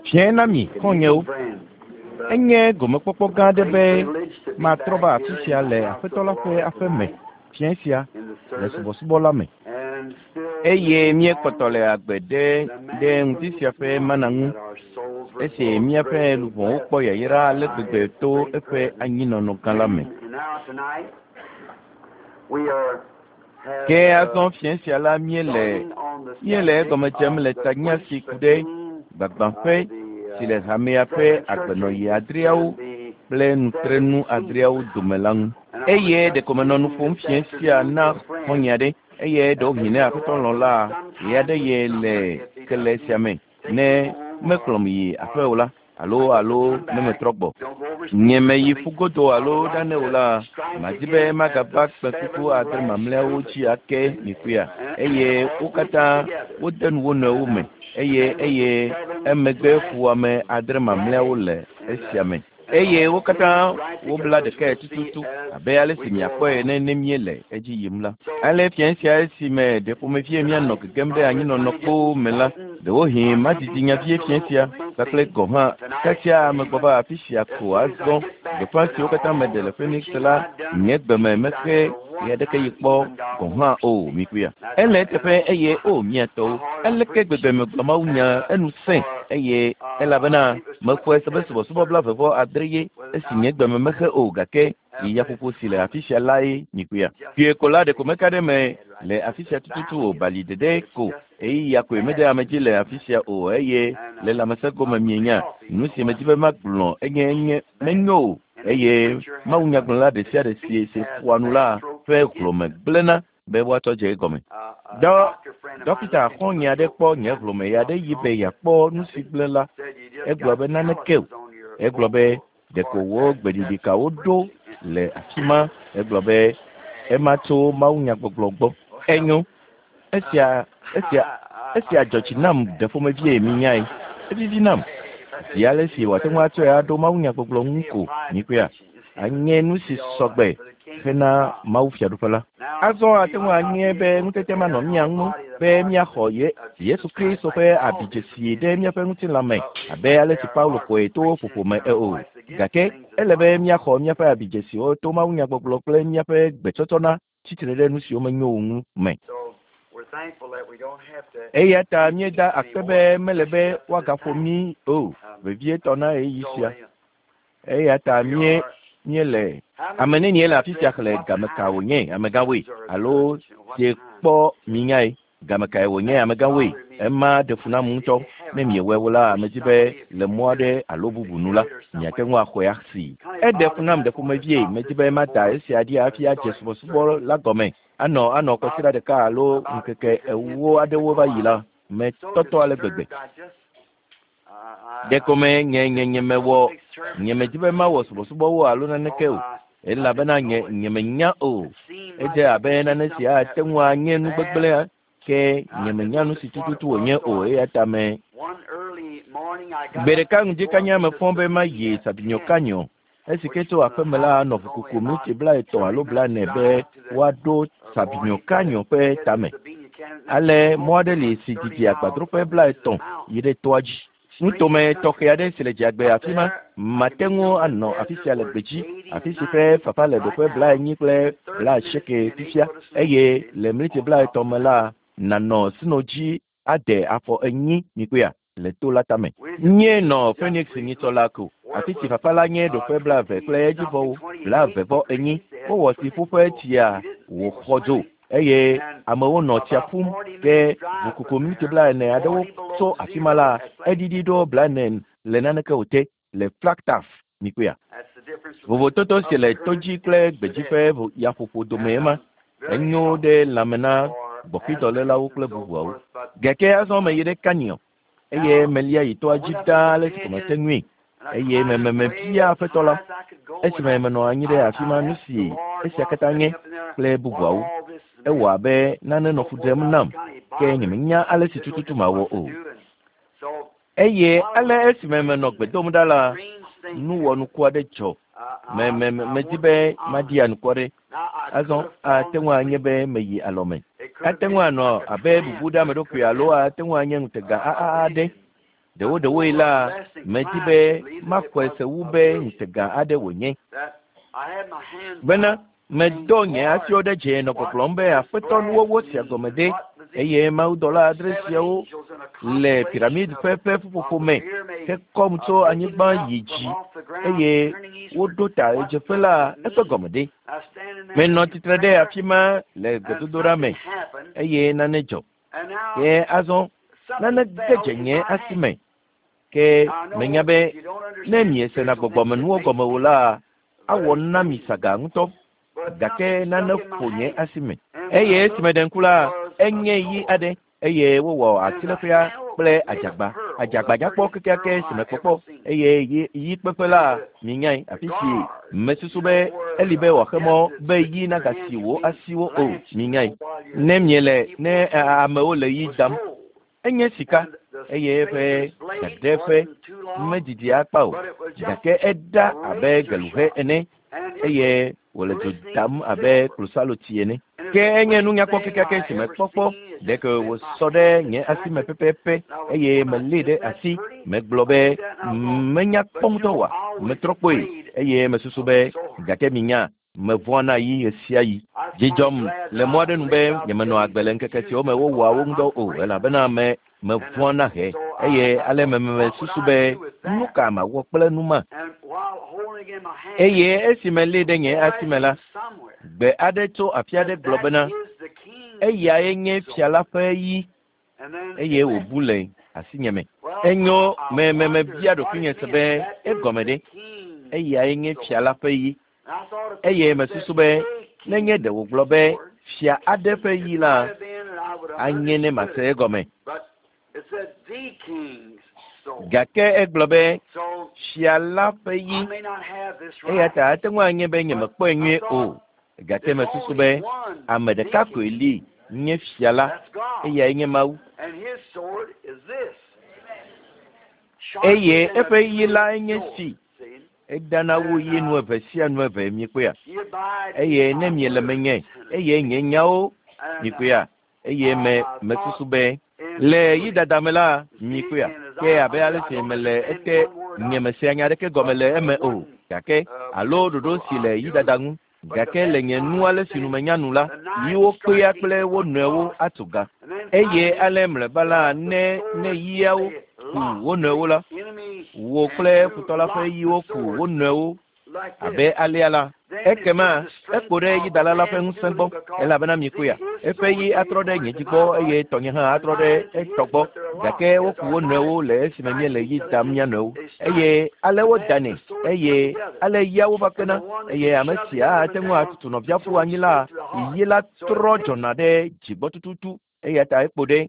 Fiẽ na mi, xɔ̃nyewo. Enye gomekpɔkpɔ gã aɖe be matrɔ va afi sia le Aƒetɔ la ƒe aƒe me fiẽ sia le subɔsubɔ la me. Eye míekpɔtɔ le agbe ɖe ɖe ŋdi sia ƒe mana ŋu esi míaƒe luʋɔwo kpɔ yayra ale gbegbe to eƒe anyinɔnɔ gã la me. Ke azɔ fiẽ sia la míele míele egɔme dzem le tanya si ku ɖe gbagbãƒe si le hamea ƒe agbenɔɣi adreawo kple nutrenu adreawo dome la ŋu. Eye ɖeko menɔ nu ƒom fiẽ sia na xɔ̃nye aɖe eye ɖewohĩ ne Aƒetɔ lɔ̃ la, ɣeaɖeɣi le kele sia me ne mekplɔm yi aƒe o la, alo alo ne metrɔ gbɔ. Nye meyi ƒu godo alo ɖane o la, madi be magava kpẽkuku adre mamlɛawo dzi ake mikpɔea, eye wo katã wode nu wo nɔewo me eye eye emegbe fuwɔame adre mamlɛawo le esia me. Eye wo katã wobla ɖekae tututu abe ale si miakpɔe ene ne míele edzi yim la. Ale fiẽ sia esime ɖe ƒomevie míanɔ gegem ɖe anyinɔnɔ kpoo me la, ɖewohĩ madidi nya vie fiẽ sia kpakple gɔ̃ hã kasia megbɔ va afi sia ko azɔ. Gbeƒã siwo katã meɖe le Phoenix la, nye gbe me mexe ɣeaɖekeɣi kpɔ gɔ̃ hã o. Mikpɔea? Ele eteƒe eye o mía tɔwo, aleke gbegbe megblɔ mawunya enu sẽ eye elabena mexɔe se be subɔsubɔ 89 ye esi nye gbe me mexe o gake yi yaƒoƒo si le afi sia lae mikpɔea. Kpuie ko la ɖeko meka ɖe eme le afi sia tututu o bali ɖeɖe ko ɣeyiɣia koe mede ame dzi le afi sia o eye le lãmesẽ gome mienya nu si medi be magblɔ enye enye menyo o eye mawunyagblɔla ɖe sia ɖe si si ƒoa nu la ƒe hlɔ̃me gblẽna be woatsɔ dze egɔme. Dɔ dɔkita xɔ̃nye aɖe kpɔ nye hlɔ̃me ɣeaɖeɣi be yeakpɔ nu si gblẽ la. Egblɔ be naneke o. Egblɔ be ɖeko wò gbeɖiɖikawo ɖo le afi ma. Egblɔ be ema tso mawunyagbɔgblɔ gbɔ. Enyo, esia esia esia dzɔ dzi nam ɖe ƒomevie minyae. Evivi nam. Zi ale si wòate ŋu atsɔe aɖo mawunyagbɔgblɔ ŋu ko mikpɔea, anye nu si sɔgbe hena Mawu Fiaɖuƒe la. Azɔ ate ŋu anye be ŋutete manɔ mía ŋu be míaxɔ Ye Yesu Kristo ƒe abidzesi ɖe míaƒe ŋutilã me abe ale si Paulo xɔe to ƒoƒo me o. Gake ele be míaxɔ míaƒe abidzesiwo to mawunyagbɔgblɔ kple míaƒe gbetsɔtsɔna tsitre ɖe nu siwo menyo o ŋu me. Eya ta míeda akpe be mele be woagaƒo mí o, vevietɔ na ɣeyiɣi sia. Eya ta mí míele ame nenie le afi sia xlẽ game ka wònye amegãwoe alo sie kpɔ minyae game kae wònye amegãwoe. Ema ɖe fu nam ŋutɔ. Ne miewɔe o la, medi be le mɔ aɖe alo bubu nu la, miate ŋu axɔe asi. Eɖe fu nam ɖe ƒomevie. Medi be mada esia ɖi hafi adze subɔsubɔ la gɔme. Anɔ anɔ kɔsiɖa ɖeka alo ŋkeke ewo aɖewo va yi la, metɔtɔ ale gbegbe. Ɖeko me nye nye nye mewɔ nye medi be mawɔ subɔsubɔwo alo naneke o elabena nye nye menya o. Edze abe nane si ate ŋu anye nu gbegblẽ ke nye menya nu si tututu wònye o eya ta me. Gbe ɖeka ŋdi kanya mefɔ be mayi Sabinyo Canyon esi ke tso aƒeme la nɔ ʋukuku miniti 30 alo 40 be woaɖo Sabinyo Canyon ƒe tame. Ale mɔ aɖe li si didi agbadroƒe 30 yi ɖe toa dzi. Nutome tɔxɛ aɖe si le dzagbe afi ma mate ŋu anɔ afi sia le gbedzi, afi si ƒe fafa le ɖoƒe 40 kple 80 fifia eye le miniti 30 me la nànɔ sno dzi ade afɔ enyi mikpɔea le to la tame. Nye nɔ Phoenix nyitsɔ la ko, afi si fafa la nye ɖoƒe 20 kple edzivɔwo, 20-enyi. Wowɔ tsiƒuƒe tsia wòxɔ dzo eye amewo nɔ tsia ƒum ke ʋukuku miniti 40 aɖewo tso afi ma la, eɖiɖi ɖo 40 le naneke o te le Flagstaff mikpɔea. Vovototo si le todzi kple gbedzi ƒe yaƒoƒo dome ema enyo ɖe lãme na gbɔxidɔlélawo kple bubuawo. Gake azɔ meyi ɖe Canyon eye melia yi toa dzi ɖaa ale si ko mete ŋui eye me mebia Aƒetɔ la esime menɔ anyi ɖe afi ma nu si esia katã nye kple bubuawo. Ewɔ abe nane nɔ fu ɖem nam ke nyemenya ale si tututu mawɔ o. Eye ale esime menɔ gbe dom ɖa la, nu wɔnuku aɖe dzɔ. Me me medi be maɖi anukware. Azɔ ate ŋu anye be meyi alɔme. Ate ŋu anɔ abe bubu ɖe ame ɖokui alo ate ŋu anye ŋutega aɖe. Ɖewoɖewoe la, medi be maxɔe se wu be ŋutega aɖe wònye. Bena medɔ nye asiwo ɖe dze nɔ gbɔgblɔm be Aƒetɔ nuwɔwɔ sia gɔme ɖe, eye mawudɔla adre siawo le piramid ƒe ƒe ƒuƒoƒo me hekɔm tso anyigba yi dzi eye woɖo ta ɣedzeƒe la eƒe gɔme ɖe. Menɔ tsitre ɖe afi ma le gbedodoɖa me eye nane dzɔ. Ke azɔ nane ge dze nye asi me. Ke menya be ne miesena gbɔgbɔmenuwo gɔme o la, awɔ na mi saga ŋutɔ. Gake nane ƒo nye asi me. Eye esi meɖe ŋku la, enye yi aɖe eye wowɔ asiléƒea kple adzagba. Adzagba nyakpɔ kekeake si mekpɔkpɔ eye yi yi kpeƒe la minyae afi si mesusu be eli be wòaxe mɔ be yi nagasi wò asiwo o. Minyae. Ne miele ne amewo le yi dam enye sika eye eƒe dadeƒe medidi akpa o gake eɖa abe geluhe ene eye wòle dzo dam abe klosalotsi ene. Ke enye nu nyakpɔ kekeake si mekpɔkpɔ ɖeke wòsɔ ɖe nye asi me pɛpɛpɛ eye melée ɖe asi. Megblɔ be menya kpɔ ŋutɔ oa? Metrɔ kpɔe eye mesusu be gake minya mevɔ̃a na yi ɣesiaɣi. Dzi dzɔm le mɔ aɖe nu be nyemenɔ agbe le ŋkeke siwo me wowɔa wo ŋudɔ o elabena me mevɔ̃a na he eye ale me mesusu be nu ka mawɔ kple nu ma. Eye esi melée ɖe nye asi me la, gbe aɖe tso afi aɖe gblɔ bena eyae nye fia la ƒe yi eye wòbu le asinye me. Enyo me me mebia ɖokuinye se be egɔme ɖe eyae nye fia la ƒe yi eye mesusu be nenye ɖe wògblɔ be fia aɖe ƒe yi la anye ne mase egɔme. Gake egblɔ be fia la ƒe yi eya ta ate ŋu anye be nyemekpɔe nyuie o. Gake mesusu be ame ɖeka koe li nye fia la eyae nye Mawu. Eye eƒe yi la nye si. Eɖana wu yi nu eve sia nu eve miekpɔea. Eye ne miele menye eye nye nyawo miekpɔea eye me mesusu be le yidada me la miekpɔea ke abe ale si mele ete nyemesea nya aɖeke gɔme le eme o gake alo ɖoɖo si le yidada ŋu gake le nye nu ale si nu menya nu la yiwo kpea kple wo nɔewo atu ga eye ale mlɔeba la ne ne yiawo ku wo nɔewo la wò kple futɔ la ƒe yiwo ku wo nɔewo abe alea la ekema ekpo ɖe yidala la ƒe ŋusẽ gbɔ elabena miekpɔea eƒe yi atrɔ ɖe nye dzi gbɔ eye tɔnye hã atrɔ ɖe etɔ gbɔ gake woku wo nɔewo le esime míele yi dam mía nɔewo eye ale wodanɛ eye ale yiawo va kpena eye ame sia ate ŋu atutu nɔvia ƒu anyi la yi la trɔ dzɔna ɖe dzigbɔ tututu eya ta ekpo ɖe.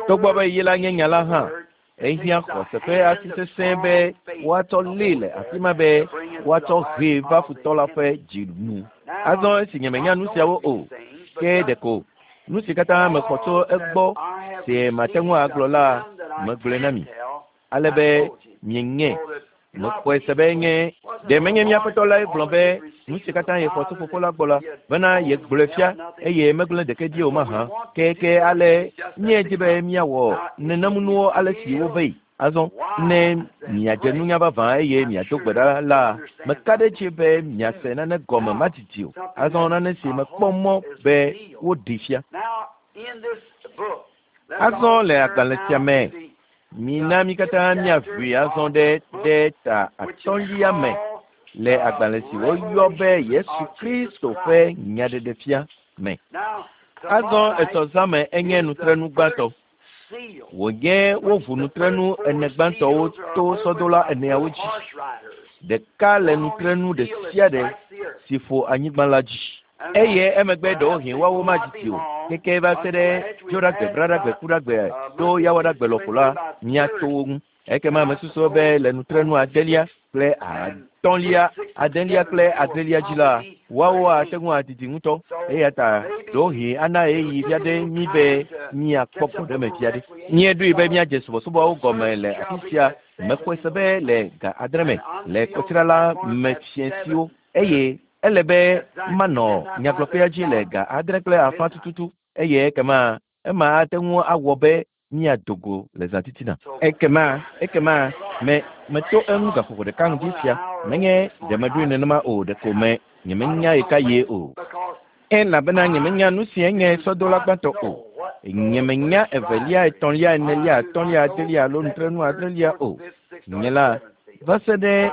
Togbɔ be yi la nye nya la hã ehiã xɔse ƒe asi sesẽ be woatsɔ lée le afi ma be woatsɔ hee va futɔ la ƒe dzi nu. Azɔ esi nyemenya nu siawo o ke ɖeko nu si katã mexɔ tso egbɔ si mate ŋu agblɔ la megblɔe na mi ale be mienyae. Mexɔe se be nye ɖe menye mía Aƒetɔ lae gblɔ be nu si katã yexɔ tso Fofo la gbɔ la bena yegblɔe fia eye megblẽ ɖeke ɖi o mahã. Ke ale míedi be míawɔ nenem nuwo ale si wove yi. Azɔ ne miadze nunya vavã eye miado gbe ɖa la, meka ɖe edzi be miase nane gɔme madidi o. Azɔ nane si mekpɔ mɔ be woɖee fia. Azɔ le agbalẽ sia me, mina mí katã míaʋui azɔ ɖe ɖe ta atɔ̃lia me le agbalẽ si woyɔ be Yesu Kristo ƒe nyaɖeɖefia me. Azɔ etsɔ zã me enye nutrenu gbãtɔ. Wònye woʋu nutrenu ene gbãtɔwo to sɔdola eneawo dzi. Ɖeka le nutrenu ɖe sia ɖe si ƒo anyigba la dzi. Eye emegbe ɖewohĩ woawo madidi o keke va se ɖe Dzoɖagbe, Braɖagbe, Kuɖagbe ɖo Yawoɖagbe lɔƒo la, míato wo ŋu. Ekema mesusu be le nutrenu adelia kple atɔ̃lia, adelia kple adrelia dzi la, woawo ate ŋu adidi ŋutɔ. Eya ta ɖewohĩ ana ɣeyiɣi vi aɖe mí be míakpɔ gbɔɖeme vi aɖe. Míeɖoe be míadze subɔsubɔawo gɔme le afi sia. Mexɔe se be le ga adre me le kɔsiɖa la me fiẽsiwo eye ele be manɔ nyagblɔƒea dzi le ga 7:30 tututu eye ekema ema ate ŋu awɔ be míado go le zã titina. Ekema, ekema, me, meto eŋu gaƒoƒo ɖeka ŋdi sia. Menye ɖe meɖoe nenema o, ɖeko me, nyemenya ɣekaɣie o. Elabena nyemenya nu si enye sɔdola gbãtɔ o. Nyemenya evelia, etɔ̃lia, enelia, atɔ̃lia, adelia alo nutrenu adrelia o. Nye la, va se ɖe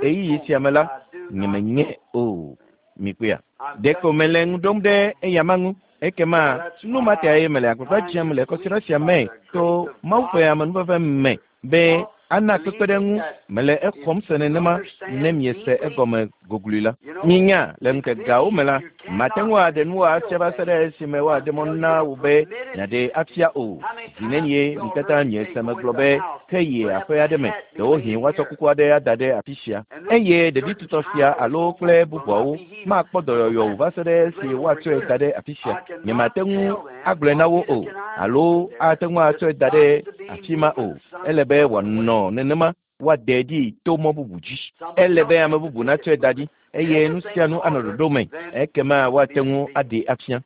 ɣeyiɣi sia me la, nyemenye o. Mikpɔea? Ɖeko mele ŋu ɖom ɖe eyama ŋu. Ekema nu ma tae mele agbagba dzem le kɔsiɖa sia me to Mawu ƒe amenuveve me be ana kpekpeɖeŋu. Mele exɔm se nenema ne miese egɔme gogloe la. Minya, le ŋkekeawo me la, mate ŋu aɖe nu afia va se ɖe esime woaɖe mɔ na wò be nàɖee afia o. Zi nenie mi katã miese megblɔ be, Ke yi aƒe aɖe me, ɖewohĩ woatsɔ kuku aɖe ada ɖe afi sia, eye ɖevi tutɔ sia alo kple bubuawo makpɔ dɔyɔyɔ o va se ɖe esi woatsɔe da ɖe afi sia. Nyemate ŋu agblɔe na wo o, alo ate ŋu atsɔe da ɖe afi ma o. Ele be wòanɔ nenema, woaɖee ɖi to mɔ bubu dzi. Ele be ame bubu natsɔe da ɖi, eye nu sia nu anɔ ɖoɖo me, ekema woate ŋu aɖee afia.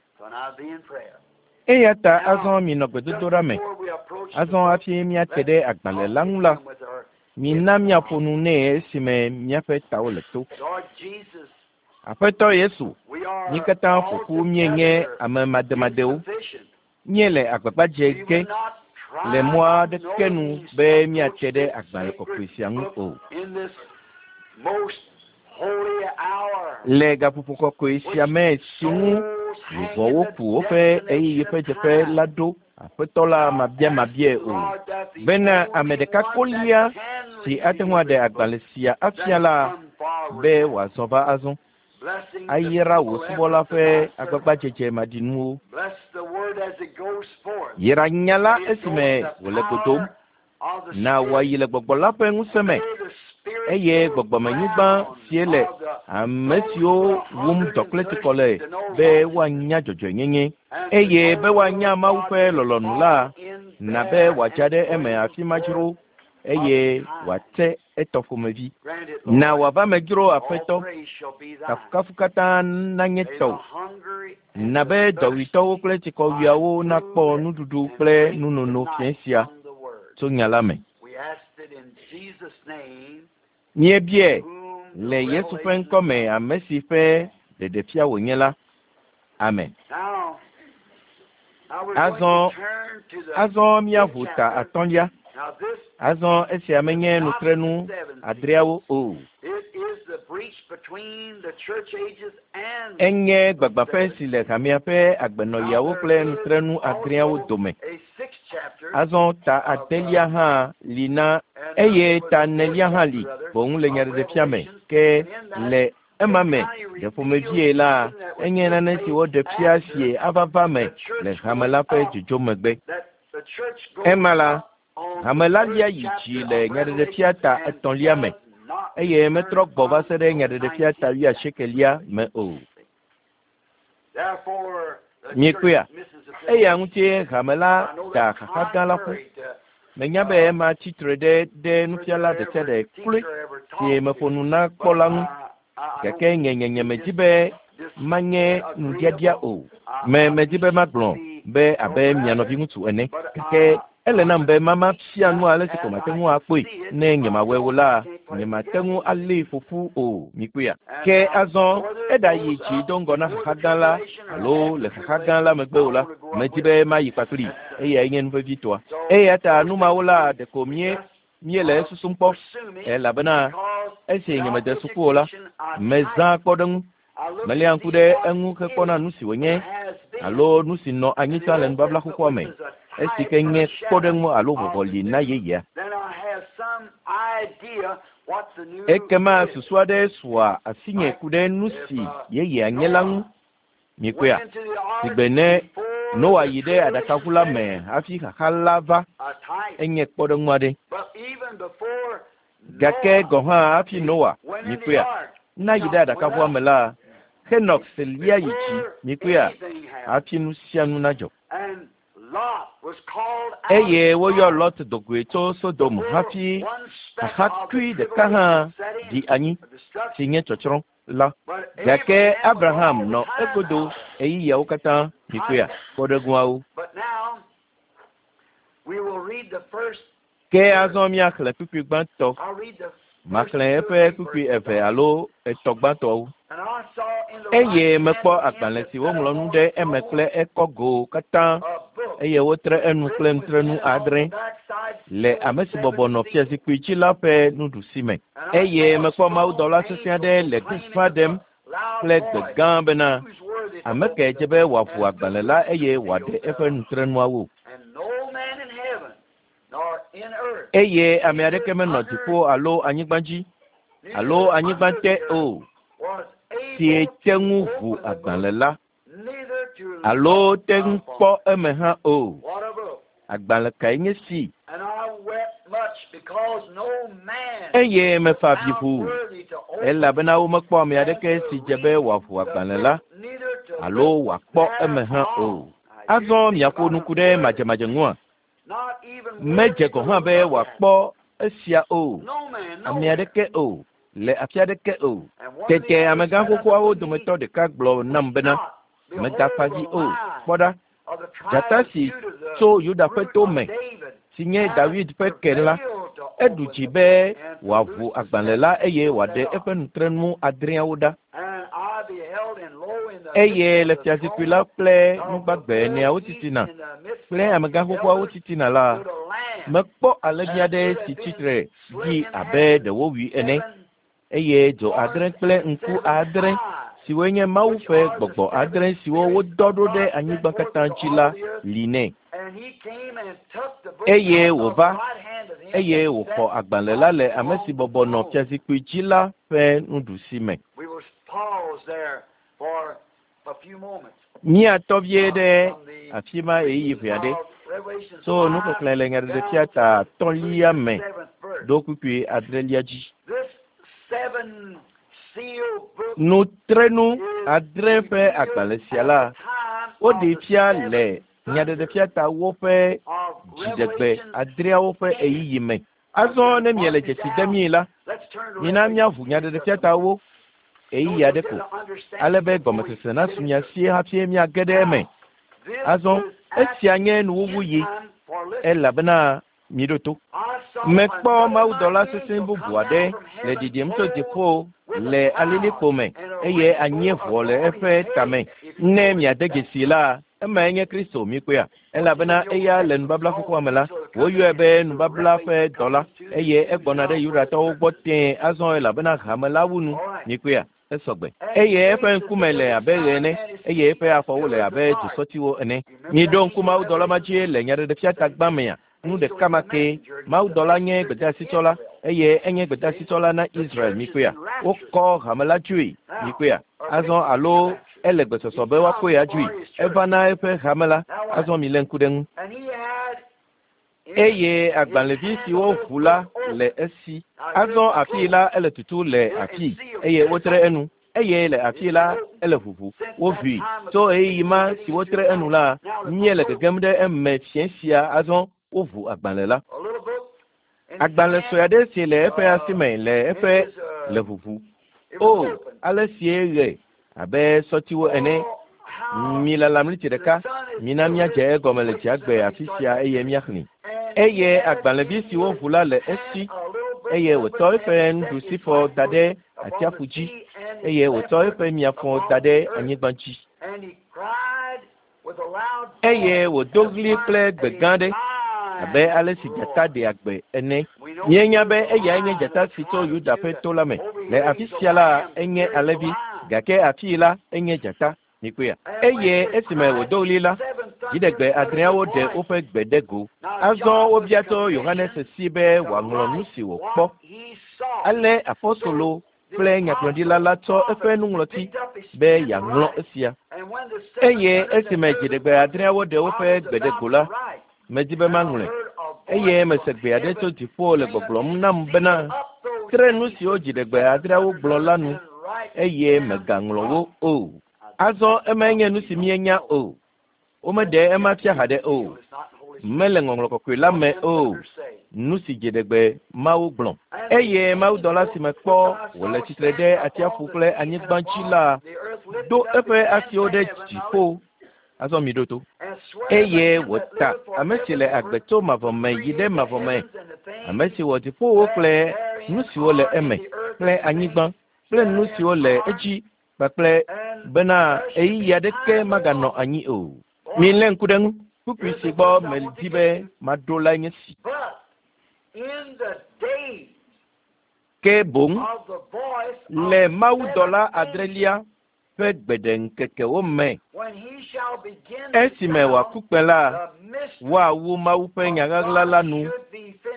Eya ta azɔ minɔ gbedodoɖa me. Azɔ hafi míate ɖe agbalẽ la ŋu la, mina míaƒo nu nɛ esime míaƒe tawo le to. Aƒetɔ Yesu, mí katã ƒo ƒu míenye ame mademadewo. Míele agbagba dze ge le mɔ aɖeke nu be míate ɖe agbalẽ kɔkɔe sia ŋu o. Le gaƒoƒo kɔkɔe sia me si ŋu luʋɔwo ku woƒe ɣeyiɣi ƒe dzeƒe la ɖo Aƒetɔ la mabiamabiae o, bena ame ɖeka kolia si ate ŋu aɖe agbalẽ sia afia la be wòazɔ va azɔ ayra wò subɔla ƒe agbagbadzedze maɖinuwo. Yra nya la esime wòle go dom. Na wòayi le gbɔgbɔ la ƒe ŋusẽ me, eye gbɔgbɔmenyigba sie le ame siwo wum dɔ kple tsikɔ le be woanya dzɔdzɔenyenye, eye be woanya Mawu ƒe lɔlɔ̃nu la, na be wòadza ɖe eme afi ma dzro, eye wòate etɔ ƒomevi. Na wòava me dzro, Aƒetɔ. Kafukafu katã nanye tɔwò. Na be dɔwuitɔwo kple tsikɔwuiawo nakpɔ nuɖuɖu kple nunono fiẽ sia tso nya la me. Míebiae le Yesu ƒe ŋkɔ me, ame si ƒe ɖeɖefia wònye la. Amen. Azɔ, azɔ míaʋu ta atɔ̃lia. Azɔ esia menye nutrenu adreawo o. Enye gbagbãƒe si le hamea ƒe agbenɔɣiawo kple nutrenu adreawo dome. Azɔ ta adelia hã li na eye ta enelia hã li boŋ le nyaɖeɖefia me. Ke le ema me ɖe ƒomevie la, enye nane si woɖe fia sie ava va me le hame la ƒe dzodzo megbe. Ema la, hame la lia yi dzi le nyaɖeɖefia ta etɔ̃lia me, eye metrɔ gbɔ va se ɖe nyaɖeɖefia ta wuiasiekelia me o. Miekpɔea? Eya ŋutie hame la da xaxa gã la ƒu. Menya be ema tsi tre ɖe ɖe nufiala ɖe sia ɖe kloe si meƒo nu na kpɔ la ŋu. Gake nye nye nyemedi be manye nuɖiaɖia o. Me medi be magblɔ be abe mia nɔviŋutsu ene. Gake ele nam be mama fia nu ale si ko mate ŋu akpɔe. Ne nyemawɔe o la, nyemate ŋu alée ƒo ƒu o. Mikpɔea? Ke azɔ eɖayi dzi do ŋgɔ na xaxa gã la alo le xaxa gã la megbe o la, medi be mayi kpakplii. Eyae nye nu vevitɔa. Eya ta nu mawo la ɖeko mie míele esusum kpɔ, elabena esi nyemede suku o la, mezã kpɔɖeŋu. Meléa ŋku ɖe eŋu hekpɔna nu si wònye alo nu si nɔ anyi tsã le nubabla xoxoa me, esi ke nye kpɔɖeŋu alo vɔvɔli na yeyea. Ekema susu aɖe sua asinye ku ɖe nu si yeyea nye la ŋu. Mikpɔea? Sigbe ne Noa yi ɖe aɖakaʋu la me hafi xaxa la va, enye kpɔɖeŋu aɖe. Gake gɔ̃ hã hafi Noa, mikpɔea, nayi ɖe aɖakaʋua me la, Henox lia yi dzi, mikpɔea, hafi nu sia nu nadzɔ. Eye woyɔ Lot do goe tso Sodom hafi xaxakui ɖeka hã ɖi anyi, si nye tsɔtsrɔ̃ la. Gake Abraham nɔ egodo ɣeyiɣiawo katã, mikpɔea, kpɔɖeŋuawo. Ke azɔ míaxlẽ kpukpui gbãtɔ. Maxlẽ eƒe kpukpui eve alo etɔ̃ gbãtɔwo. Eye mekpɔ agbalẽ si woŋlɔ nu ɖe eme kple ekɔgo katã eye wotre enu kple nutrenu adre le ame si bɔbɔ nɔ fiazikpui dzi la ƒe nuɖusi me. Eye mekpɔ mawudɔla sesẽ aɖe le gbeƒã ɖem kple gbe gã bena, ame kae dze be wòaʋu agbalẽ la eye wòaɖe eƒe nutrenuawo? Eye ame aɖeke menɔ dziƒo alo anyigba dzi alo anyigba te o si te ŋu ʋu agbalẽ la alo te ŋu kpɔ eme hã o. Agbalẽ kae nye si? Eye mefa avi ʋuu, elabena womekpɔ ame aɖeke si dze be wòaʋu agbalẽ la alo wòakpɔ eme hã o. Azɔ miaƒo nu ku ɖe madzemadze ŋua? Medze gɔ̃ hã be wòakpɔ esia o, ame aɖeke o, le afi aɖeke o. Tete amegã xoxoawo dometɔ ɖeka gblɔ nam bena, Mègafa dzi o, kpɔ ɖa, dzata si tso Yuda ƒe to me, si nye Dawid ƒe ke la, eɖu dzi be wòaʋu agbalẽ la eye wòaɖe eƒe nutrenu adreawo ɖa. Eye le fiazikpui la kple nugbagbe eneawo titina kple amegã xoxoawo titina la, mekpɔ alẽvi aɖe si tsitre ɖi abe ɖe wowui ene, eye dzo adre kple ŋku adre siwoe nye Mawu ƒe gbɔgbɔ adre siwo wodɔ ɖo ɖe anyigba katã dzi la li nɛ. Eye wòva, eye wòxɔ agbalẽ la le ame si bɔbɔ nɔ fiazikpui dzi la ƒe nuɖusi me. Míatɔ vie ɖe afi ma ɣeyiɣi ʋɛ aɖe tso nuxexlẽ le Nyaɖeɖefia ta atɔ̃lia me ɖo kpukpui adrelia dzi. Nutrenu adre ƒe agbalẽ sia la, woɖee fia le Nyaɖeɖefia ta woƒe dziɖegbe adreawo ƒe ɣeyiɣi me. Azɔ ne miele dzesi demii la, mina míaʋu Nyaɖeɖefia ta wo ɣeyiɣi aɖe ko, ale be gɔmesese nasu mia si hafi míage ɖe eme. Azɔ esia nye nuwuwuɣi, elabena miɖo to. Mekpɔ mawudɔla sesẽ bubu aɖe le ɖiɖim tso dziƒo le alilikpo me, eye anyieʋɔ le eƒe tame. Ne miade dzesii la, emae nye Kristo, mikpɔea? Elabena eya le nubabla xoxoa me la, woyɔe be nubabla ƒe dɔla, eye egbɔna ɖe Yudatɔwo gbɔ tẽe azɔ elabena hame la wu nu, mikpɔea? Esɔgbe. Eye eƒe ŋkume le abe ɣe ene, eye eƒe afɔwo le abe dzosɔtiwo ene. Miɖo ŋku mawudɔla ma dzi le Nyaɖeɖefia ta gbã mea? Nu ɖeka ma kee. Mawudɔla nye gbedeasitsɔla, eye enye gbedeasitsɔla na Israel. Mikpɔea? Wokɔ hame la dzoe. Mikpɔea? Azɔ alo ele gbesɔsɔ be woakɔe adzoe. Eva na eƒe hame la. Azɔ milé ŋku ɖe eŋu. Eye agbalẽvi siwo ʋu la le esi. Azɔ afii la ele tutu le afii, eye wotre enu, eye le afii la ele ʋuʋu. Woʋui. Tso ɣeyiɣi ma si wotre enu la, míele gegem ɖe eme fiẽ sia azɔ woʋu agbalẽ la. Agbalẽ sue aɖe si le eƒe asi me le eƒe le ʋuʋu. O, ale sie ɣe abe sɔtiwo ene. Milala mliti ɖeka, mina míadze egɔme le dziagbe afi sia eye míaxlẽe. Eye agbalẽvi si woʋu la le esi, eye wòtsɔ eƒe nuɖusifɔ da ɖe atsiaƒu dzi, eye wòtsɔ eƒe miafɔ da ɖe anyigba dzi. Eye wòdo ɣli kple gbe gã aɖe, abe ale si dzata ɖea gbe ene. Míenya be eyae nye dzata si tso Yuda ƒe to la me. Le afi sia la, enye alẽvi, gake afii la, enye dzata. Mikpɔea? Eye esime wòdo ɣli la, dziɖegbe adreawo ɖe woƒe gbe ɖe go. Azɔ wobia tso Yohanes si be wòaŋlɔ nu si wòkpɔ. Ale apostolo kple nyagblɔɖila la tsɔ eƒe nuŋlɔti be yeaŋlɔ esia. Eye esime dziɖegbe adreawo ɖe woƒe gbe ɖe go la, medi be maŋlɔe. Eye mese gbe aɖe tso dziƒo le gbɔgblɔm nam bena, Tre nu siwo dziɖegbe adreawo gblɔ la nu, eye mègaŋlɔ wo o. Azɔ emae nye nu si míenya o. Womeɖe ema fia haɖe o. Mele Ŋɔŋlɔ Kɔkɔe la me o. Nu si dziɖegbe Mawu gblɔ. Eye mawudɔla si mekpɔ wòle tsitre ɖe atsiaƒu kple anyigba dzi la do eƒe asiwo ɖe dziƒo. Azɔ miɖo to. Eye wòta ame si le agbe tso mavɔ me yi ɖe mavɔ me, ame si wɔ dziƒowo kple nu siwo le eme, kple anyigba kple nu siwo le edzi kpakple bena ɣeyiɣi aɖeke maganɔ anyi o. Milé ŋku ɖe eŋu. Kpukpui si gbɔ medi be maɖo lae nye esi. Ke boŋ le mawudɔla adrelia ƒe gbeɖeŋkekewo me, esime wòaku kpẽ la, woawu Mawu ƒe nya ɣaɣla la nu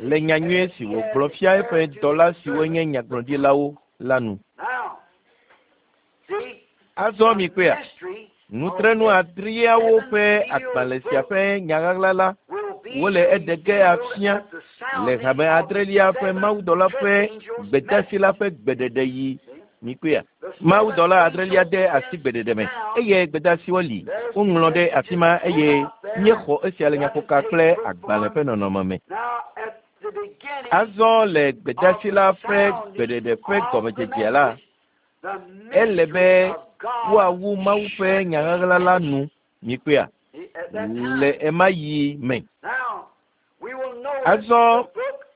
le nyanyui si wògblɔ fia eƒe dɔla siwo nye nyagblɔɖilawo la nu. Azɔ mikpɔea, nutrenu adreawo ƒe agbalẽ sia ƒe nya ɣaɣla la, wole eɖe ge afia le hame adrelia ƒe mawudɔla ƒe gbedeasi la ƒe gbeɖeɖe yi. Mikpɔea, mawudɔla adrelia de asi gbeɖeɖe me eye gbedeasiwo li woŋlɔ ɖe afi ma eye míexɔ esia le nyaƒoka kple agbalẽ ƒe nɔnɔme me. Azɔ le gbedeasi la ƒe gbeɖeɖe ƒe gɔmedzedzea la, ele be woawu Mawu ƒe nya ɣaɣla la nu, mikpɔea, le ema yi me. Azɔ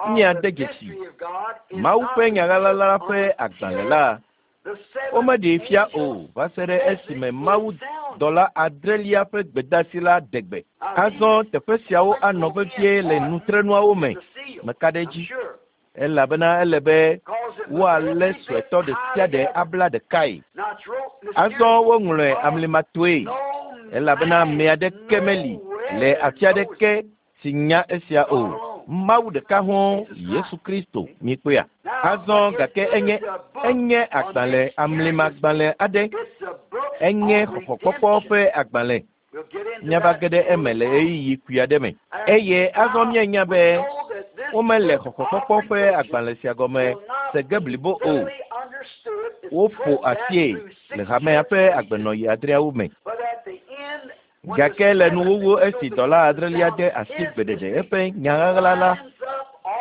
míade dzesi Mawu ƒe nya ɣaɣla la ƒe agbalẽ la. Womeɖee fia o va se ɖe esime Mawu dɔla adrelia ƒe gbedeasi la ɖe gbe. Azɔ teƒe siawo anɔ vevie le nutrenuawo me. Meka ɖe edzi. Elabena ele be woalé suetɔ ɖe sia ɖe abla ɖekae. Azɔ woŋlɔe amlimatoe, elabena ame aɖeke meli le afi aɖeke si nya esia o. Mawu ɖeka hɔ̃, Yesu Kristo, mikpɔea. Azɔ gake enye, enye agbalẽ amlimagbalẽ aɖe. Enye xɔxɔkpɔkpɔ ƒe agbalẽ. Míava ge ɖe eme le ɣeyiɣi kpui aɖe me. Eye azɔ míenya be womele xɔxɔkpɔkpɔ ƒe agbalẽ sia gɔme se ge blibo o. Woƒo asie le hamea ƒe agbenɔɣi adreawo me. Gake le nuwuwu esi dɔla adrelia de asi gbeɖeɖe eƒe nya ɣaɣla la,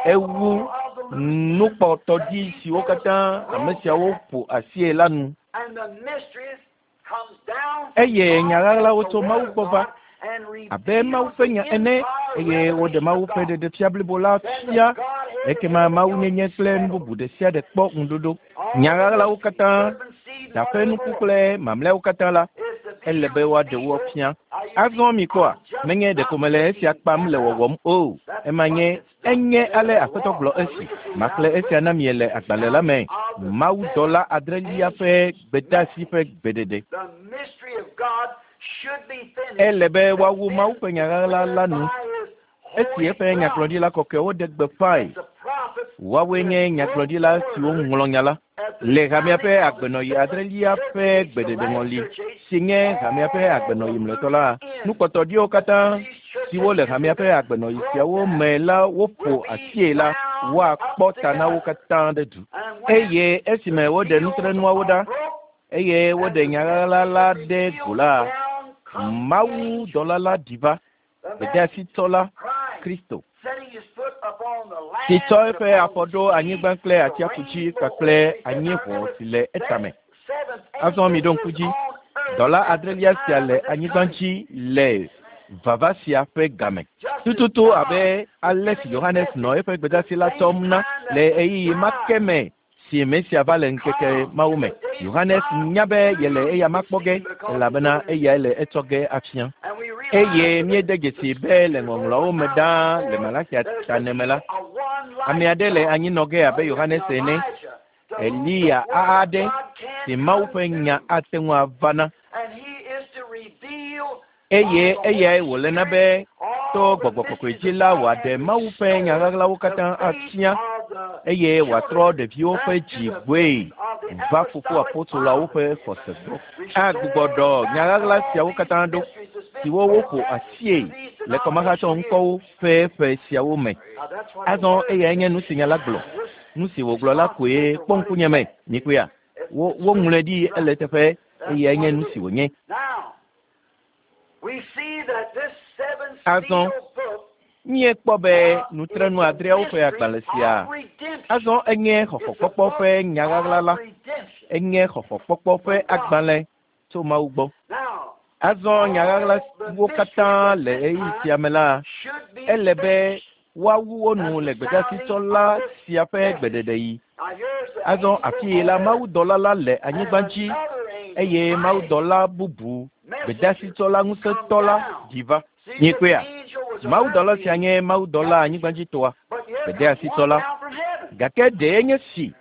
ewu nukpɔtɔdzi siwo katã ame siawo ƒo asie la nu. Eye nya ɣaɣlawo tso Mawu gbɔ va abe Mawu ƒe nya ene, eye woɖe Mawu ƒe ɖeɖefia blibo la fia. Ekema Mawunyenye kple nu bubu ɖe sia ɖe kpɔ ŋuɖoɖo. Nya ɣaɣlawo katã, da ƒe nuku kple mamlɛawo katã la, ele be woaɖe wo fia. Azɔ mikpɔa, menye ɖeko mele esia kpam le wɔwɔm o. Ema nye enye ale Aƒetɔ gblɔ esi. Maxlẽ esia na mi le agbalẽ la me. Mawudɔla adrelia ƒe gbedeasi ƒe gbeɖeɖe. Ele be woawu Mawu ƒe nya ɣaɣla la nu. Esi eƒe nyagblɔɖila kɔkɔewo ɖe gbeƒãe. Woawoe nye nyagblɔɖila siwo ŋlɔ nya la. Le hamea ƒe agbenɔɣi adrelia ƒe gbeɖeɖe ŋɔli, si nye hamea ƒe agbenɔɣi mlɔetɔ la, nukpɔtɔɖiwo katã siwo le hamea ƒe agbenɔɣi siawo me la woƒo asie la, woakpɔ ta na wo katã ɖe du. Eye esime woɖe nutrenuawo ɖa, eye woɖe nya ɣaɣla la ɖe go la, Mawu dɔla la ɖi va, gbedeasitɔ la, Kristo, si tsɔ eƒe afɔ ɖo anyigba kple atsiaƒu dzi kpakple anyieʋɔ si le etame. Azɔ miɖo ŋku dzi, dɔla adrelia sia le anyigba dzi le vava sia ƒe game. Tututu abe ale si Yohanes nɔ eƒe gbedeasi la tsɔm na le ɣeyiɣi ma ke me si Mesia va le ŋkeke mawo me. Yohanes nya be yele eya ma kpɔ ge, elabena eyae le etsɔ ge afia. Eye míede dzesi be le ŋɔŋlɔawo me ɖaa le Malakia ta me la, ame aɖe le anyi nɔ ge abe Yohanes ene, Eliya aɖe si Mawu ƒe nya ate ŋu ava na. Eye eyae wòle na be to gbɔgbɔ kɔkɔe dzi la wòaɖe Mawu ƒe nya ɣaɣlawo katã afia eye wòatrɔ ɖeviwo ƒe dzi gbɔe va fofo apostoloawo ƒe xɔse gbɔ. Agbugbɔ ɖɔ nya ɣaɣla siawo katã ɖo siwo woƒo asie le kɔmahatsɔ ŋkɔwo ƒe ƒe siawo me. Azɔ eyae nye nu si nya la gblɔ. Nu si wògblɔ la koe kpɔ ŋkunye me. Mikpɔea? Wo woŋlɔe ɖi ele teƒe eyae nye nu si wònye. Azɔ míekpɔ be nutrenu adreawo ƒe agbalẽ sia azɔ enye xɔxɔkpɔkpɔ ƒe nya ɣaɣla la. Enye xɔxɔkpɔkpɔ ƒe agbalẽ tso Mawu gbɔ. Azɔ nya ɣaɣlawo katã le ɣeyiɣi sia me la, ele be woawu wo nu le gbedeasitsɔla sia ƒe gbeɖeɖeɣi. Azɔ afii la, mawudɔla la le anyigba dzi eye mawudɔla bubu, gbedeasitsɔla ŋusẽtɔ la ɖi va. Miekpɔea? Mawudɔla sia nye mawudɔla anyigbadzitɔa, gbedeasitsɔla. Gake ɖee nye si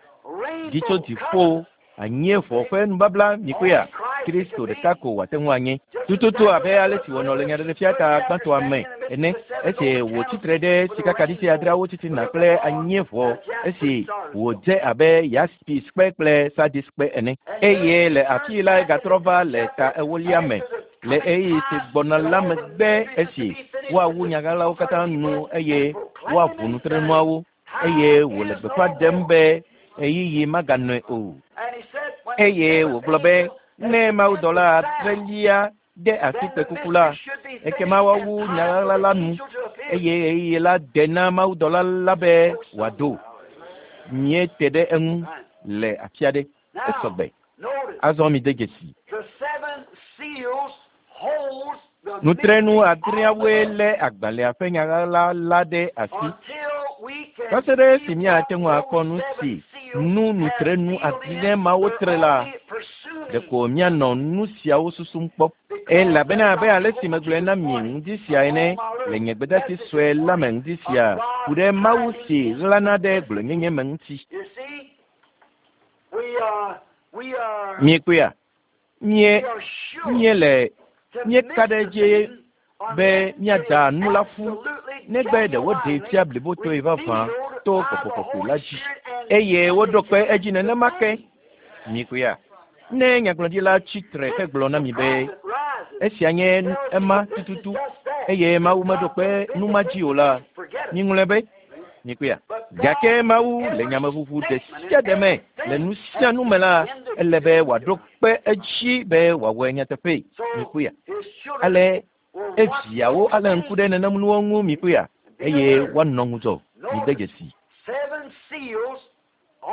ɖi tso dziƒo anyieʋɔ ƒe nubabla mikpɔea? Kristo ɖeka ko wòate ŋu anye. Tututu abe ale si wònɔ le Nyaɖeɖefia ta gbãtɔa me ene, esi wòtsi tre ɖe sikakaɖiti adreawo titina kple anyieʋɔ esi wòdze abe yaspiskpe kple sadiskpe ene. Eye le afii la egatrɔ va le ta ewolia me le ɣeyiɣi si gbɔna la megbe esi woawu nyaɣaɣlawo katã nu eye woaʋu nutrenuawo eye wòle gbeƒã ɖem be ɣeyiɣi maganɔe o. Eye wògblɔ be ne mawudɔla adrelia de asi kpẽkuku la, ekema woawu nyaɣaɣla la nu eye ɣeyiɣi la de na mawudɔla la be wòado. Míete ɖe eŋu le afi aɖe. Esɔgbe. Azɔ mide dzesi. Nutrenu adreawoe lé agbalẽa ƒe nyaɣaɣla la ɖe asi. Va se ɖe esi míate ŋu akpɔ nu si nu nutrenu adre mawo tre la, ɖeko míanɔ nu siawo susum kpɔ. Elabena abe ale si megblɔe na mi ŋdi sia ene le nye gbedeasi sue la me ŋdi sia ku ɖe Mawu si ɣlana ɖe gblɔenyenye me ŋuti. Miekpɔea? Mie, míele, míeka ɖe edzi be míada nu la ƒu negbe ɖe woɖee fia blibotɔe vavã to Gbɔgbɔ Kɔkɔe la dzi. Eye woɖo kpe edzi nenema ke. Mikpɔea? Ne nyagblɔɖila tsi tre hegblɔ na mi be esia nye ema tututu eye Mawu meɖo kpe nu ma dzi o la, miŋlɔe be. Mikpɔea? Gake Mawu le nyameʋuʋu ɖe sia ɖe me le nu sia nu me la, ele be wòaɖo kpe edzi be wòawɔe nyateƒee. Mikpɔea? Ale eviawo alé ŋku ɖe nenem nuwo ŋu mikpɔea? Eye woanɔ ŋudzɔ. Mide dzesi.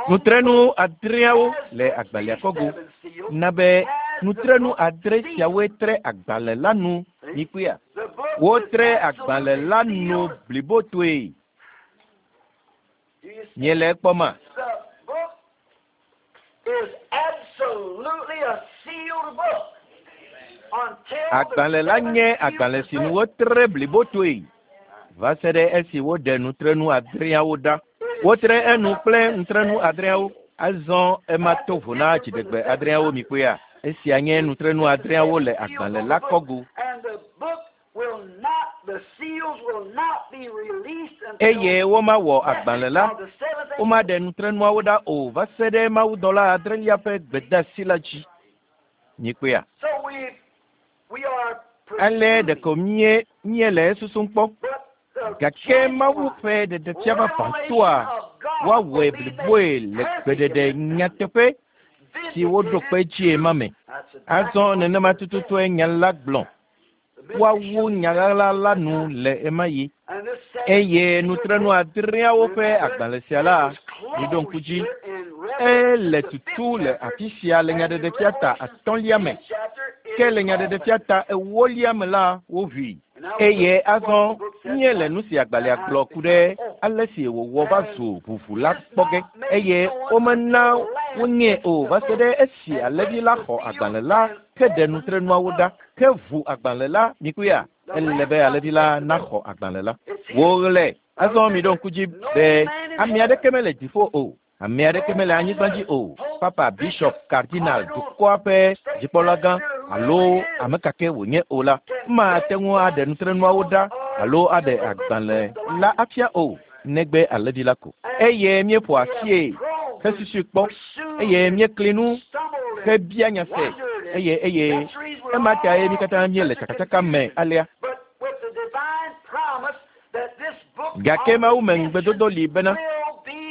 Nutrenu adreawo le agbalẽa kɔgo na be nutrenu adre siawoe tre agbalẽ la nu mikpɔea? Wotre agbalẽ la nu blibotoe. Miele ekpɔma? Agbalẽ la nye agbalẽ si nu wotre blibotoe va se ɖe esi woɖe nutrenu adreawo ɖa. Wotre enu kple nutrenu adreawo. Azɔ ema to vo na dziɖegbe adreawo mikpɔea? Esia nye nutrenu adreawo le agbalẽ la kɔgo. Eye womawɔ agbalẽ la, womaɖe nutrenuawo ɖa o va se ɖe mawudɔla adrelia ƒe gbedeasi la dzi. Mikpɔea? Ale ɖeko mie míele esusum kpɔ. Gake Mawu ƒe ɖeɖefia vavãtɔa, woawɔe bliboe le gbeɖeɖe nyateƒe si woɖo kpe dzie ma me. Azɔ nenema tututue nya la gblɔ. Woawu nya ɣaɣla la nu le ɣemaɣi. Eye nutrenu adreawo ƒe agbalẽ sia la, miɖo ŋku dzi, ele tutu le afi sia le Nyaɖeɖefia ta atɔ̃lia me. Ke le Nyaɖeɖefia ta ewolia me la, woʋui. Eye azɔ míele nu si agbalẽa gblɔ ku ɖe ale si wòwɔ va zu ʋuʋu la kpɔ ge. Eye womena wonyee o va se ɖe esi alẽvi la xɔ agbalẽ la heɖe nutrenuawo ɖa heʋu agbalẽ la. Mikpɔea? Ele be alẽvi la naxɔ agbalẽ la. Woɣlae. Azɔ miɖo ŋku dzi be ame aɖeke mele dziƒo o. Ame aɖeke mele anyigba dzi o. Papa, bishop, cardinal, dukɔa ƒe dzikpɔlagã alo ame kake wònye o la, mate ŋu aɖe nutrenuawo ɖa alo aɖe agbalẽ la afia o, negbe alẽvi la ko. Eye míeƒo asie hesusui kpɔ eye míekli nu hebia nya se eye eye ema tae mí katã míele tsakatsaka me alea. Gake Mawu me ŋugbedodo li bena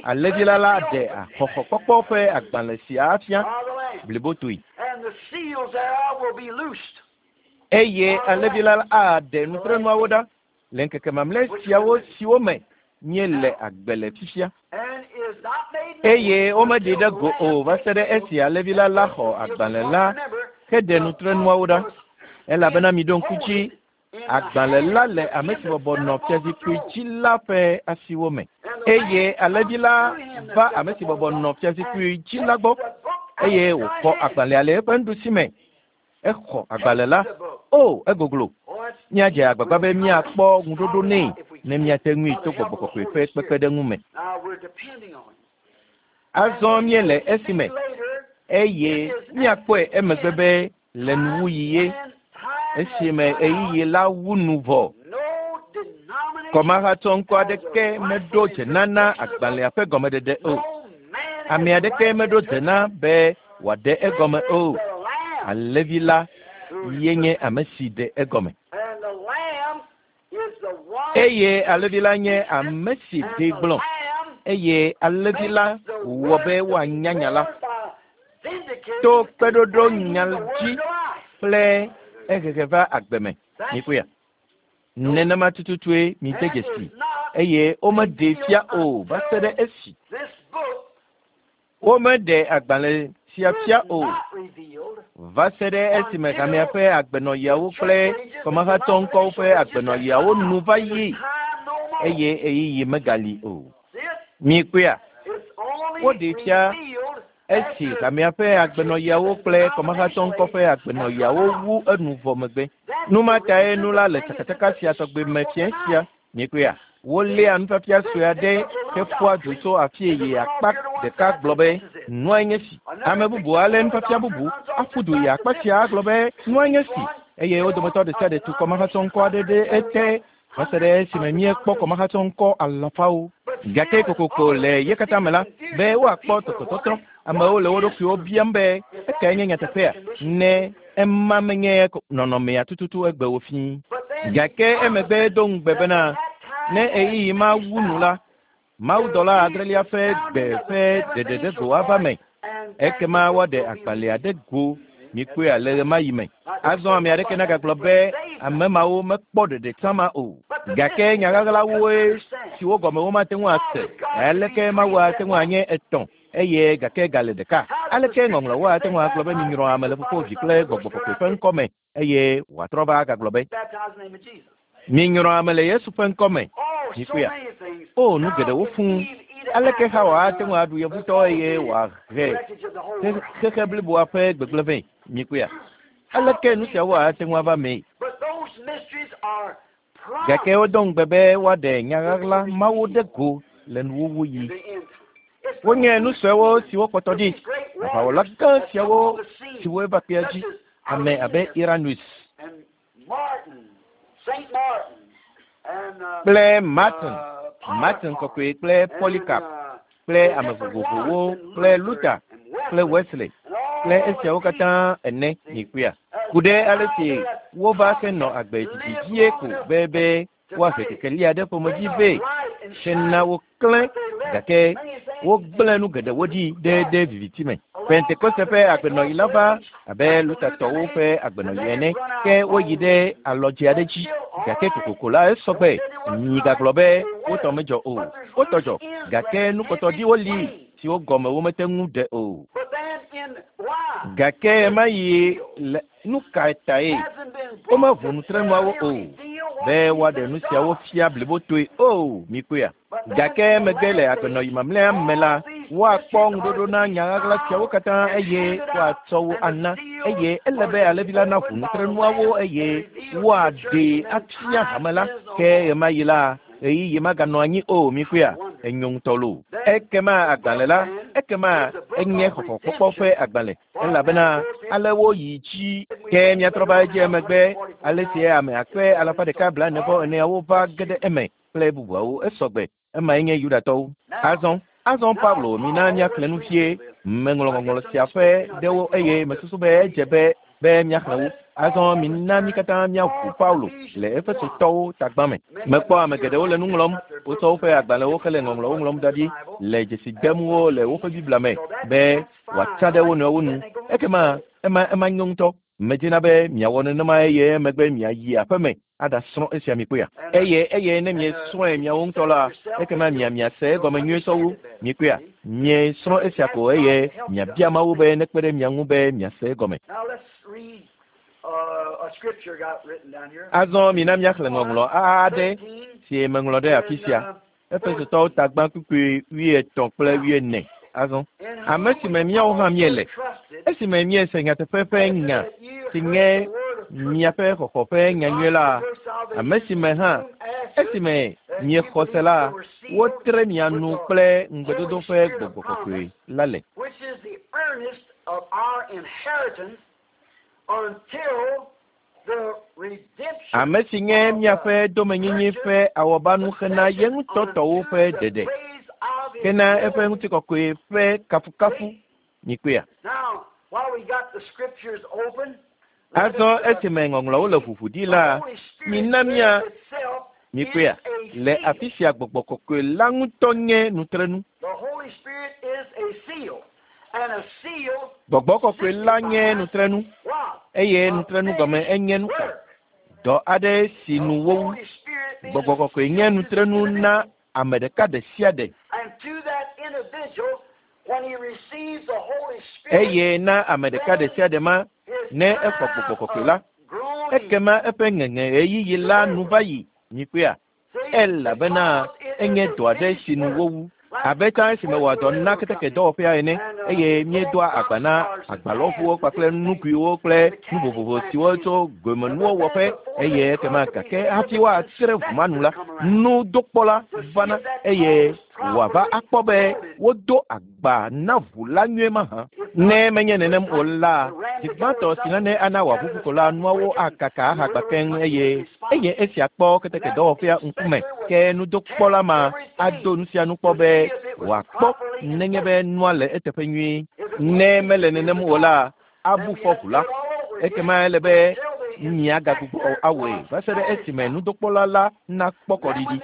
alẽvi la la ɖe xɔxɔkpɔkpɔ ƒe agbalẽ sia afia blibotoe. Eye alẽvi la aɖe nutrenuawo ɖa le ŋkeke mamlɛ siawo siwo me míele agbe le fifia. Eye womeɖee ɖe go o va se ɖe esi alẽvi la la xɔ agbalẽ la heɖe nutrenuawo ɖa. Elabena miɖo ŋku dzi, agbalẽ la le ame si bɔbɔ nɔ fiazikpui dzi la ƒe asiwo me. Eye alẽvi la va ame si bɔbɔ nɔ fiazikpui dzi la gbɔ, eye wòxɔ agbalẽa le eƒe nuɖusi me. Exɔ agbalẽ la. O, egoglo. Míadze agbagba be míakpɔ ŋuɖoɖo nɛ ne míate ŋui to Gbɔgbɔ Kɔkɔe ƒe kpekpeɖeŋu me. Azɔ míele esi me, eye míakpɔe emegbe be le nuwuɣi ye, esime ɣeyiɣi la wu nu vɔ. Kɔmahatsɔŋkɔ aɖeke meɖo dze na na agbalẽa ƒe gɔmeɖeɖe o. Ame aɖeke meɖo dze na be wòaɖe egɔme o. Alẽvi la ye nye ame si ɖe egɔme. Eye alẽvi la nye ame si ɖee gblɔ. Eye alẽvi la wɔ be woanya nya la to kpeɖoɖo nya dzi kple ehehe va agbe me. Mikpɔea? Nenema tututue mide dzesi eye womeɖee fia o va se ɖe esi Womeɖe agbalẽ sia fia o va se ɖe esime hamea ƒe agbenɔɣiawo kple kɔmahatɔ ŋkɔwo ƒe agbenɔɣiawo nu va yi eye ɣeyiɣi megali o. Mikpɔea? Woɖee fia esi hamea ƒe agbenɔɣiawo kple kɔmahatɔ ŋkɔ ƒe agbenɔɣiawo wu enu vɔ megbe. Nu ma tae nu la le tsakatsaka sia tɔgbe me fiẽ sia. Mikpɔea? Woléa nufiafia sue aɖe heƒua du tso afii yi akpa ɖeka gblɔ be, Nuae nye si. Ame bubu alé nufiafia bubu aƒu du yi akpa sia agblɔ be, Nuae nye si. Eye wo dometɔ ɖe sia ɖe tu kɔmahatsɔŋkɔ aɖe ɖe ete va se ɖe esime míekpɔ kɔmahatsɔŋkɔ alafawo. Gake kokoko le ye katã me la, be woakpɔ tɔtrɔtɔtrɔ. Amewo le wo ɖokuiwo biam be, Ekae nye nyateƒea? Ne ema menye nɔnɔmea tututu egbe o fĩ. Gake emegbe edo ŋugbe bena, ne ɣeyiɣi ma wu nu la, mawudɔla adrelia ƒe gbe ƒe ɖeɖeɖego ava me. Ekema woaɖe agbalẽa ɖe go. Mikpɔea le ɣemaɣi me. Azɔ ame aɖeke nagagblɔ be ame mawo mekpɔ ɖeɖe tsã ma o. Gake nya ɣaɣlawoe siwo gɔme womate ŋu ase. Aleke Mawu ate ŋu anye etɔ̃ eye gake gale ɖeka? Aleke Ŋɔŋlɔawo ate ŋu agblɔ be minyrɔ ame le Fofo, Vi kple Gbɔgbɔ Kɔkɔe ƒe ŋkɔ me eye wòatrɔ va agagblɔ be minyrɔ ame le Yesu ƒe ŋkɔ me? Mikpɔea? O, nu geɖewo fũu. Aleke Xawa ate ŋu aɖu yevutɔ eye wòahe xexe bliboa ƒe gbegblẽ vɛ? Mikpɔea? Aleke nu siawo ate ŋu ava mee? Gake wodo ŋugbe be woaɖe nya ɣaɣla mawo ɖe go le nuwuwuɣi. Wonye nu suewo siwo kpɔtɔ ɖi, aʋawɔla gã siawo siwo va kpea dzi, ame abe Irenaeus kple Martin, Martin Kɔkɔe kple Polycarp kple ame vovovowo kple Luther kple Wesley kple esiawo katã ene mikpɔea? Ku ɖe ale si wova henɔ agbe didi vie ko be be woahe kekeli aɖe ƒomevi vɛ hena woklẽ gake wogblẽ nu geɖewo ɖi ɖe ɖe viviti me. Pentekoste ƒe agbenɔɣi la va abe Luthertɔwo ƒe agbenɔɣi ene, ke woyi ɖe alɔdze aɖe dzi gake kokoko la esɔ gbe. Migagblɔ be wotɔ medzɔ o. Wotɔ dzɔ gake nukpɔtɔɖiwo li siwo gɔme womete ŋu ɖe o. Gake ɣemaɣi le nu ka tae womeʋu nutrenuawo o be woaɖe nu siawo fia blibotoe o? Mikpɔea? Gake emegbe le agbenɔɣi mamlɛa me la, woakpɔ ŋuɖoɖo na nya ɣaɣla siawo katã eye woatsɔ wo ana. Eye ele be alẽvi la naʋu nutrenuawo eye woaɖee afia hame la. Ke ɣemaɣi la, ɣeyiɣi maganɔ anyi o. Mikpɔea? Enyo ŋutɔ loo. Ekema agbalẽ la, ekema enye xɔxɔkpɔkpɔ ƒe agbalẽ, elabena ale woyi dzi. Ke míatrɔ va edzi emegbe ale si ame akpe alafa ɖeka blaene vɔ eneawo va ge ɖe eme kple bubuawo. Esɔgbe. Emae nye Yudatɔwo. Azɔ, azɔ Paulo, mina míaxlẽ nu vie. Meŋlɔ ŋɔŋlɔ sia ƒe ɖewo eye mesusu be edze be be míaxlẽ wo. Azɔ mina mí katã míaʋu Paulo le Efesotɔwo tagbã me. Mekpɔ ame geɖewo le nu ŋlɔm. Wotsɔ woƒe agbalẽwo hele ŋɔŋlɔwo ŋlɔm da ɖi le dzesi dem wo le woƒe Biblia me be wòatsa ɖe wo nɔewo nu. Ekema ema ema nyo ŋutɔ. Medina be miawɔ nenema eye emegbe miayi aƒeme aɖasrɔ̃ esia mikpɔea? Eye eye ne miesrɔ̃e miawo ŋutɔ la, ekema mia miase egɔme nyuie sɔwu. Mikpɔea? Miesrɔ̃ esia ko eye miabia Mawu be nekpe ɖe mia ŋu be miase egɔme. Azɔ mina míaxlẽ ŋɔŋlɔ aɖe si meŋlɔ ɖe afi sia. Efesotɔwo tagbã kpukpui 80 kple 40. Azɔ ame si me míawo hã míele, esime míese nyateƒe ƒe nya si nye miaƒe xɔxɔ ƒe nyanyui la, ame si me hã esime miexɔ se la, wotre mia nu kple ŋugbedodo ƒe gbɔgbɔ kɔkɔe la le. Ame si nye miaƒe domenyinyi ƒe awɔbanu xena ye ŋutɔ tɔwo ƒe ɖeɖe, kena eƒe ŋutikɔkɔe ƒe kafukafu. Mikpɔea? Azɔ esime ŋɔŋlɔwo le ʋuʋu ɖi la, mina mía mikpɔea? Le afi sia gbɔgbɔ kɔkɔe la ŋutɔ nye nutrenu. Gbɔgbɔ kɔkɔe la nye nutrenu eye nutrenu gɔme enye nu ka? Dɔ aɖe si nu wowu. Gbɔgbɔ kɔkɔe nye nutrenu na ame ɖeka ɖe sia ɖe. Eye na ame ɖeka ɖe sia ɖe ma ne exɔ gbɔgbɔ kɔkɔe la, ekema eƒe ŋeŋe ɣeyiɣi la nu va yi. Mikpɔea? Elabena enye dɔ aɖe si nu wowu. Abe tsã esime wɔ dɔ na keteke dɔwɔƒea ene eye míedoa agba na agbalɔʋuwo kpakple nuguiwo kple nu vovovo siwo tso gomenuwo wɔƒe eye ekema gake hafi woatre ʋu ma nu la, nudokpɔla vana eye wòava akpɔ be wodo agba na ʋu la nyuie mahã. Ne menye nenem o la, zi gbãtɔ si nane ana wòaʋuʋu ko la, nuawo akaka ahagba keŋ eye eye esia kpɔ keteke dɔwɔƒea ŋkume ke nudokpɔla ma ado nu sia nu kpɔ be wòakpɔ nenye be nua le eteƒe nyuie. Ne mele nenem o la, abu fɔ ʋu la. Ekema ele be miagagbugbɔ awɔe va se ɖe esime nudokpɔla la nakpɔ kɔɖiɖi.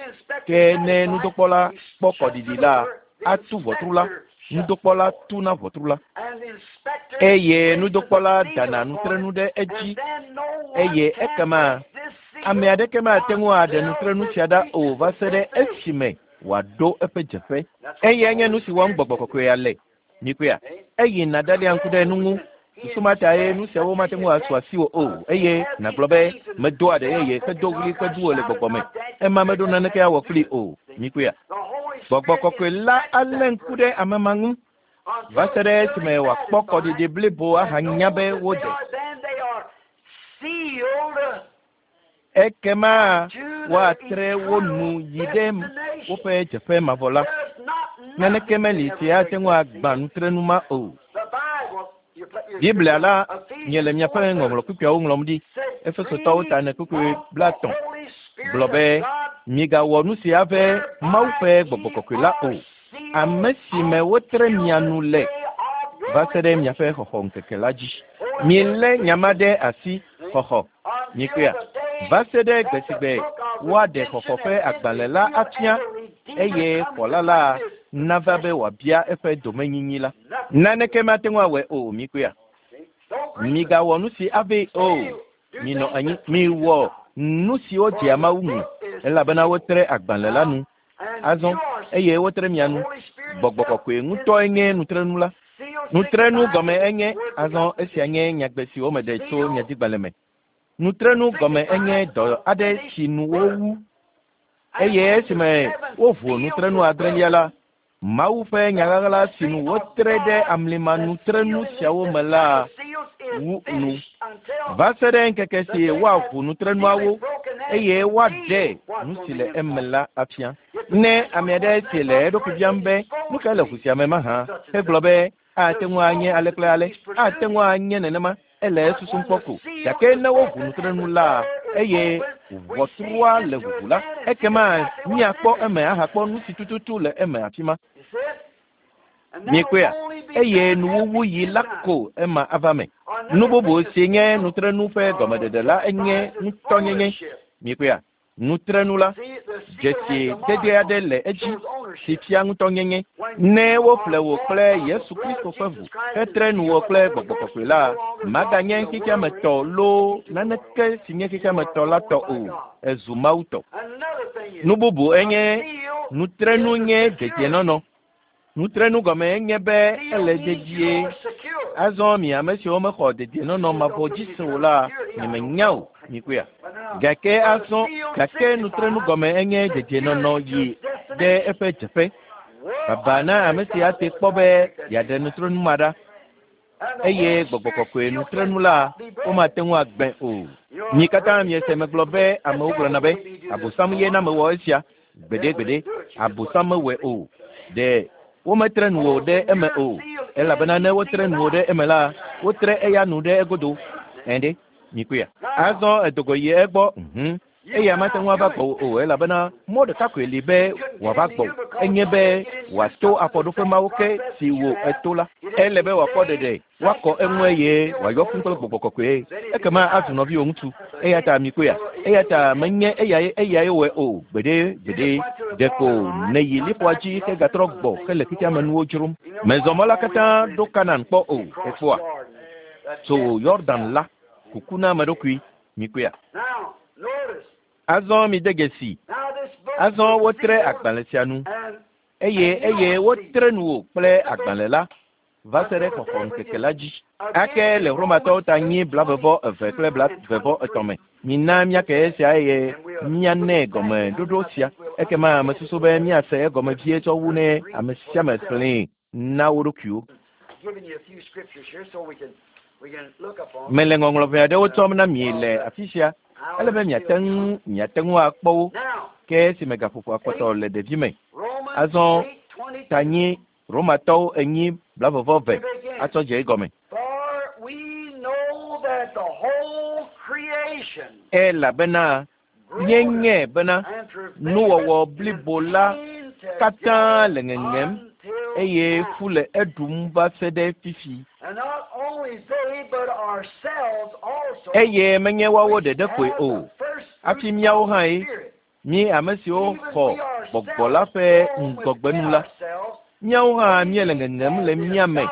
Ke ne nudokpɔla kpɔ kɔɖiɖi la, atu ʋɔtru la. Nudokpɔla tuna ʋɔtru la. Eye nudokpɔla dana nutrenu ɖe edzi eye ekema ame aɖeke mate ŋu aɖe nutrenu sia ɖa o va se ɖe esime wòaɖo eƒe dzeƒe. Eyae nye nu si wɔm gbɔgbɔ kɔkɔea le. Mikpɔea? Eyina ɖalia ŋku ɖe nu ŋu. Susu ma tae nu siawo mate ŋu asu asiwò o eye nàgblɔ be medoa ɖe yeye hedo ɣli ƒe duwo le gbɔgbɔ me. Ema meɖo naneke awɔ kplii o. Mikpɔea? Gbɔgbɔ kɔkɔe la alé ŋku ɖe ame ma ŋu va se ɖe esime wòakpɔ kɔɖiɖi blibo ahanya be wode. Ekema woatre wo nu yi ɖe woƒe dzeƒe mavɔ la. Naneke meli si ate ŋu agbã nutrenu ma o. Biblia la miele miaƒe ŋɔŋlɔ kpukpuiawo ŋlɔm ɖi. Efesotɔwo ta ene kpukpui 30 gblɔ be migawɔ nu si ave Mawu ƒe gbɔgbɔ kɔkɔe la o. Ame si me wotre mia nu le va se ɖe miaƒe xɔxɔ ŋkeke la dzi. Milé nya ma ɖe asi xɔxɔ. Mikpɔea? Va se ɖe gbe si gbe woaɖe xɔxɔ ƒe agbalẽ la afia eye xɔla la nava be wòabia eƒe domenyinyi la. Naneke mate ŋu awɔe o. Mikpɔea? Migawɔ nu si avee o. Minɔ anyi. Miwɔ nu siwo dzea Mawu ŋu elabena wotre agbalẽ la nu. Azɔ eye wotre mia nu. Gbɔgbɔ kɔkɔe ŋutɔe nye nutrenu la. Nutrenu gɔme enye azɔ esia nye nyagbe si womeɖe tso nyadigbalẽ me. Nutrenu gɔme enye dɔ aɖe si nu wowu eye esime woʋu nutrenu adrelia la, Mawu ƒe nyaɣaɣla si nu wotre ɖe amlima nutrenu siawo me la wu nu. Va se ɖe ŋkeke si woaʋu nutrenuawo eye woaɖe nu si le eme la afia. Ne ame aɖe si le eɖokui biam be nu kae le ʋu sia me mahã hegblɔ be ate ŋu anye ale kple ale, ate ŋu anye nenema, ele esusum kpɔ ko. Gake ne woʋu nutrenu la eye ʋɔtrua le ʋuʋu la, ekema míakpɔ eme ahakpɔ nu si tututu le eme afi ma. Miekpɔea? Eye nuwuwuɣi la ko ema ava me. Nu bubu si nye nutrenu ƒe gɔmeɖeɖe la enye ŋutɔnyenye. Mikpɔea? Nutrenu la, dzesi dede aɖe le edzi si fia ŋutɔnyenye. Ne woƒle wò kple Yesu Kristo ƒe ʋu hetre nu wò kple gbɔgbɔ kɔkɔe la, maganye xexeame tɔ loo naneke si nye xexeame tɔ la tɔ o. Ezu Mawu tɔ. Nu bubu enye nutrenu nye dedienɔnɔ. Nutrenu gɔme enye be ele dedie. Azɔ mi ame siwo mexɔ dedienɔnɔ mavɔ dzi se o la, nyemenya o, mikpɔea. Gake azɔ, gake nutrenu gɔme enye dedienɔnɔ yi ɖe eƒe dzeƒe. Baba na ame si ate kpɔ be yeaɖe nutrenu ma ɖa. Eye gbɔgbɔ kɔkɔe nutrenu la, womate ŋu agbẽ o. Mi katã miese megblɔ be amewo gblɔna be, Abosam ye na mewɔ esia. Gbeɖegbeɖe, Abosam mewɔe o. Ɖe wometre nuwò ɖe eme o, elabena ne wotre nuwò ɖe eme la, wotre eya nu ɖe egodo. Ɛ̃ ɖe, mikpɔea? Azɔ edogo yi egbɔ, Eya mate ŋu ava gbɔwò o, elabena mɔ ɖeka koe li be wòava gbɔwò, enye be wòato afɔɖoƒe mawo ke si wò eto la. Ele be wòakpɔ ɖeɖe, woakɔ eŋu eye wòayɔ fũu kple gbɔgbɔ kɔkɔe. Ekema azu nɔviwò ŋutsu. Eya ta mikpɔea? Eya ta menye eyae eyae wɔe o, gbeɖe, gbeɖe. Ɖeko nèyi liƒoa dzi hegatrɔ gbɔ hele xexea me nuwo dzrom. Mezɔ mɔ la katã ɖo Kanaan kpɔ o, èkpɔa? Tso Yordan la, kuku na ame ɖokui. Mikpɔea? Azɔ mide dzesi. Azɔ wotre agbalẽ sia nu, eye eye wotre nuwò kple agbalẽ la va se ɖe xɔxɔ ŋkeke la dzi. Ake le Romatɔwo ta nyi 22 kple 23 me. Mina míake esia eye míanɛ gɔmeɖoɖo sia. Ekema ame susu be míase egɔme vie tsɔ wu ne ame sia ame xlẽe na wo ɖokuiwo. Mele ŋɔŋlɔ ʋɛ aɖewo tsɔm na mi le afi sia, ele be miate ŋu miate ŋu akpɔ wo, ke esime gaƒoƒoa kpɔtɔ le ɖevime. Azɔ ta nyi Romatɔwo 4 22 atsɔ dze egɔme. Elabena míenyae bena nuwɔwɔ blibo la katã le ŋeŋem eye fu le eɖum va se ɖe fifi. Eye menye woawo ɖeɖe koe o, hafi míawo hãe, mí ame siwo xɔ gbɔgbɔ la ƒe ŋgɔgbenu la, míawo hã míele ŋeŋem le mía me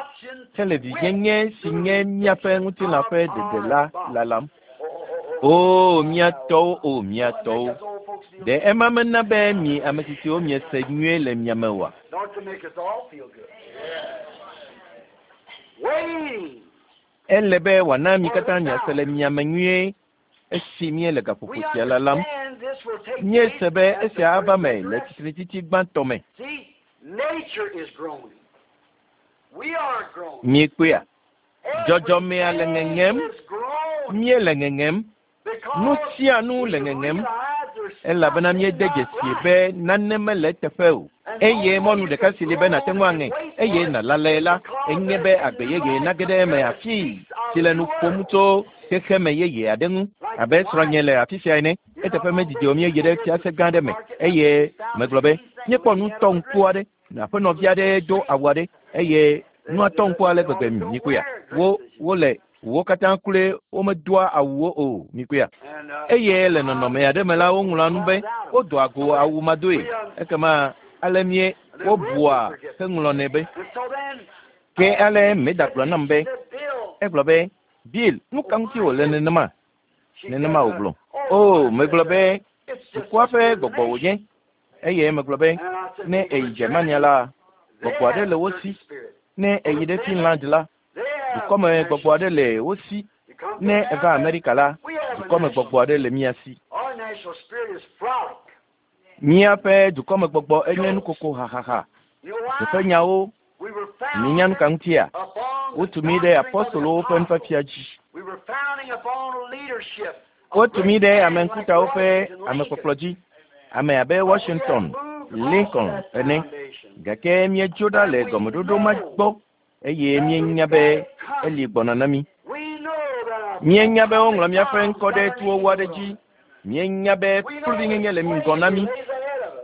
hele vinyenye si nye míaƒe ŋutilã ƒe ɖeɖe la lalam. O, mía tɔwo, o, mía tɔwo. Ɖe ema mena be mi ame tsitsiwo miese nyuie le mia me oa? Ele be wòana mi katã miase le mia me nyuie esi míele gaƒoƒo sia lalam. Míese be esia ava me le tsitretsitsi gbãtɔ me. Miekpɔea? Dzɔdzɔmea le ŋeŋem, míele ŋeŋem, nu sia nu le ŋeŋem, elabena míede dzesi be nane mele eteƒe o. Eye mɔnu ɖeka si li be nàte ŋu aŋe eye nàlalae la, enye be agbe yeye nage ɖe eme afii si le nu ƒom tso xexeme yeye aɖe ŋu. Abe srɔ̃nye le afi sia ene, eteƒe medidi o míeyi ɖe fiase gã aɖe me eye megblɔ be, míekpɔ nu tɔ ŋku aɖe, aƒenɔvi aɖe do awu aɖe eye nua tɔ ŋku ale gbegbe mikpɔea? Wo, wole wo katã kloe womedoa awuwo o, mikpɔea? Eye le nɔnɔme aɖe me la, woŋlɔa nu be wodoa go awu madoe. Ekema ale mie wobua heŋlɔnɛ be. Ke ale Meda gblɔ nam be, egblɔ be, Bill, nu ka ŋuti wòle nenema? Nenema wògblɔ. O, megblɔ be, dukɔa ƒe gbɔgbɔ wònye. Eye megblɔ be, ne èyi Germania la, gbɔgbɔ aɖe le wo si. Ne èyi ɖe Finland la, dukɔme gbɔgbɔ aɖe le wo si. Ne èva Amerika la, dukɔme gbɔgbɔ aɖe le mía si. Míaƒe dukɔme gbɔgbɔ enye nukoko hahaha. Teƒe nyawo, minya nu ka ŋutia? Wotu mí ɖe apostolowo ƒe nufiafia dzi. Wotu mí ɖe ame ŋkutawo ƒe amekpɔkplɔ dzi, ame abe Washington, Lincoln ene. Gake míedzo ɖa le gɔmeɖoɖo ma gbɔ eye míenya be eli gbɔna na mí. Míenya be woŋlɔ míaƒe ŋkɔ ɖe tuwɔwɔ aɖe dzi. Míenya be kluvinyenye le ŋgɔ na mí.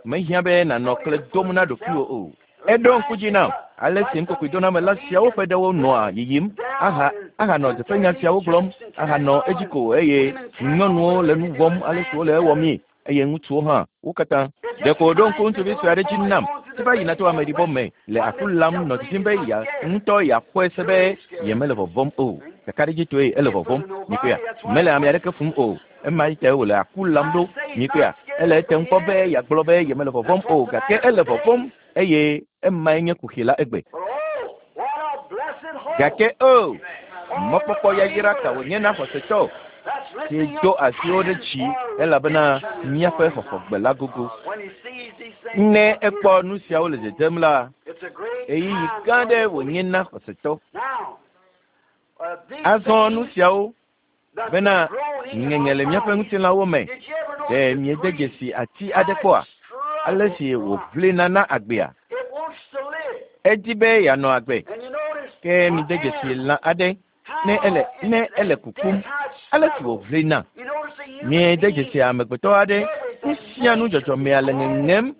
Mehiã be nànɔ kle dom na ɖokuiwò o. Eɖo ŋku dzi nam ale si nukokoedonamela siawo ƒe ɖewo nɔa yiyim aha ahanɔ dzeƒenya siawo gblɔm ahanɔ edzi ko eye nyɔnuwo le nu wɔm ale si wole ewɔmii eye ŋutsuwo hã wo katã. Ɖeko wòɖo ŋku ŋutsuvi sue aɖe dzi nam si va yina to ameɖibɔ me le aku lam nɔ didim be ya ŋutɔ yeaxɔe se be yemele vɔvɔm o. Kakaɖedzitɔe ele vɔvɔm. Mikpɔea? Mele ame aɖeke fum o. Ema yi tae wòle aku lam ɖo. Mikpɔea? Ele etem kpɔ be yeagblɔ be yemele vɔvɔm o, gake ele vɔvɔm eye emae nye kuxi la egbe. Gake o, mɔkpɔkpɔ yayra ka wònye na xɔsetɔ si do asiwo ɖe dzi elabena míaƒe xɔxɔgbe la gogo. Ne ekpɔ nu siawo le dzedzem la, ɣeyiɣi gã aɖe wònye na xɔsetɔ. Azɔ nu siawo bena ŋeŋe le míaƒe ŋutilãwo me. Ɖe miede dzesi ati aɖe kpɔa? Ale si wòʋlina na agbea. Edi be yeanɔ agbe. Ke mide dzesi lã aɖe ne ele ne ele kukum. Ale si wòʋlina. Miede dzesi amegbetɔ aɖe. Nu sia nu dzɔdzɔmea le ŋeŋem.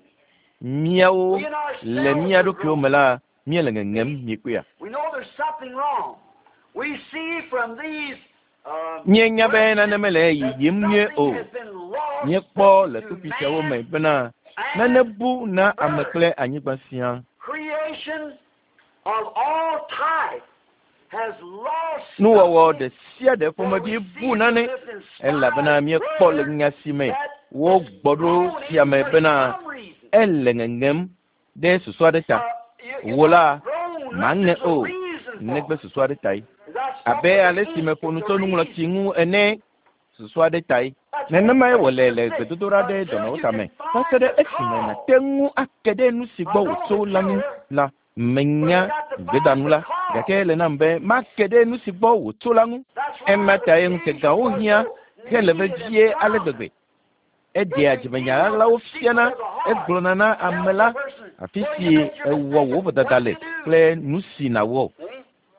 Míawo le mía ɖokuiwo me la, míele ŋeŋem miekpɔea. Míenya be nane mele yiyim nyuie o. Míekpɔ le kpukpui siawo me bena nane bu na ame kple anyigba siaa. Nuwɔwɔ ɖe sia ɖe ƒomevi bu nane elabena míekpɔ le nya si me wogbɔ ɖo sia me bena ele ŋeŋem ɖe susu aɖe ta. Wò la, màŋe o, negbe susu aɖe tae. Abe ale si meƒo nu tso nuŋlɔtsi ŋu ene, susu aɖe tae. Nenemae wòle le gbedodoɖa ɖe dɔnɔwo tame. Va se ɖe esime nàte ŋu ake ɖe nu si gbɔ wòtso la ŋu la, menya gbedanu la, gake ele nam be make ɖe nu si gbɔ wòtso la ŋu. Ema tae ŋutegawo hiã hele vevie ale gbegbe. Eɖea dzimenya ɣaɣlawo fiana, egblɔna na ame la afi si ewɔ wò vodada le kple nu si nàwɔ.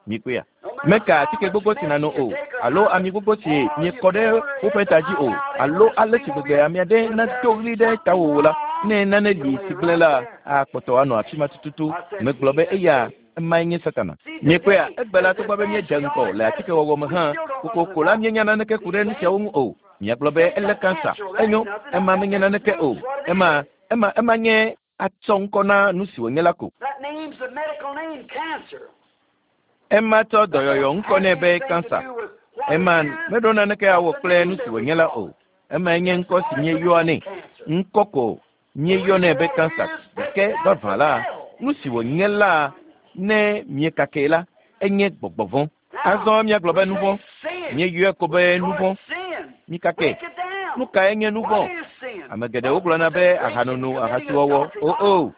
Mikpɔea? Meka atike gbogbo si nàno o, alo ami gbogbo si miekɔ ɖe woƒe ta dzi o, alo ale si gbegbe ame aɖe nado ɣli ɖe tawò la, ne nane li si gblẽ la, akpɔtɔ anɔ afi ma tututu. Megblɔ be eya emae nye Satana. Miekpɔea? Egbe la, togbɔ be míedze ŋgɔ le atikewɔwɔ me hã, kokoko la míenya naneke ku ɖe nu siawo ŋu o. Miagblɔ be elé kansa. Enyo, ema menye naneke o. Ema, ema, ema nye atsɔ ŋkɔ na nu si wònye la ko. Ema tsɔ dɔyɔyɔ ŋkɔ nɛ be kansa. Ema meɖo naneke awɔ kple nu si wònye la o. Emae nye ŋkɔ si míeyɔa nɛ. Ŋkɔ ko míeyɔnɛ be kansa. Gake vavã la, nu si wònye la, ne miekakee la, enye gbɔgbɔ vɔ̃. Azɔ míagblɔ be nu vɔ̃. Míeyɔe ko be nu vɔ̃. Mikake. Nu kae nye nu vɔ̃? Ame geɖewo gblɔna be ahanono, ahasiwɔwɔ. O o.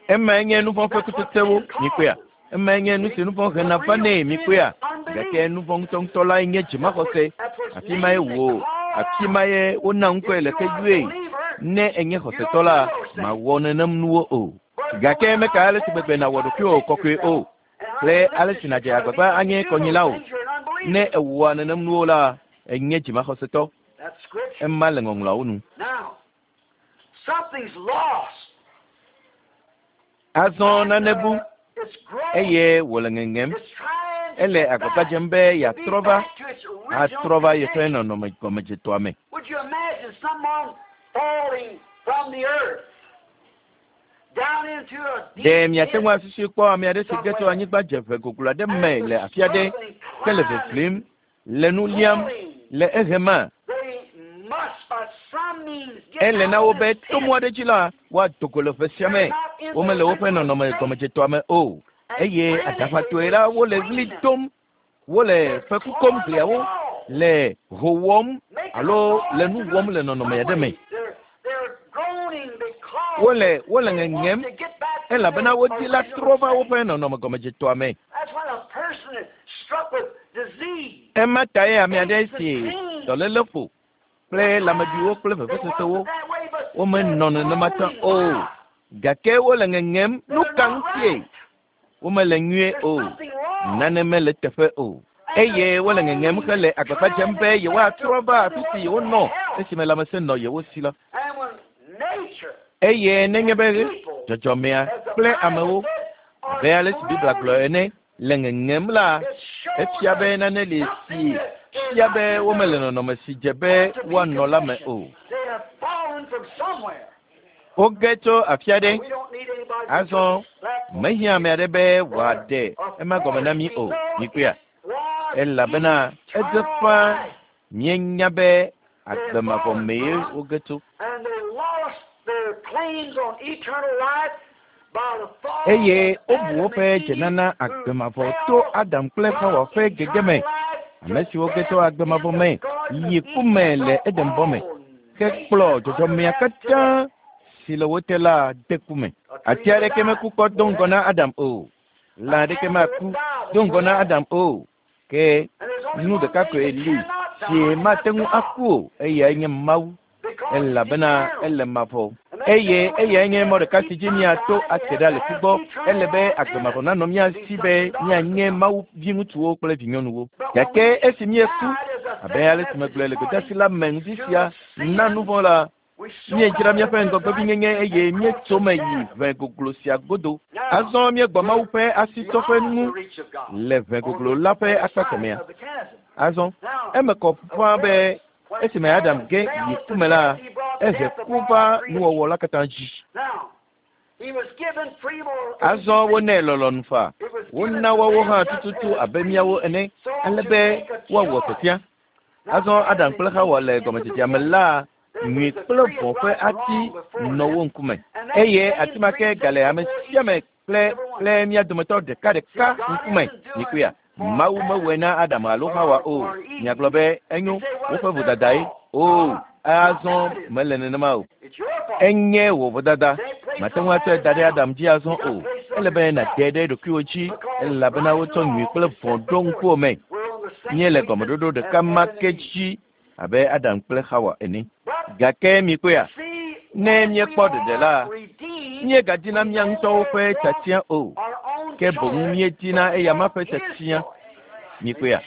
Emae nye nu vɔ̃ ƒe kutsetsewo. Mikpɔea? Emae nye nu si nu vɔ̃ hena vanɛ. Mikpɔea? Gake nu vɔ̃ ŋutɔŋutɔ lae nye dzimaxɔse. Afi mae wò, afi mae wona ŋkɔe le ke yɔe. Ne ènye xɔsetɔ la, màwɔ nenem nuwo o. Gake meka ale si gbegbe nàwɔ ɖokuiwò kɔkɔe o kple ale si nàdze agbagba anye kɔnyila o. Ne èwɔa nenem nuwo la, ènye dzimaxɔsetɔ. Ema le ŋɔŋlɔawo nu. Azɔ nane bu eye wòle ŋeŋem. Ele agbagba dzem be yeatrɔ va, atrɔ va yeƒe nɔnɔme gɔmedzetɔa me. Ɖe miate ŋu asusui kpɔ ame aɖe si ge tso anyigba dzeʋe goglo aɖe me le afi aɖe ke le ʋeʋlim, le nu liam, le ehema? Ele na wo be to mɔ aɖe dzi la, woado go le ʋe sia me. Womele woƒe nɔnɔme gɔmedzetɔa me o. Eye aɖaʋatɔe la, wole ɣli dom, wole feku kom gliawo, le ho wɔm alo le nu wɔm le nɔnɔme aɖe me. Wole wole ŋeŋem elabena wodi la trɔ va woƒe nɔnɔme gɔmedzetɔa me. Ema tae ame aɖe si dɔléle ƒo kple lãmebiwo kple vevesesewo womenɔ nenema tsã o. Gake wole ŋeŋem. Nu ka ŋutie? Womele nyuie o. Nane mele teƒe o. Eye wole ŋeŋem hele agbagba dzem be yewoatrɔ va afi si yewonɔ esime lãmesẽ nɔ yewo si la. Eye nenye be dzɔdzɔmea kple amewo, abe ale si Biblia gblɔ ene, le ŋeŋem la, efia be nane li si fia be womele nɔnɔme si dze be woanɔ la me o. Woge tso afi aɖe. Azɔ mehiã ame aɖe be wòaɖe ema gɔme na mí o. Mikpɔea? Elabena edze ƒãa míenya be agbe mavɔ mee woge tso. Eye wobu woƒe dzenana agbe mavɔ to Adam kple Xawa ƒe gegeme, ame siwo ge to agbe mavɔ me yi ku me le Edenbɔ me, hekplɔ dzɔdzɔmea katã si le wo te la de ku me. Ati aɖeke meku kpɔ do ŋgɔ na Adam o. Lã aɖeke maku do ŋgɔ na Adam o. Ke nu ɖeka koe li si mate ŋu aku o, eyae nye Mawu, elabena ele mavɔ. Eye eyae nye mɔ ɖeka si dzi míato ate ɖa le ku gbɔ. Ele be agbe mavɔ nanɔ mía si be míanye Mawu viŋutsuwo kple vinyɔnuwo. Gake esi míeku, abe ale si megblɔe le gbedeasi la me ŋdi sia na nu vɔ̃ la, Míedzra míaƒe ŋgɔgbevinyenye eye míetso eme yi ʋe goglo sia godo. Azɔ míegbɔ Mawu ƒe asitsɔƒe ŋu le ʋe goglo la ƒe akpa kemɛa. Azɔ eme kɔ ƒãa be esime Adam ge yi ku me la, ehe ku va nuwɔwɔ la katã dzi. Azɔ wonɛ lɔlɔ̃nu faa. Wona woawo hã tututu abe míawo ene ale be woawɔ tiatia. Azɔ Adam kple Xawa le gɔmedzedzea me la, nyui kple vɔ̃ ƒe ati nɔ wo ŋkume. Eye ati ma ke gale ame sia ame kple kple mía dometɔ ɖekaɖeka ŋkume. Mikpɔea? Mawu mewɔe na Adam alo Xawa o. Miagblɔ be, Enyo, woƒe vodadae. Oo, azɔ mele nenema o. Enye wò vodada. Màte ŋu atsɔe da ɖe Adam dzi azɔ o. Ele be nàte ɖe ɖokuiwò dzi elabena wotsɔ nyui kple vɔ̃ ɖo ŋkuwò me. Míele gɔmeɖoɖo ɖeka ma ke dzi abe Adam kple Xawa ene. Gake mikpɔea, ne míekpɔ ɖeɖe la, míegadina mía ŋutɔwo ƒe tiatia o, ke boŋ míedina eyama ƒe tiatia. Mikpɔea?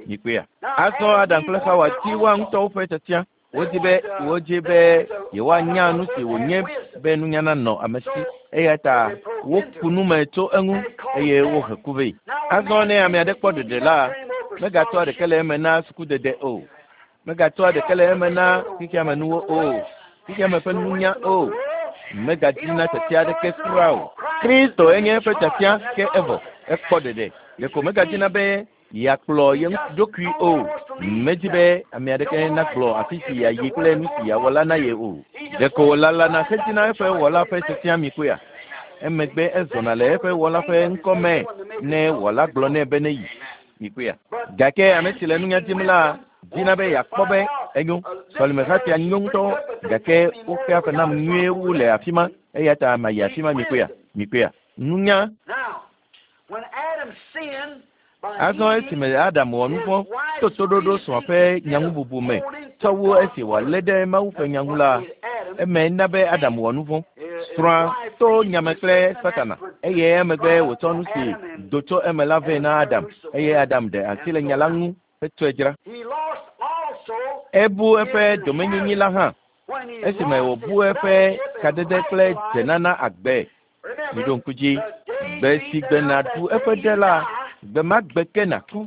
Mikpɔea? Azɔ Adam kple Xawa di woa ŋutɔwo ƒe tiatia. Wodi be wodzi be yewoanya nu si wònye be nunya nanɔ ame si, eya ta woku nu me tso eŋu eye wohe ku vɛ. Azɔ ne ame aɖe kpɔ ɖeɖe la, megatsɔa ɖeke le eme na sukudede o, megatsɔa ɖeke le eme na xexeame nuwo o, xexeame ƒe nunya o, megadina tiatia aɖeke kura o. Kristo enye eƒe tiatia ke evɔ, ekpɔ ɖeɖe. Ɖeko megadina be yeakplɔ ye ɖokui o. Medi be ame aɖeke nagblɔ afi si yeayi kple nu si yeawɔ la na ye o. Ɖeko wòlalana hedina eƒe wɔla ƒe tiatia mi kpɔea? Emegbe ezɔna le eƒe wɔla ƒe ŋkɔ me ne wɔla gblɔ nɛ be neyi. Mi kpɔea? Gake ame si le nunya dim la dina be yeakpɔ be enyo. Sɔlemeha sia nyo ŋutɔ gake woxea fe nam nyuie wu le afi ma eya ta mayi afi ma mi kpɔea? Mi kpɔea? Nunya. Azɔ esime Adam wɔ nu vɔ̃ to toɖoɖo srɔ̃a ƒe nyaŋububu me tsɔ wu esi wòalé ɖe Mawu ƒe nya ŋu la, eme na be Adam wɔ nu vɔ̃. Srɔ̃a to nya me kple Satana eye emegbe wòtsɔ nu si do tso eme la vɛ na Adam eye Adam ɖe asi le nya la ŋu hetsɔe dzra. Ebu eƒe domenyinyi la hã esime wòbu eƒe kadede kple dzenana agbe. Miɖo ŋku dzi, gbe si gbe nàɖu eƒe ɖe la, gbe ma gbe ke nàku.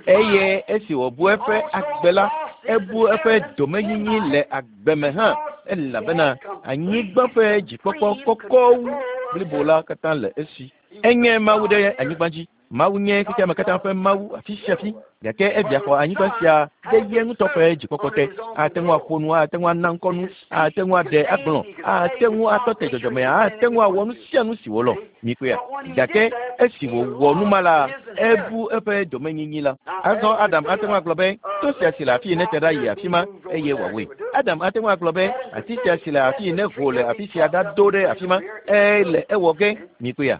Eye esi wòbu eƒe agbe la, ebu eƒe domenyinyi le agbe me hã, elabena anyigba ƒe dzikpɔkpɔ kɔkɔ wu blibo la katã le esi. Enye Mawu ɖe anyigba dzi. Mawu nye xexeame katã ƒe Mawu afi sia afi, gake evia xɔ anyigba sia ɖe ye ŋutɔ ƒe dzikpɔkpɔ te. Ate ŋu aƒo nu, ate ŋu ana ŋkɔ nu, ate ŋu aɖe agblɔ, ate ŋu atɔ te dzɔdzɔmea, ate ŋu awɔ nu sia nu si wòlɔ̃. Mikpɔea? Gake esi wòwɔ nu ma la, ebu eƒe domenyinyi la. Azɔ Adam ate ŋu agblɔ be, To sia si le afii nete ɖa yi afi ma, eye wòawɔe. Adam ate ŋu agblɔ be, Ati sia si le afii neho le afi sia ɖado ɖe afi ma, ele ewɔ ge. Mikpɔea?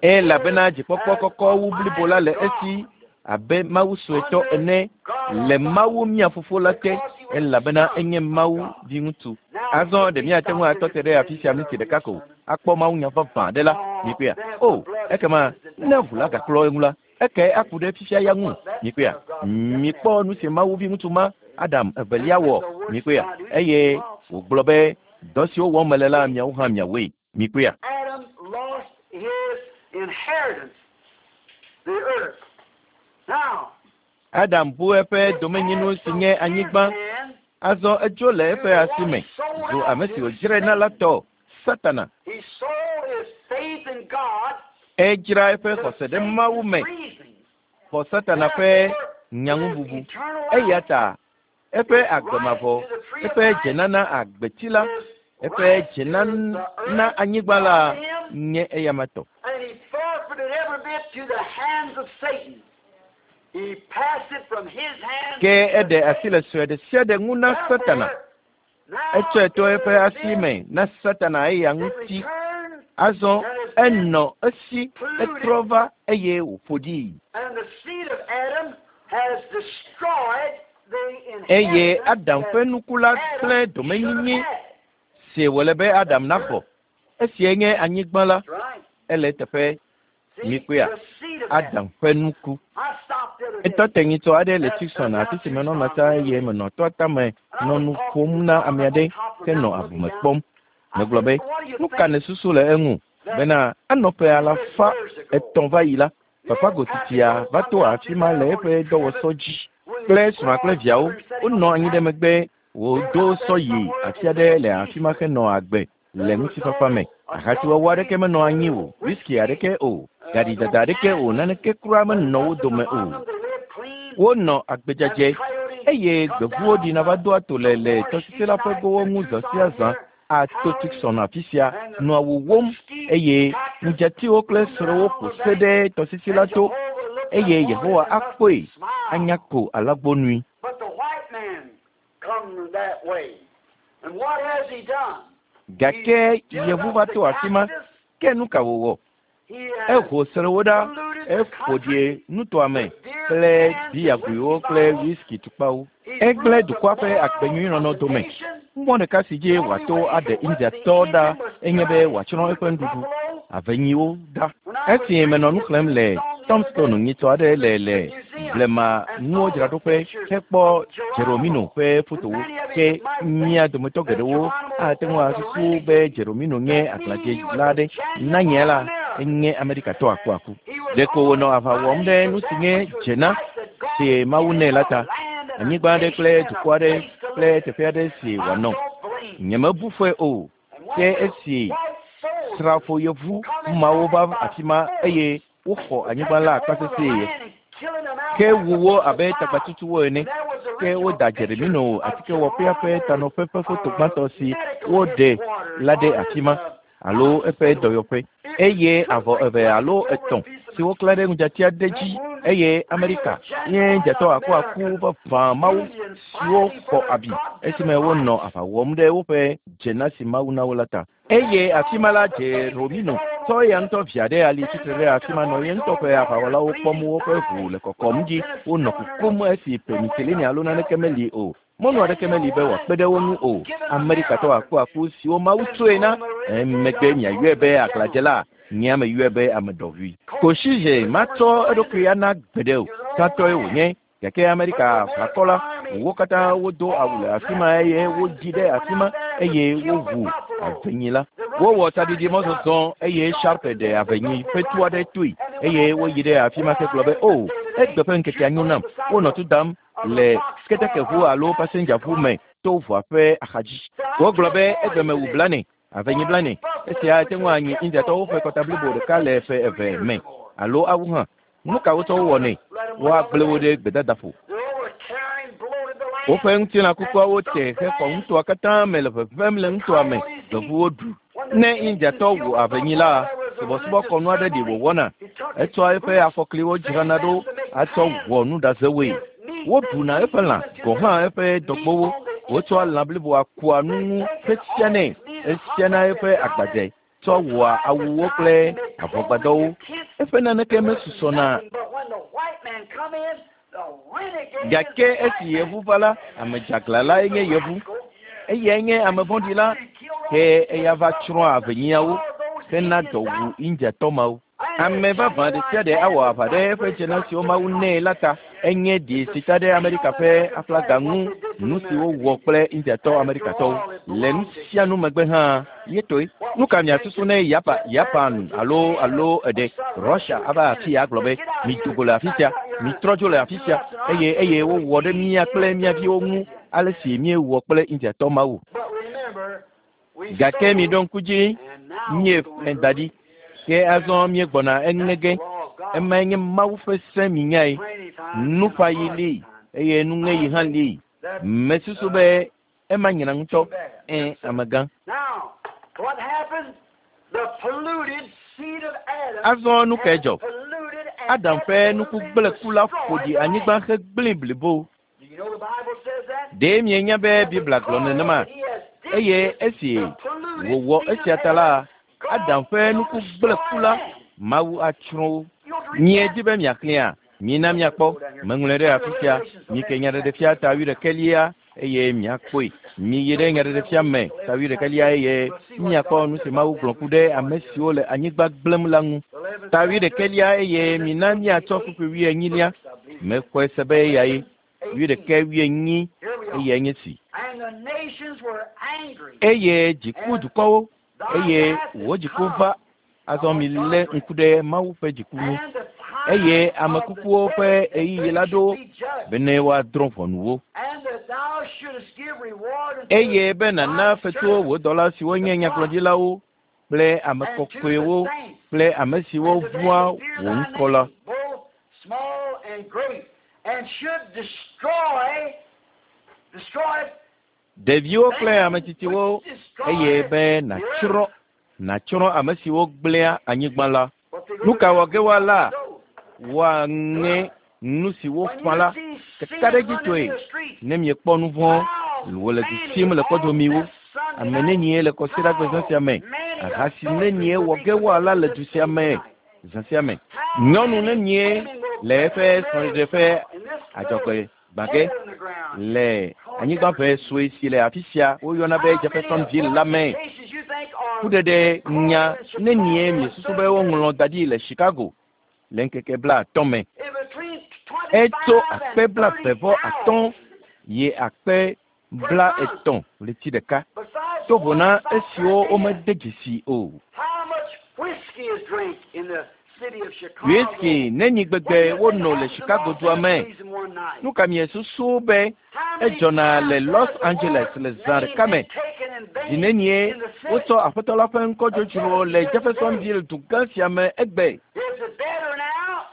Elabena dzikpɔkpɔ kɔkɔ wu blibo la le esi abe Mawu suetɔ ene le Mawu mía Fofo la te, elabena enye Mawu viŋutsu. Azɔ ɖe míate ŋu atɔ te ɖe afi sia minti ɖeka ko akpɔ mawunya vavã aɖe la? Mikpɔea? O, ekema ne ʋu la gaklɔ eŋu la, ekae aku ɖe fifia ya ŋu? Mikpɔea? Mikpɔ nu si Mawu viŋutsu ma, Adam evelia wɔ. Mikpɔea? Eye wògblɔ be, Dɔ siwo wɔm mele la, miawo hã miawɔe. Mikpɔea? Adam lost his inheritance, the earth. Now, Adam bu eƒe domenyinu si nye anyigba. Azɔ edzo le eƒe asi me zu ame si wòdzrae na la tɔ, Satana. he sold his faith in God Edzra eƒe to xɔse ɖe Mawu Satan's me reasoning. xɔ Satana ƒe nyaŋububu. Eternal Eya life, ta eƒe agbe mavɔ, eƒe dzenana agbeti la, Eƒe dzenana anyigba la nye eyama tɔ. Ke eɖe asi le sue ɖe sia ɖe ŋu na Satana. Etsɔe to eƒe asi me na Satana eya ŋuti. Azɔ enɔ esi, etrɔ va eye wòƒo ɖii. Eye Adam ƒe nuku la gblẽ domenyinyi si wòle be Adam naxɔ. Esiae nye anyigba la. Ele eteƒe. Mikpɔea? Adam ƒe nuku. Etɔ te nyitsɔ aɖe le Tucson, afi si menɔna tsã eye menɔ toa tame nɔ nu ƒom na ame aɖe henɔ abume kpɔm. Megblɔ be, Nu ka nèsusu le eŋu bena anɔ ƒe alafa etɔ̃ va yi la, Papa Gotitsia va to afi ma le eƒe dɔwɔsɔ dzi kple srɔ̃a kple viawo. Wonɔ anyi ɖe megbe wòdo sɔ yi afi aɖe le afi ma henɔ agbe le ŋutifafa me. Ahasiwɔwɔ aɖeke menɔ anyi o, whisky aɖeke o, gaɖidada aɖeke o, naneke kura menɔ wo dome o. Wonɔ agbe dzadzɛ, eye gbevuwo ɖina va doa to le le tɔsisi la ƒe gowo ŋu zã sia zã ato Tucson afi sia nɔa wowóm, eye ŋudzatiwo kple srɔ̃wo ƒo se ɖe tɔsisi la to, eye Yehowa akpɔe anya ko alagbonui. Gake Yevu va to afi ma, ke nu ka wòwɔ? Eho srẽwo ɖa, eƒo ɖi nutoa me kple biyagoewo kple wiski tukpawo. Egblẽ dukɔa ƒe agbenyuinɔnɔ dome. Mɔ ɖeka si dzi wòato aɖe Indiatɔ ɖa enye be wòatsrɔ̃ eƒe nuɖuɖu, avenyiwo, ɖa. Esi menɔ nu xlẽm le Tombstone nyitsɔ aɖe le le blema nuwo dzraɖoƒe hekpɔ Jeromino ƒe fotowo, ke mía dometɔ geɖewo ate ŋu asusu be Jeromino nye aglãdzela aɖe. Na nye la, enye Amerikatɔ akuaku. Ɖeko wònɔ aʋa wɔm ɖe nu si nye dzena si Mawu nɛ la ta, anyigba aɖe kple dukɔ aɖe kple teƒe aɖe si wòanɔ. Nyemebu fɔe o. Ke esi srafo yevu mawo va afi ma eye woxɔ anyigba la akpa sesẽe, ke wu wo abe tagbatutuwo ene. Ke woda Jeremino atikewɔƒea ƒe tanɔƒe ƒe foto gbãtɔ si woɖe la ɖe afi ma, alo eƒe dɔyɔƒe. Eye avɔ eve alo etɔ̃ si woklã ɖe ŋudzati aɖe dzi, eye Amerika nye dzatɔ akuaku vavã mawo siwo xɔ abi esime wonɔ aʋa wɔm ɖe woƒe dzena si Mawu na wo la ta. Eye afi ma la, Jeromino tsɔ eya ŋutɔ via ɖe ali tsitre ɖe afi ma nɔ ye ŋutɔ ƒe aʋawɔlawo kpɔm woƒe ʋu le kɔkɔm dzi wonɔ kukum esi penicillin alo naneke meli o. Mɔnu aɖeke meli be wòakpe ɖe wo ŋu o. Amerikatɔ akuaku siwo Mawu tsoe na emegbe miayɔe be aglãdzela, nye ame yɔe be ame ɖɔʋui. Koshize matsɔ eɖokui ana gbeɖe o. Tatɔe wònye. Gake Amerika ʋakɔ la, wo katã wodo awu le afi ma eye wodzi ɖe afi ma eye wowu avenyi la. Wowɔ tsaɖiɖi mɔzɔzɔ eye Sharpe ɖe avenyi ƒe tu aɖe toe eye woyi ɖe afi ma hegblɔ be, O, egbe ƒe ŋkekea nyo nam. Wonɔ tu dam le ketekeʋu alo pasendzaʋu me to ʋua ƒe axadzi. Wogblɔ be, Egbe mewu blane, avenyi blane. Esia ate ŋu anyi Indiatɔwo ƒe kɔta blibo ɖeka le ƒe eve me alo awu hã. Nu ka wotsɔ wowɔnɛ? Woagblẽ wo ɖe gbedadaƒo. Woƒe ŋutilã kukuawo te hexɔ nutoa katã me le ʋeʋẽm le nutoa me. Gbevuwo ɖu. Ne Indiatɔ wu avenyi la, subɔsubɔkɔnu aɖe li wòwɔna. Etsɔa eƒe afɔkliwo dzrana ɖo atsɔ wɔ nuɖazewoe. Woɖuna eƒe lã, gɔ̃ hã eƒe dɔgbowo. Wotsɔa lã bliboa kua nu ŋu hesianɛ. Esiana eƒe agbadze. tsɔ wɔa awuwo kple avɔgbadɔwo. Eƒe naneke mesusɔna. Gake esi yevu va la, ame dzeaglã lae nye yevu. Eyae nye ame vɔ̃ɖi la, ke eya va tsrɔ̃ avenyiawo hena dɔ wu Indiatɔ mawo. Ame vavã ɖesiaɖe awɔ aʋa ɖe eƒe dzena siwo Mawu nɛ la ta. Enye ɖi si ta ɖe Amerika ƒe aflaga ŋu, nusi wowɔ kple Indiatɔ Amerikatɔwo. Le nusianu megbe hã, ye toe. Nuka miasusu ne Yapa, Japan alo, alo eɖe, Russia ava afia agblɔ be, Mido go le afisia, mitrɔ dzo le afisia, eye, eye wowɔ ɖe mía kple mía viwo ŋu alesi míewɔ kple Indiatɔ mawo? Gake miɖo ŋku dzi, míeƒle da ɖi, ke azɔ míegbɔna eŋe ge. Emae nye Mawu ƒe se minyae. Nuƒaɣi li eye nuŋeɣi hã li. Mesusu be ema nyra ŋutɔ. Ẽ, amegã. Azɔ nu kae dzɔ? Adam ƒe nuku gblẽku la ƒo ɖi anyigba hegblẽe blibo. Ɖe mienya be Biblia gblɔ nenema? Eye esi wòwɔ esia ta la, Adam ƒe nuku gblẽku la, Mawu atsrɔ̃ wo. Miedi be miaxlẽa? Mina miakpɔ. Meŋlɔe ɖe afi sia. Mike Nyaɖeɖefia ta wuiɖekɛlia eye miakpɔe. Miyi ɖe Nyaɖeɖefia me ta wuiɖekɛlia eye miakpɔ nu si Mawu gblɔ ku ɖe ame siwo le anyigba gblẽm la ŋu. Ta wuiɖekɛlia eye mina miatsɔ kpukpui wuienyilia. Mexɔe se be eyae. Wuiɖekɛ wuienyi eyae nye si. Eye dzi ku dukɔwo eye wò dziku va. Azɔ milé ŋku ɖe Mawu ƒe dziku ŋu. Eye ame kukuwo ƒe ɣeyiɣi la ɖo bene woadrɔ̃ ʋɔnu wo. Eye be nàna fetuwo wò dɔla siwo nye nyagblɔɖilawo kple ame kɔkɔewo kple ame siwo vɔ̃a wò ŋkɔ la. Ɖeviwo kple ame tsitsiwo eye be nàtsrɔ̃ nàtsrɔ̃ ame siwo gblẽa anyigba la. Nu ka wɔ ge woala? Woaŋe nu si woƒã la kakaɖedzitɔe ne miekpɔ nu vɔ̃ wòle du sim le kɔdomiwo. Ame nenie le kɔsiɖagbe zã sia me? Ahasi nenie wɔ ge woala le du sia me zã sia me? Nyɔnu nenie le eƒe srɔ̃ɖeɖe ƒe adzɔgbe gbã ge le anyigba ʋe sue si le afi sia woyɔna be Jeffersonville la me? Kuɖeɖe nya nenie miesusu be woŋlɔ da ɖi le Chicago le ŋkeke blaatɔ̃ me? Etso akpe blaeve vɔ atɔ̃ yi akpe blaetɔ̃ ɣleti ɖeka, to vo na esiwo womede dzesi o. Whisky neni gbegbe wono le Chicago dua me? Nu ka miesusu be edzɔna le Los Angeles le zã ɖeka me? Zi nenie wotsɔ Aƒetɔ la ƒe ŋkɔ dzodzro le Jeffersonville dugã sia me egbe?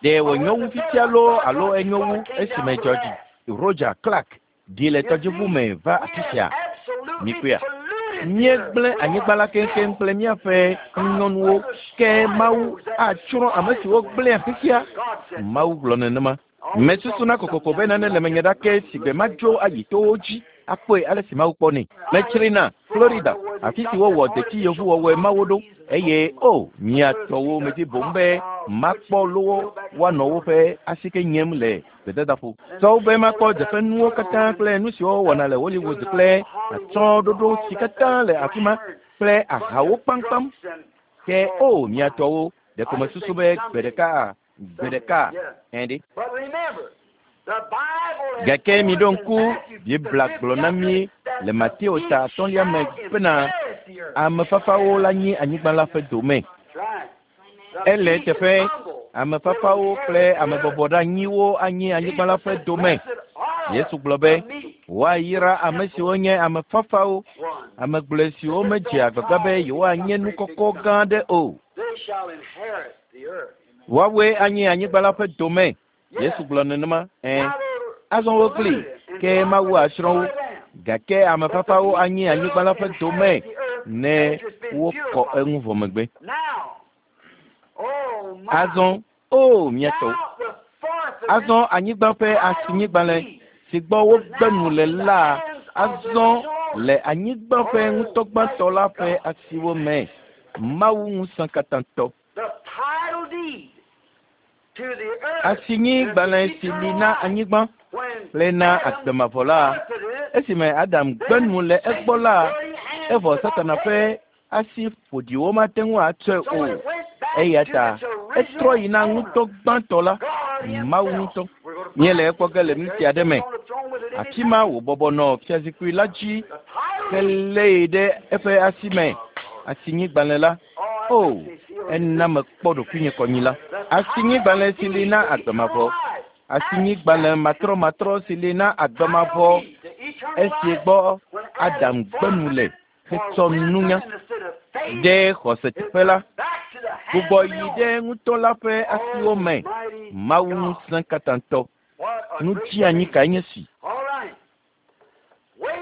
Ɖe wònyo wu fifia loo alo enyo wu esime George Roger Clark ɖi le tɔdziʋu me va afi sia? Mikpɔea? Míegblẽ anyigba la keŋkeŋ kple míaƒe nyɔnuwo, ke Mawu atsrɔ̃ ame siwo gblẽa xexea. Mawu gblɔ nenema. Mesusuna kokoko be nane le menye ɖake si gbe madzo ayi towo dzi akpɔe ale si Mawu kpɔnɛ. Metsrina Florida, afi si wowɔ deti yevuwɔwɔe mawo ɖo eye o mia tɔwo medi boŋ be makpɔ lowo woanɔ woƒe asike nyem le gbedadaƒo. Sɔwo be makpɔ dzeƒenuwo katã kple nu siwo wowɔna le Hollywood kple atsyɔ̃ɖoɖo si katã le afi ma kple ahawo kpamkpam. Ke o mia tɔwo, ɖeko mesusu be gbe ɖeka gbe ɖeka ẽ ɖe. Gake miɖo ŋku Biblia gblɔ na mí le Mateo ta atɔ̃lia me bena ame fafawo la nyi anyigba la ƒe dome. Ele eteƒe ame fafawo kple ame bɔbɔɖeanyiwo anyi anyigba la ƒe dome. Yesu gblɔ be woayra ame siwo nye ame fafawo, ame gblɔe siwo medzea agbagba be yewoanye nu kɔkɔ gã aɖe o. Woawoe anyi anyigba la ƒe dome. Yesu gblɔ nenema. Ẽ. Azɔ wokpli, ke Mawu asrɔ̃ wo. Gake ame fafawo anyi anyigba la ƒe dome ne wokɔ eŋu vɔ megbe. Azɔ, o mía tɔwo. Azɔ anyigba ƒe asinyigbalẽ si gbɔ wogbe nu le la azɔ le anyigba ƒe ŋutɔgbãtɔ la ƒe asiwo me. Mawu ŋusẽkatãtɔ. Asinyigbalẽ si li na anyigba kple na agbemavɔ la, esime Adam gbe nu le egbɔ la, evɔ Satana ƒe asi ƒoɖiwo mate ŋu atsɔe o. Eya ta etrɔ yi na ŋutɔ gbãtɔ la, Mawu ŋutɔ. Míele ekpɔ ge le nu sia ɖe me. Afi ma wòbɔbɔ nɔ fiazikpui la dzi helée ɖe eƒe asi me. Asinyigbalẽ la. O, ena mekpɔ ɖokuinye kɔnyila. Asinyigbalẽ si li na agbemavɔ. Asinyigbalẽ matrɔmatrɔ si li na agbemavɔ. Esi gbɔ Adam gbe nu le hetsɔ nunya ɖe xɔse teƒe la, gbugbɔ yi ɖe ŋutɔ la ƒe asiwo me. Mawu ŋusẽkatãtɔ. Nu dzianyi kae nye si?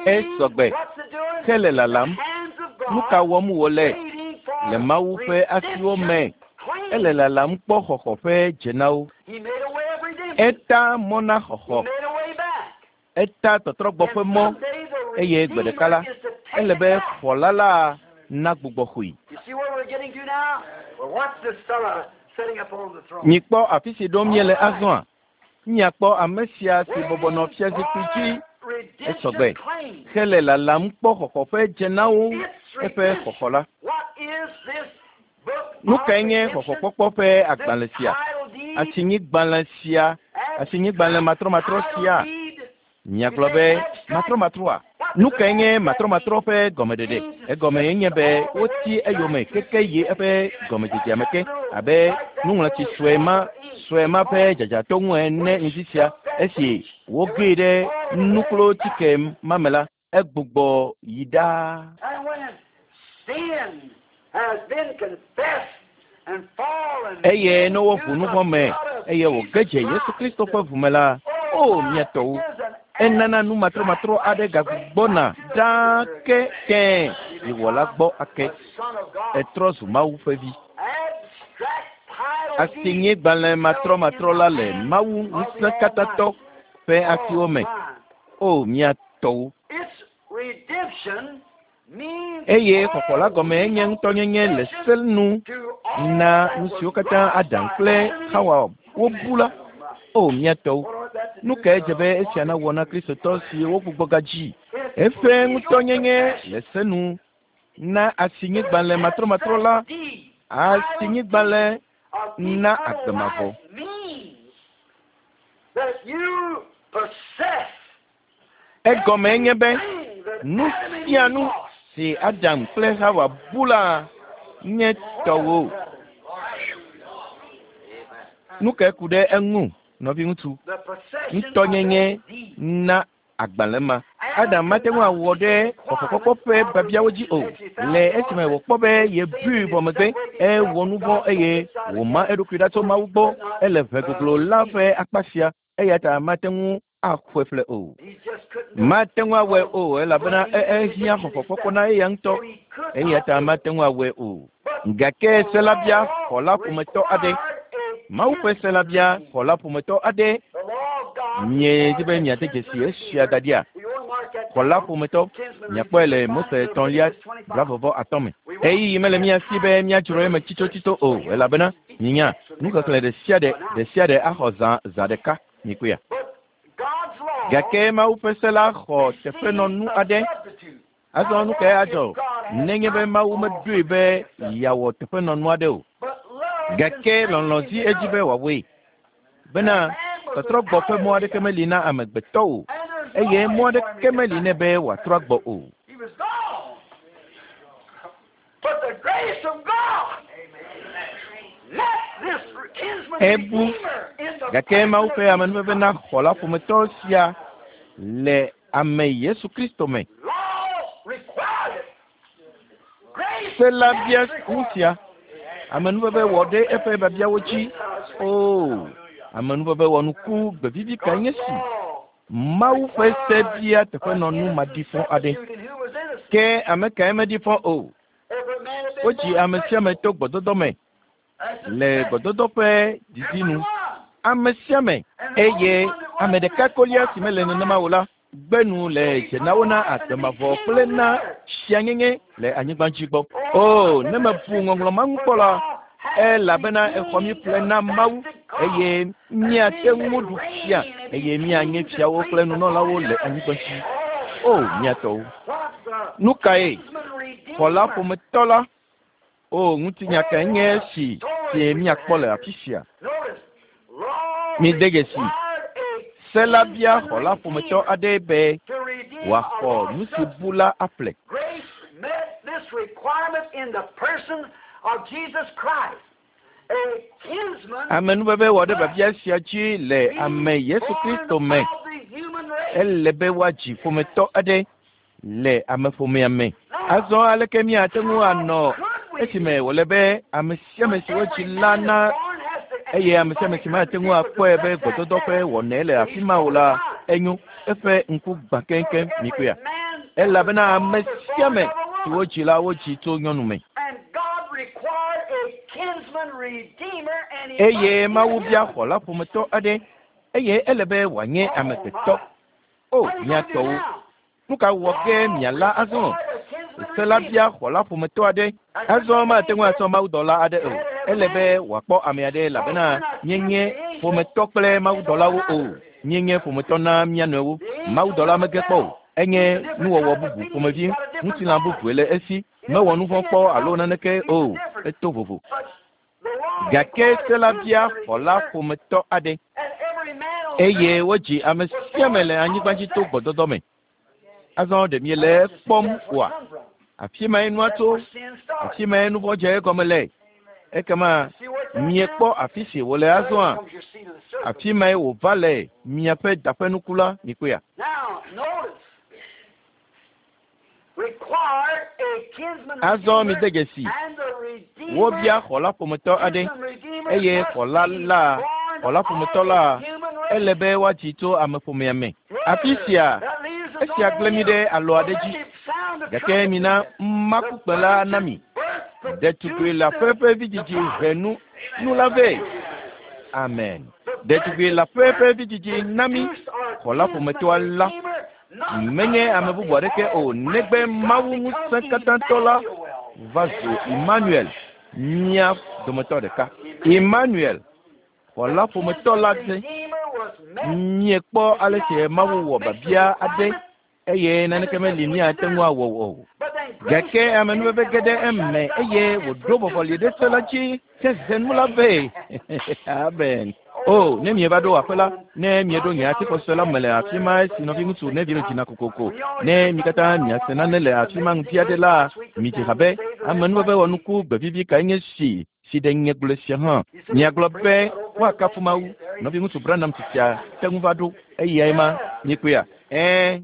Esɔgbe hele lalam. Nu ka wɔm wòle le Mawu ƒe asiwo me? Ele lalam kpɔ xɔxɔ ƒe dzenawo. Eta mɔ na xɔxɔ. Eta tɔtrɔgbɔ ƒe mɔ eye gbe ɖeka la, ele be xɔla la nagbugbɔ xɔe. Mikpɔ afi si ɖom míele azɔa? Míakpɔ ame sia si bɔbɔ nɔ fiazikpui dzi esɔgbe hele lalam kpɔ xɔxɔ ƒe dzenawo eƒe xɔxɔ la. Nu kae nye xɔxɔkpɔkpɔ ƒe agbalẽ sia? Asinyigbalẽ sia, asinyigbalẽ matrɔmatrɔ sia. Miagblɔ be matrɔmatrɔa? Nu kae nye matrɔmatrɔ ƒe gɔmeɖeɖe? Egɔme nye be woti eyome keke yi eƒe gɔmedzedzea me ke, abe nuŋlɔtsi sue ma sue ma ƒe dzadzatɔ ŋu ene ŋdi sia. Esi wogee ɖe nuklotike ma me la, egbugbɔ yi ɖaa. Eye ne woʋu nu vɔ̃ me eye wòge dze Yesu Kristo ƒe ʋu me la, o mía tɔwo, enana nu matrɔmatrɔ aɖe gagbugbɔna ɖaa ke tẽe yi Wɔla gbɔ ake. Etrɔ zu Mawu ƒe vi. Asinyigbalẽ matrɔmatrɔ la le Mawu Ŋusẽkatãtɔ ƒe asiwo me. O mía tɔwo. Eye xɔxɔ la gɔme enye ŋutɔnyenye le se nu na nu siwo katã Adam kple Xawa wobu la. O mía tɔwo, nu kae dze be esia nawɔ na Kristotɔ si wogbugbɔ gadzi? Eƒe ŋutɔnyenye le se nu na asinyigbalẽ matrɔmatrɔ la, asinyigbalẽ na agbe mavɔ. Egɔmee nye be nu sia nu si Adam kple Xawa bu la nye tɔwò. Nu kae ku ɖe eŋu, nɔviŋutsu? Ŋutɔnyenye na agbalẽ ma. Adam mate ŋu awɔ ɖe xɔxɔkpɔkpɔ ƒe biabiawo dzi o, le esime wòkpɔ be yebui vɔ megbe, ewɔ nu vɔ̃ eye wòma eɖokui ɖa tso Mawu gbɔ. Ele ʋe goglo la ƒe akpa sia, eya ta mate ŋu axɔe ƒle o. Mate ŋu awɔe o elabena ehiã xɔxɔkpɔkpɔ na eya ŋutɔ, eya ta mate ŋu awɔe o. Gake se la bia xɔla ƒometɔ aɖe. Mawu ƒe se la bia xɔla ƒometɔ aɖe. Miedi be miade dzesi esia da ɖia? Xɔla ƒometɔ, miakpɔe le Mose etɔ̃lia blavɔvɔ atɔ̃ me. Ɣeyiɣi mele mía si be míadzro eme tsitotsito o, elabena minya, nuxexlẽ ɖe sia ɖe, ɖe sia ɖe axɔ zã, zã ɖeka. Mikpɔea? Gake Mawu ƒe se la xɔ teƒenɔnu aɖe. Azɔ nu kae adzɔ nenye be Mawu meɖoe be yeawɔ teƒenɔnu aɖe o? Gake lɔlɔ̃ zi edzi be wòawɔe. Bena tɔtrɔgbɔ ƒe mɔ aɖeke meli na amegbetɔ o, eye mɔ aɖeke meli nɛ be wòatrɔ agbɔ o. Ebu, gake Mawu ƒe amenuveve na xɔla ƒometɔ sia le ame Yesu Kristo me. Se la bia nu sia. Amenuveve wɔ ɖe eƒe biabiawo dzi. Oo, amenuveve wɔ nuku gbevivi kae nye si! Mawu ƒe se bia teƒenɔnu maɖifɔ aɖe. Ke ame kae meɖi fɔ o? Wodzi ame sia ame to gbɔdɔdɔ me le gbɔdɔdɔ ƒe didi nu. Ame sia ame eye ame ɖeka kolia si mele nenema o la gbe nu le dzenawo na agbe mavɔ kple na fianyenye le anyigba dzi gbɔ. O, ne mebu ŋɔŋlɔ ma ŋu kpɔ la, elabena exɔ mí ƒle na Mawu eye míate ŋu ɖu fia eye míanye fiawo kple nunɔlawo le anyigba dzi. O, mía tɔwo! Nu kae xɔla ƒometɔ la? O, ŋutinya kae nye esi si míakpɔ le afi sia? Mide dzesi, se la bia xɔla ƒometɔ aɖe be wòaxɔ nu si bu la aƒle. Amenuveve wɔ ɖe biabia sia dzi le ame Yesu Kristo me. Ele be woadzi ƒometɔ aɖe le ameƒomea me. Azɔ aleke míate ŋu anɔ esime wòle be ame sia ame si wodzi la na eye ame sia ame si mate ŋu akpɔe be gbɔdɔdɔ ƒe wɔnae le afi ma o la, enyo, eƒe ŋku gbã keŋkeŋ, mikpɔea? Elabena ame sia ame si wodzi la wodzi tso nyɔnu me. Eye Mawu bia xɔla ƒometɔ aɖe, eye ele be wòanye amegbetɔ. O, mía tɔwo, nu ka wɔ ge miala azɔ? Se la bia xɔla ƒometɔ aɖe. Azɔ mate ŋu asɔ mawudɔla aɖe o. Ele be wòakpɔ ame aɖe elabena míenye ƒometɔ kple mawudɔlawo o. Míenye ƒometɔ na mía nɔewo. Mawudɔla mege kpɔ o. Enye nuwɔwɔ bubu ƒomevi, ŋutilã bubue le esi. Mewɔ nu vɔ̃ kpɔ alo naneke o. Eto vovo. Gake se la bia xɔla ƒometɔ aɖe. Eye wodzi ame sia ame le anyigba dzi to gbɔdɔdɔ me. Azɔ ɖe miele ekpɔm oa? Afi mae nua tso, afi mae nu vɔ̃ dze egɔme le. Ekema miekpɔ afi si wòle azɔa? Afi mae wòva le miaƒe daƒenuku la, mikpɔea? Azɔ mide dzesi, wobia xɔla ƒometɔ aɖe, eye xɔla la, xɔla ƒometɔ la, ele be woadzi tso ameƒomea me. Afi sia, esia gblẽ mi ɖe alɔ aɖe dzi. Gake mina makukpe la na mi. Ɖetugbui leaƒe ƒe vidzidzi he nu nu la vɛ. Amen. Ɖetugbui leaƒe ƒe vidzidzi na mi xɔla ƒometɔa la. Menye ame bubu aɖeke o, negbe Mawu ŋusẽkatãtɔ la va zu Emmanuel, mía dometɔ ɖeka. Emmanuel, xɔla ƒometɔ la dze. Miekpɔ ale si Mawu wɔ biabia aɖe eye naneke meli míate ŋu awɔ o. Gake amenuveve ge ɖe eme eye wòɖo vɔvɔli ɖe se la dzi hehe nu la vɛ. Amen. O, ne mieva ɖo aƒe la, ne mieɖo nye atixɔse la me le afi ma esi nɔviŋutsu Neville dzina kokoko, ne mi katã miase nane le afi ma ŋdi aɖe la, midzi ha be, amenuveve wɔnuku gbevivi kae nye si si ɖe nye gblɔe sia hã. Miagblɔ be woakafu Mawu. Nɔviŋutsu Branham tsitsia te ŋu va ɖo. Eyae ma, miekpɔea? Ɛ̃.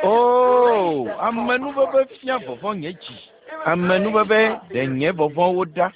O, amenuveve fia vɔvɔ̃ nye dzi. Amenuveve ɖe nye vɔvɔ̃wo ɖa.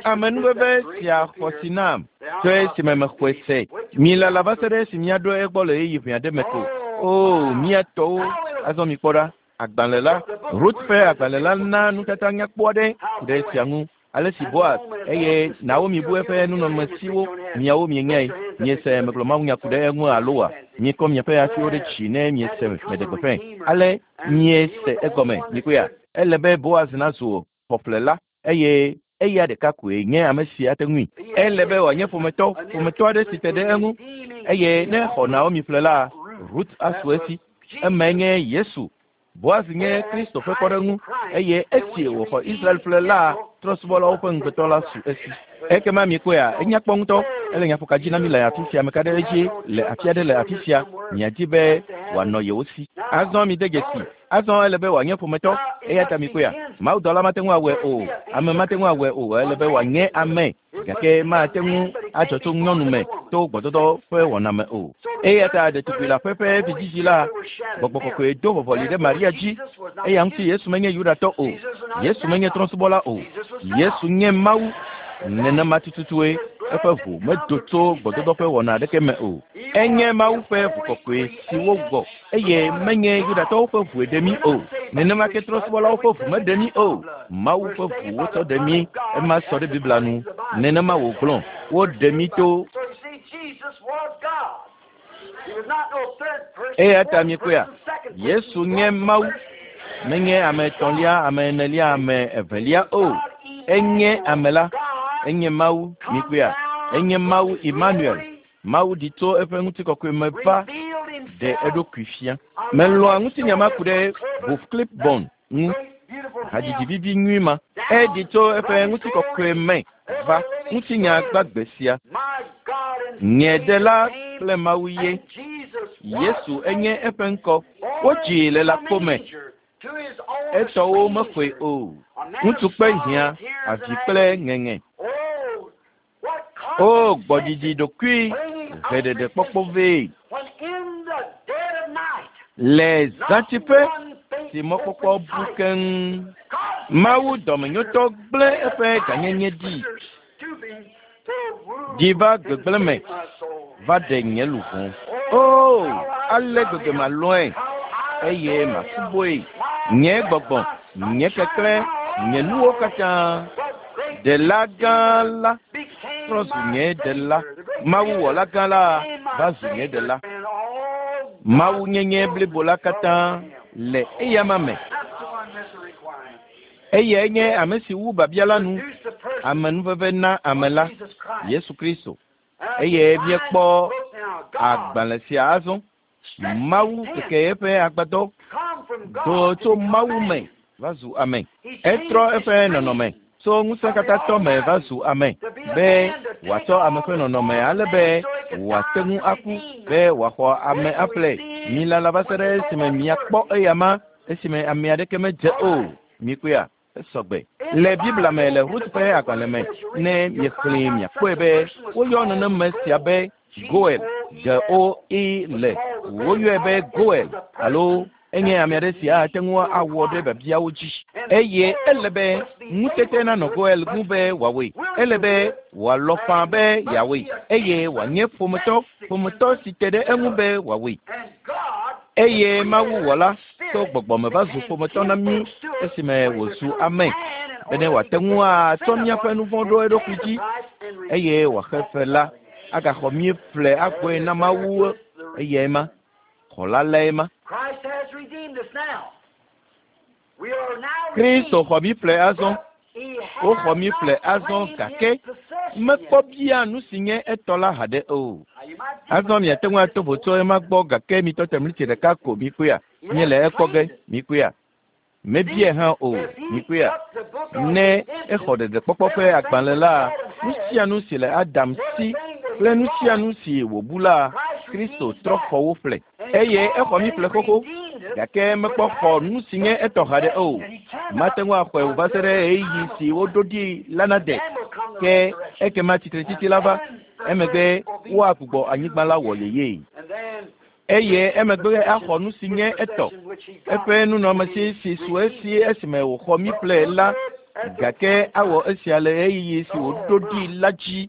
Amenuveve sia xɔ si nam tso esime mexɔe se. Milala va se ɖe esi míaɖo egbɔ le ɣeyiɣi ʋɛ aɖe me ko. O, mía tɔwo, azɔ mikpɔ ɖa. Agbalẽ la, Rut ƒe agbalẽ la na nutata nyakpɔ aɖe ku ɖe esia ŋu. Ale si Boaz eye Naomi bu eƒe nunɔamesiwo, miawo mienyae. Miese megblɔ mawunya ku ɖe eŋu alo wa? Mikɔ miaƒe asiwo ɖe dzi ne miese meɖe gbeƒãe. Ale miese egɔme, mikpɔea? Ele be Boaz nazu xɔƒlela eye eya ɖeka koe nye ame si ate ŋui. Ele be wòanye ƒometɔ, ƒometɔ aɖe si te ɖe eŋu. Eye ne exɔ Naomi ƒle la, Rut asu esi. Emae nye Yesu. Boaz nye Kristo ƒe kpɔɖeŋu eye esi wòxɔ Israel ƒle la, trɔ̃subɔlawo ƒe ŋugbetɔ la su esi. Ekema mikpɔea, enya kpɔ ŋutɔ. Ele nyaƒoka dzi na mi le afi sia, ame ka ɖe edzi le afi aɖe le afi sia, miadi be wòanɔ yewo si. Azɔ mide dzesi. Azɔ ele be wòanye ƒometɔ, eya ta mikpɔea, mawudɔla mate ŋu awɔe o, ame mate ŋu awɔe o, ele be wòanye ame, gake mate ŋu adzɔ tso nyɔnu me to gbɔdɔdɔ ƒe wɔna me o. Eya ta ɖetugbui leaƒe ƒe vidzidzi la, gbɔgbɔ kɔkɔe do vɔvɔli ɖe Maria dzi. Eya ŋuti Yesu menye Yudatɔ o, Yesu menye trɔ̃subɔla o, Yesu nye Mawu. Nenema tututue eƒe ʋu medo tso gbɔdɔdɔ ƒe wɔna aɖeke me o. Enye Mawu ƒe ʋu kɔkɔe si wowɔ eye menye Yudatɔwo ƒe ʋue ɖe mí o. Nenema ke trɔ̃subɔlawo ƒe ʋu meɖe mí o. Mawu ƒe ʋu wotsɔ ɖe mí, ema sɔ ɖe Biblia nu. Nenema wògblɔ, woɖe mí to. Eya ta miekpɔea, Yesu nye Mawu, menye ame etɔ̃lia, ame enelia, ame evelia o. Enye ame la, enye Mawu, mikpɔea, enye Mawu Emmanuel. Mawu ɖi tso eƒe ŋutikɔkɔe me va ɖe eɖokui fia. Melɔ̃a ŋutinya ma ku ɖe Voof-Clipborn ŋu. Hadzidzi vivi nyui ma. Eɖi tso eƒe ŋutikɔkɔe me va ŋutinya gbagbe sia. Nye Ɖela kple Mawu ye. Yesu enye eƒe ŋkɔ. Wodzii le lãkpo me. Etɔwo mexɔe o. Ŋutsu kpe hiã, avi kple ŋeŋe. O, gbɔdzidzi ɖokui heɖeɖekpɔkpɔ vɛ. Le zãtiƒe si mɔkpɔkpɔ bu keŋ, Mawu dɔmenyotɔ gblẽ eƒe gãnyenye ɖi. Ɖi va gbegblẽ me va ɖe nye luʋɔ. O, ale gbegbe malɔ̃e eye masubɔe. Nye gbɔgbɔ. Nye keklẽ, nye nuwo katã. Ɖela gã la trɔ zu nye ɖela. Mawu wɔla gã la va zu nye ɖela. Mawu nyenye blibo la katã le eyama me. Eyae nye ame si wu biabia la nu, amenuveve na ame la, Yesu Kristo. Eye míekpɔ agbalẽ sia azɔ. Mawu keke eƒe agbadɔ do tso Mawu me va zu ame. Etrɔ eƒe nɔnɔme tso ŋusẽkatãtɔ me va zu ame be wòatsɔ ame ƒe nɔnɔme ale be wòate ŋu aku be wòaxɔ ame aƒle. Milala va se ɖe esime miakpɔ eyama esime ame aɖeke medze o. Mikpɔea? Esɔgbe. Le Biblia me le Rut ƒe agbalẽ me, ne miexlẽe miakpɔe be woyɔ neneme sia be Goel, G-O-E-L. Woyɔe be Goel alo enye ame aɖe si ate ŋu awɔ ɖe biabiawo dzi. Eye ele be ŋutete nanɔ Goel ŋu be wòawɔe. Ele be wòalɔ̃ faa be yeawɔe eye wòanye ƒometɔ, ƒometɔ si te ɖe eŋu be wòawɔe. Eye Mawu wɔla tso gbɔgbɔme va zu ƒometɔ na mí esime wòzu ame bene wòate ŋu atsɔ míaƒe nu vɔ̃ ɖo eɖokui dzi eye wòaxe fe la agaxɔ mí ƒle agbɔe na Mawu eyae ma. Xɔla lae ma. Christ has redeemed us now. We are now Kristo redeemed. xɔ mí ƒle azɔ. But he Woxɔ has mí not ƒle azɔ claimed gake his possession mekpɔ yet. bia nu si nye etɔ la haɖe o. Now, you might Azɔ miate ŋu ato vo tso ema gbɔ gake mitɔ te mlitsi ɖeka ko mikpɔea. He Míele hasn't ekpɔ ge claimed it. mikpɔea. Mebia hã o If he mikpɔea. took the book of Ne exɔ redemption, ɖeɖekpɔkpɔ ƒe everything agbalẽ that la, Adam nu had, sia nu si le Adam si everything that kple he nu sia lost, nu si wòbu la, Christ Kristo redeems trɔ that. xɔ wo ƒle. And he Eye exɔ mí already ƒle xoxo redeemed us, gake but mekpɔ xɔ hasn't nu si nye taken etɔ haɖe o. possession, and he Mate cannot ŋu axɔe o va se until ɖe the ɣeyiɣi time si woɖo appointed. ɖi la nade. Then will come the Ke resurrection. ekema tsitretsitsi And la va. then the Emegbe earth will be woagbugbɔ anyigba la wɔ renewed. yeyee. And then Eye his emegbe possession, axɔ nu si his nye etɔ. possession which he got Eƒe when nunɔamesi he si su redeemed esi us. esime wòxɔ mí But ƒle he'll la do it at the gake appointed awɔ time. esia le ɣeyiɣi si Oh wòɖo ɖi my. la dzi.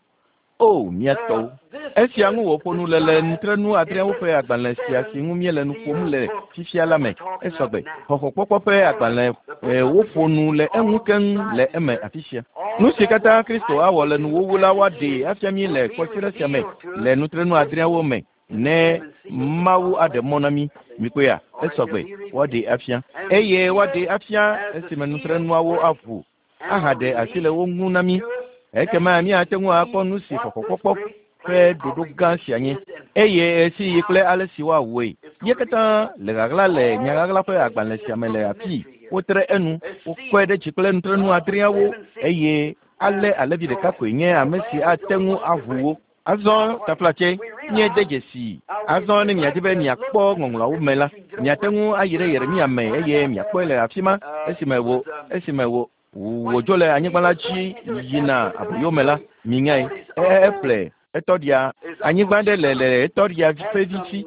O mía tɔwo. This Esia is ŋu wòƒo nu le le described nutrenu in adreawo this ƒe agbalẽ sia si seven ŋu míele nu ƒom seal le book fifia that la we're me. talking of Esɔgbe. now. Xɔxɔkpɔkpɔ ƒe All right, agbalẽ the book of woƒo nu redemption, le eŋu all keŋ le described in eme here, afi sia. all Nu si that katã what Kristo Christ awɔ will le do nuwuwu at la the woaɖee end afia mí will le be kɔsiɖa sia me revealed to le us nutrenu this adreawo week me in the ne seven seals of Mawu aɖe mɔ Revelation. na mí. Mikpɔea? All right, Esɔgbe. it'll be revealed. Woaɖee afia. And Eye woaɖee revealed afia as the esime seals nutrenuawo break aʋu and are ahaɖe asi le released wo ŋu na mí. to us Ekema next week míate to ŋu akpɔ see nu si what this xɔxɔkpɔkpɔ great ƒe plan of ɖoɖo gã sia redemption nye is and eye ɣesiɣi kple how ale si woawɔe. it's Mía going to be katã done. le ɣaɣla le All nyaɣaɣla ƒe is agbalẽ in sia this me book le of afii. mystery here. Wotre enu, It's wokɔe sealed. ɖe dzi kple nutrenu All the adreawo seven seals. eye ale And alẽvi ɖeka so koe nye the ame si lamb is the ate only ŋu one who can aʋu break wo. it. Not Azɔ quite. taflatse, We míede realize dzesii. now we'd Azɔ ne miadi like be to look miakpɔ at the ŋɔŋlɔawo me la, scriptures and get miate over ŋu it. ayi ɖe Yeremia Jeremiah me find eye out there miakpɔe when le afi ma esime it wò was esime wò when wòdzo le he anyigba la was dzi going into the yina captivity of the aboyo land, me la, so he minyae. told his uncle, Eƒle etɔɖia his anyigba uncle ɖe le le etɔɖia had ƒe vi some dzi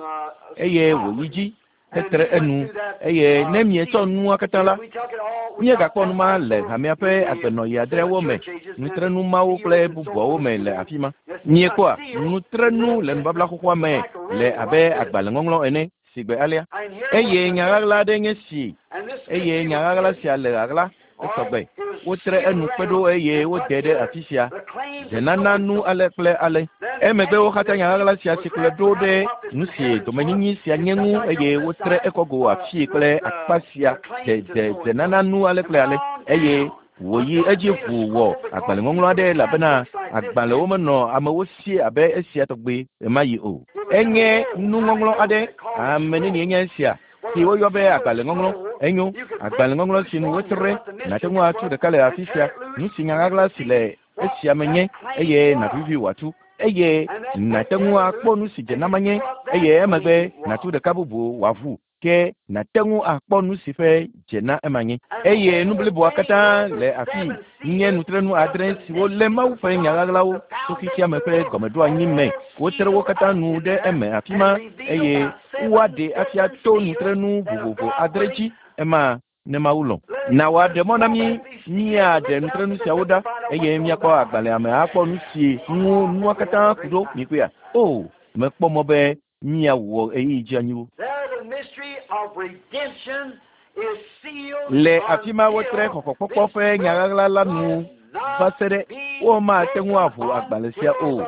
eye some wòyi property, dzi and hetre he went enu through that eye ne mietsɔ seal. nua katã la If we took it all, we got míegakpɔ that nu ma le also hamea in ƒe the agbenɔɣi seven adreawo me church ages and nutrenu mawo seals kple and so bubuawo forth. me le And afi ma. it's a Miekpɔa seal nutrenu in le the nubabla Testament xoxoa me like a le riddle abe like this. agbalẽŋɔŋlɔ ene si gbe alea. And here was Eye the nya mystery. ɣaɣla aɖe nye si And this eye mystery nya was ɣaɣla hidden. sia le ɣaɣla All esɔgbe. right? It was Wotre sealed enu kpe ɖo around eye and put wode ɖe here afi sia. the claims of Dzenana so and nu so. ale kple ale. Then the Emegbe next wo katã nya ɣaɣla mystery sia was si kplɔe wrapped ɖo around ɖe what this nu si inheritance was. domenyinyi sia It's nye just ŋu like eye on this wotre side, ekɔgo afii kple with akpa sia the claims to de so and so. dzenana nu ale And kple went ale on eye down wòyi until edzi it made a ʋu wɔ scroll because agbalẽŋɔŋlɔ aɖe people didn't have elabena books like this agbalẽwo then. menɔ amewo si abe esia tɔgbi ɣemaɣi o. It was in a Enye roll. How many nuŋɔŋlɔ know aɖe they called it ame scroll? nenie nye esia Well, si a woyɔ be sealed agbalẽŋɔŋlɔ. scroll, Enyo you could break agbalẽŋɔŋlɔ loose si nu one here wotre what the nàte mystery ŋu this atu was ɖeka le and afi tear sia. it loose, Nu si nya and you ɣaɣla could si see le what esia me that nye claim eye was. nàvivi wòatu eye And then nàte break ŋu the other akpɔ loose nu si and dze you nama see nye what that eye emegbe claim nàtu was. ɖeka bubu wòaʋu ke nàte ŋu akpɔ nu si ƒe dze na ema nye. And the Eye nu whole bliboa thing katã was the le afii seven nye seals nutrenu of adre the siwo lé mysteries Mawu of ƒe nya God, ɣaɣlawo the tso xexea me foundation ƒe of the world, gɔmeɖoanyi me. all Wotre wo sealed katã up nu in ɖe there eme afi and ma revealed eye by seven woaɖee afia different to seals nutrenu that if vovovo God adre willing, dzi ema ne Mawu lɔ̃. let us Na wòaɖe just mɔ na draw mí back these seals and míaɖe look down nutrenu through the siawo book ɖa and find out eye what's all míakpɔ about. agbalẽa me akpɔ nu si ŋu nua Oh, we katã have a ku great ɖo time. mikpɔea. O mekpɔ mɔ be míawɔ ɣeyiɣi dzi anyiwo. There, the mystery of redemption Le afi ma wotre xɔxɔkpɔkpɔ ƒe nyaɣaɣla la nu va se ɖe womate ŋu aʋu agbalẽ sia o.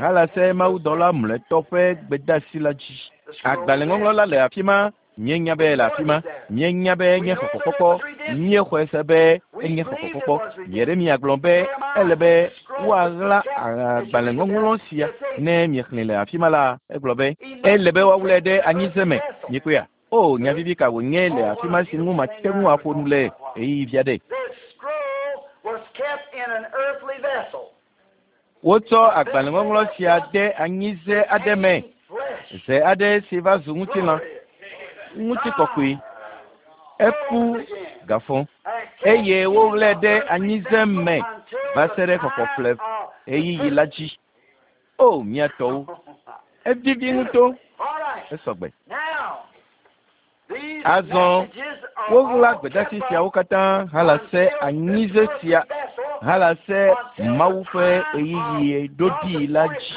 Halase mawudɔla mlɔetɔ ƒe gbedeasi la dzi. Agbalẽŋɔŋlɔ la le afi ma. Míenya be le afi ma. Míenya be enye xɔxɔkpɔkpɔ. Míexɔe se be enye xɔxɔkpɔkpɔ. Yeremia gblɔ be ele be woaɣla agbalẽŋɔŋlɔ sia ne miexlẽe le afi ma la, egblɔ be ele be woawlɛ ɖe anyize me. Mikpɔea? O, nya vivi ka wònye le afi ma si ŋu mate ŋu aƒo nu le ɣeyiɣi vi aɖe. Wotsɔ agbalẽŋɔŋlɔ sia de anyize aɖe me, ze aɖe si va zu ŋutilã, ŋutikɔkɔe. Eku gafɔ eye woɣlae ɖe anyize me va se ɖe xɔxɔƒle ɣeyiɣi la dzi. O, mía tɔwo, evivi ŋutɔ, esɔgbe. Azɔ woɣla gbedeasi siawo katã halase anyize sia halase Mawu ƒe ɣeyiɣi ɖoɖi la dzi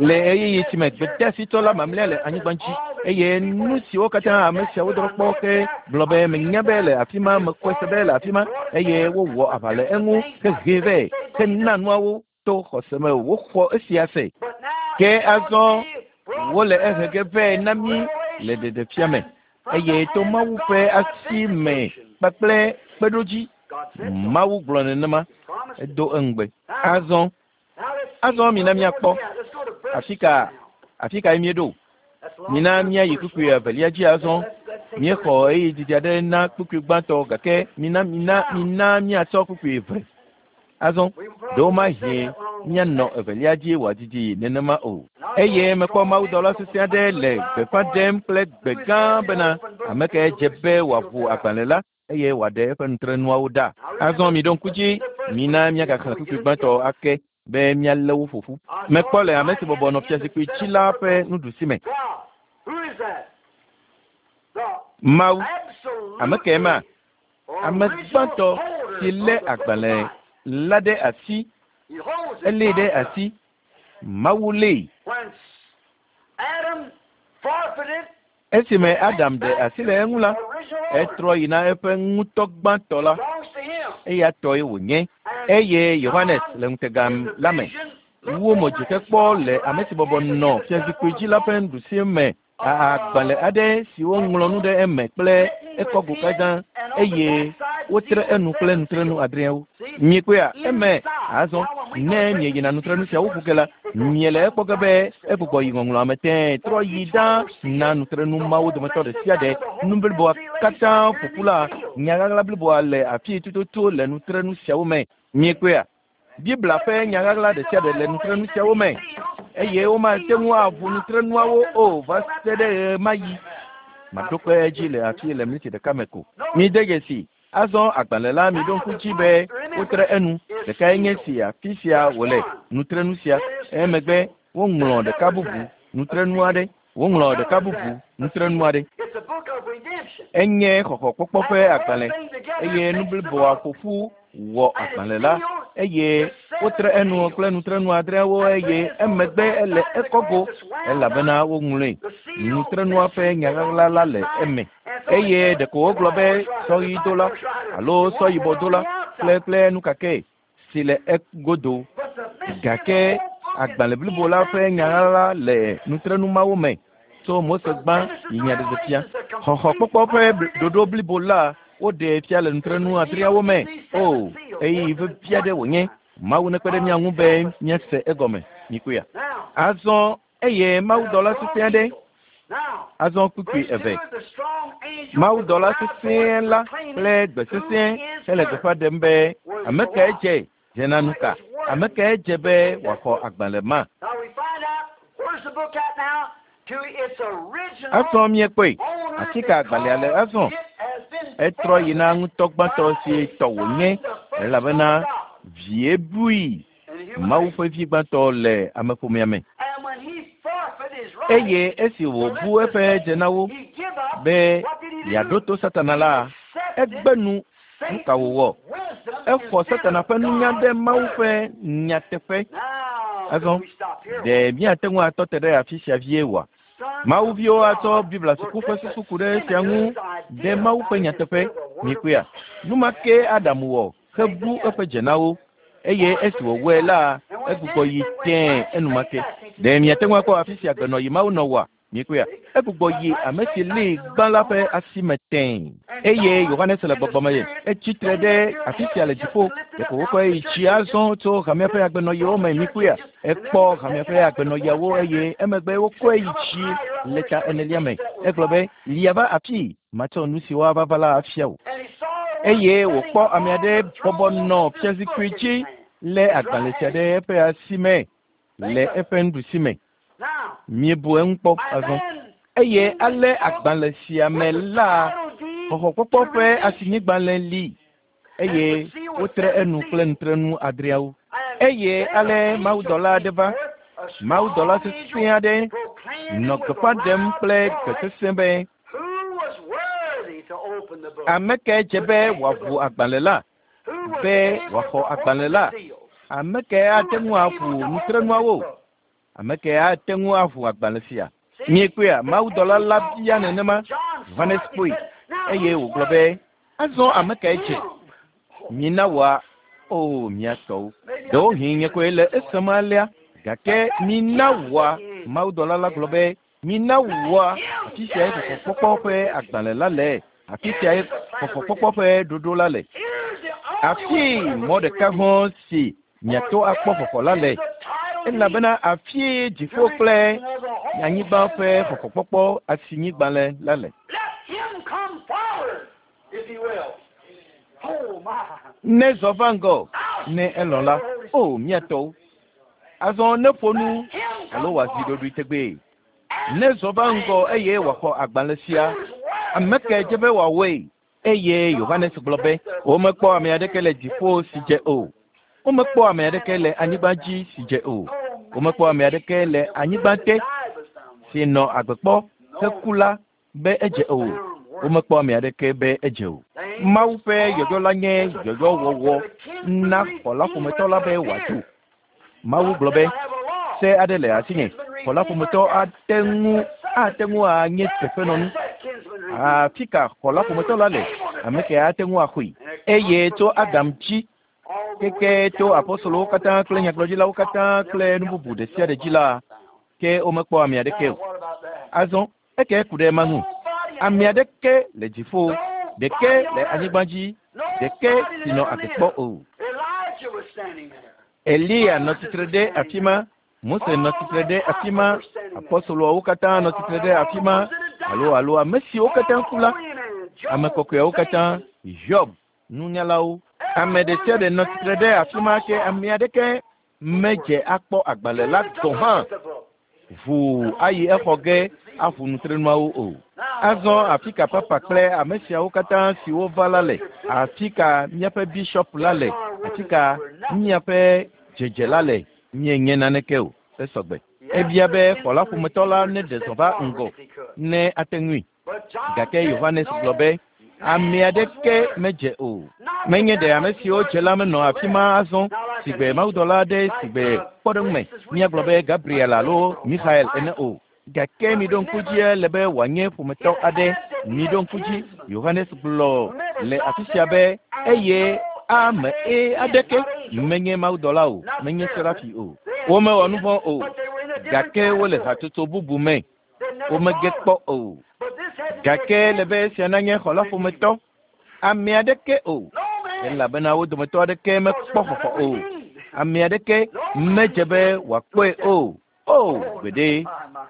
le ɣeyiɣi si me gbedeasitɔ la mamlɛa le anyigba dzi eye nu siwo katã ame siawo drɔ kpɔ ke gblɔ be menya be le afi ma mekɔe se be le afi ma eye wowɔ aʋa le eŋu hehee vɛ hena nuawo to xɔse me woxɔ esia se. Ke azɔ wole ehe ge vɛ na mí le ɖeɖefia me, eye to Mawu ƒe asi me kpakple kpeɖodzi. Mawu gblɔ nenema, edo eŋugbe. Azɔ, azɔ mina míakpɔ afi ka, afi kae míeɖo. Mina míayi kpukpui evelia dzi azɔ. Míexɔ ɣeyiɣi didi aɖe na kpukpui gbãtɔ, gake mina, mina, mina míatsɔ kpukpui eve. Azɔ, ɖewomahi míanɔ evelia dzi wòadidi nenema o. Eye mekpɔ mawudɔla sesẽ aɖe le gbeƒã ɖem kple gbe gã bena, Ame kae dze be wòaʋu agbalẽ la eye wòaɖe eƒe nutrenuawo ɖa? Azɔ miɖo ŋku dzi, mina míagaxlẽ kpukpui gbãtɔ ake be míalé wo ƒo ƒu. Mekpɔ le ame si bɔbɔ nɔ fiazikpui dzi la ƒe nuɖusi me. Mawu, ame kae ma? Ame gbãtɔ si lé agbalẽ la ɖe asi, elée ɖe asi, Mawu lée. Esime Adam ɖe asi le eŋu la, etrɔ yi na eƒe ŋutɔ gbãtɔ la, eya tɔe wònye. Eye Yohanes le ŋutega la me wu mo dzi hekpɔ le ame si bɔbɔ nɔ fiazikpui dzi la ƒe nuɖusi me agbalẽ aɖe si woŋlɔ nu ɖe eme kple ekɔgo katã eye wotre enu kple nutrenu adreawo. Miekpɔea eme azɔ ne mieyina nutrenu siawo ƒo ge la, miele ekpɔ ge be egbugbɔ yi ŋɔŋlɔa me tẽe trɔ yi ɖa na nutrenu mawo dometɔ ɖe sia ɖe. Nu bliboa katã ƒo ƒu la, nya ɣaɣla bliboa le afii tututu le nutrenu siawo me. Miekpɔea? Biblia ƒe nya ɣaɣla ɖe sia ɖe le nutrenu siawo me, eye womate ŋu aʋu nutrenuawo o va se ɖe ɣemaɣi. Maɖo kpe edzi le afii le miniti ɖeka me ko. Mide dzesi, azɔ agbalẽ la miɖo ŋku dzi be wotre enu. Ɖekae nye si afi sia wòle, nutrenu sia. Emegbe woŋlɔ ɖeka bubu, nutrenu aɖe. Woŋlɔ ɖeka bubu, nutrenu aɖe. Enye xɔxɔkpɔkpɔ ƒe agbalẽ, eye nu bliboa ƒo ƒu wɔ agbalẽ la, eye wotre enu kple nutrenu adreawo, eye emegbe ele ekɔgo, elabena woŋlɔe. Nutrenua ƒe nya ɣaɣla la le eme. Eye ɖeko wogblɔ be sɔ ɣi dola alo sɔ yibɔ dola kple kple nu kakɛ si le egodo. Gake agbalẽ blibo la ƒe nya la le nutrenu mawo me tso Mose gbã yi Nyaɖeɖefia. Xɔxɔkpɔkpɔ ƒe ɖoɖo blibo la woɖee fia le nutrenu adreawo me. O, ɣeyiɣi vevi aɖe wònye. Mawu nekpe ɖe mía ŋu be míase egɔme. Mikpɔea? Azɔ eye mawudɔla sesẽ aɖe azɔ kpukpui eve. Mawudɔla sesẽ la kple gbe sesẽ hele gbeƒã ɖem be, Ame kae dze dze na nu ka? Ame kae dze be wòaxɔ agbalẽ ma? Azɔ míekpɔe. Afi ka agbalẽa le azɔ? Etrɔ yi na ŋutɔ gbãtɔ si tɔ wònye, elabena vie bui. Mawu ƒe vi gbãtɔ le ameƒomea me. Eye esi wòbu eƒe dze na wo be yeaɖo to Satana la, egbe nu. Nu ka wòwɔ? Exɔ Satana ƒe nunya ɖe Mawu ƒe nyateƒe. Azɔ, ɖe míate ŋu atɔ te ɖe afi sia vie oa? Mawuviwo atsɔ Biblia suku ƒe susu ku ɖe esia ŋu ɖe Mawu ƒe nyateƒe. Mikpɔea? Nu ma ke Adam wɔ hebu eƒe dzenawo eye esi wòwɔe la, egbugbɔ yi tẽe enumake. Ɖe miate ŋu akpɔ afi si agbenɔyi Mawu nɔ wɔa? Mikpɔea? Egbugbɔ yi ame si lée gbã la ƒe asi me tẽe. Eye Yohanes le gbɔgbɔ me etsi tre ɖe afi sia le dziƒo. Ɖeko wokɔe yi tsi azɔ tso hamea ƒe agbenɔyiwo me. Mikpɔea? Ekpɔ hamea ƒe agbenɔyiawo eye emegbe wokɔe yi tsi le ta enelia me. Egblɔ be, lia va afii, matsɔ nu siwo ava va la afia wò. Eye wòkpɔ ame aɖe bɔbɔ nɔ fiazikpui dzi lé agbalẽ sia ɖe eƒe asi me le eƒe nuɖusi me. Miebu eŋu kpɔ azɔ. Eye ale agbalẽ sia me la, xɔxɔkpɔkpɔ ƒe asinyigbalẽ li eye wotre enu kple nutrenu adreawo. Eye ale mawudɔla aɖe va, mawudɔla sesẽ aɖe nɔ gbeƒã ɖem kple gbe sesẽ be, ame kae dze be wòaʋu agbalẽ la, be wòaxɔ agbalẽ la? Ame kae ate ŋu aʋu nutrenuawo? Ame kae ate ŋu aʋu agbalẽ sia? Miekpɔea, mawudɔla la bia nenema. Yohanes kpɔe eye wògblɔ be, azɔ ame kae dze? Mina wòa, o mia tɔwo. Ɖewohĩ nye koe le esem alea, gake mina wòa, mawudɔla la gblɔ be, mina wòa, afi siae xɔxɔkpɔkpɔ ƒe agbalẽ la le, afi siae xɔxɔkpɔkpɔ ƒe ɖoɖo la le. Afi mɔ ɖeka hɔ̃ si miato akpɔ xɔxɔ la le, elabena afie dziƒo kple anyigba ƒe xɔxɔkpɔkpɔ asinyigbalẽ la le. Let him come forward if he will. Oh my. Ne zɔ va ŋgɔ, ne elɔ̃ la, o mia tɔwo. Azɔ ne ƒo nu alo wòazi ɖoɖoe tegbee. Ne zɔ va ŋgɔ eye wòaxɔ agbalẽ sia, ame kae dze be wòawɔe? Eye Yohanes gblɔ be, womekpɔ ame aɖeke le dziƒo si dze o. Womekpɔ ame aɖeke le anyigba dzi si dze o. Womekpɔ ame aɖeke le anyigba te si nɔ agbe kpɔ heku la be edze o. Womekpɔ ame aɖeke be edze o. Mawu ƒe yɔyɔ la nye yɔyɔwɔwɔ na xɔla ƒometɔ la be wòadzo. Mawu gblɔ be, se aɖe le asinye. Xɔla ƒometɔ ate ŋu anye teƒenɔnu. Afi ka xɔla ƒometɔ la le? Ame ke ate ŋu axɔe. Eye tso Adam dzi keke tso apostolowo katã kple nyagblɔɖilawo katã kple nu bubu ɖe sia ɖe dzi la, ke womekpɔ ame aɖeke o. Azɔ eke ku ɖe ema ŋu. Ame aɖeke le dziƒo, ɖeke le anyigba dzi, ɖeke si nɔ agbe kpɔ o. Elijah was standing there. Eliya nɔ tsitre ɖe afi ma, Mose nɔ tsitre ɖe afi ma, apostoloawo katã nɔ tsitre ɖe afi ma, alo ame siwo katã ku la, ame kɔkɔeawo katã, Hiob, nunyalawo. Ame ɖe sia ɖe nɔ tsitre ɖe afi ma ke ame aɖeke medze akpɔ agbalẽ la gɔ̃ hã ʋuu ayi exɔ ge aʋu nutrenuawo o. Azɔ afi ka papa kple ame siawo katã siwo va la le? Afi ka míaƒe bishop la le? Afi ka míaƒe dzedze la le? Míenye naneke o. Esɔgbe. Ebia be xɔla ƒometɔ la neɖe zɔ va ŋgɔ ne ate ŋui. Gake Yohanes gblɔ be, ame aɖeke medze o. Menye ɖe ame siwo dze la menɔ afi ma azɔ sigbe mawudɔla aɖe sigbe kpɔɖeŋume míagblɔ be Gabriel alo Michael ene o. Gake miɖo ŋku dzi le be wòanye ƒometɔ aɖe. Miɖo ŋku dzi, Yohanes gblɔ le afi sia be eye ame aɖeke menye mawudɔla o, menye serafi o. Womewɔ nu vɔ̃ o, gake wole hatsotso bubu me. Womege kpɔ o. Gake le be esia nanye xɔla ƒometɔ, ame aɖeke o, elabena wo dometɔ aɖeke mekpɔ xɔxɔ o. Ame aɖeke medze be wòakpɔe o. O, gbeɖe,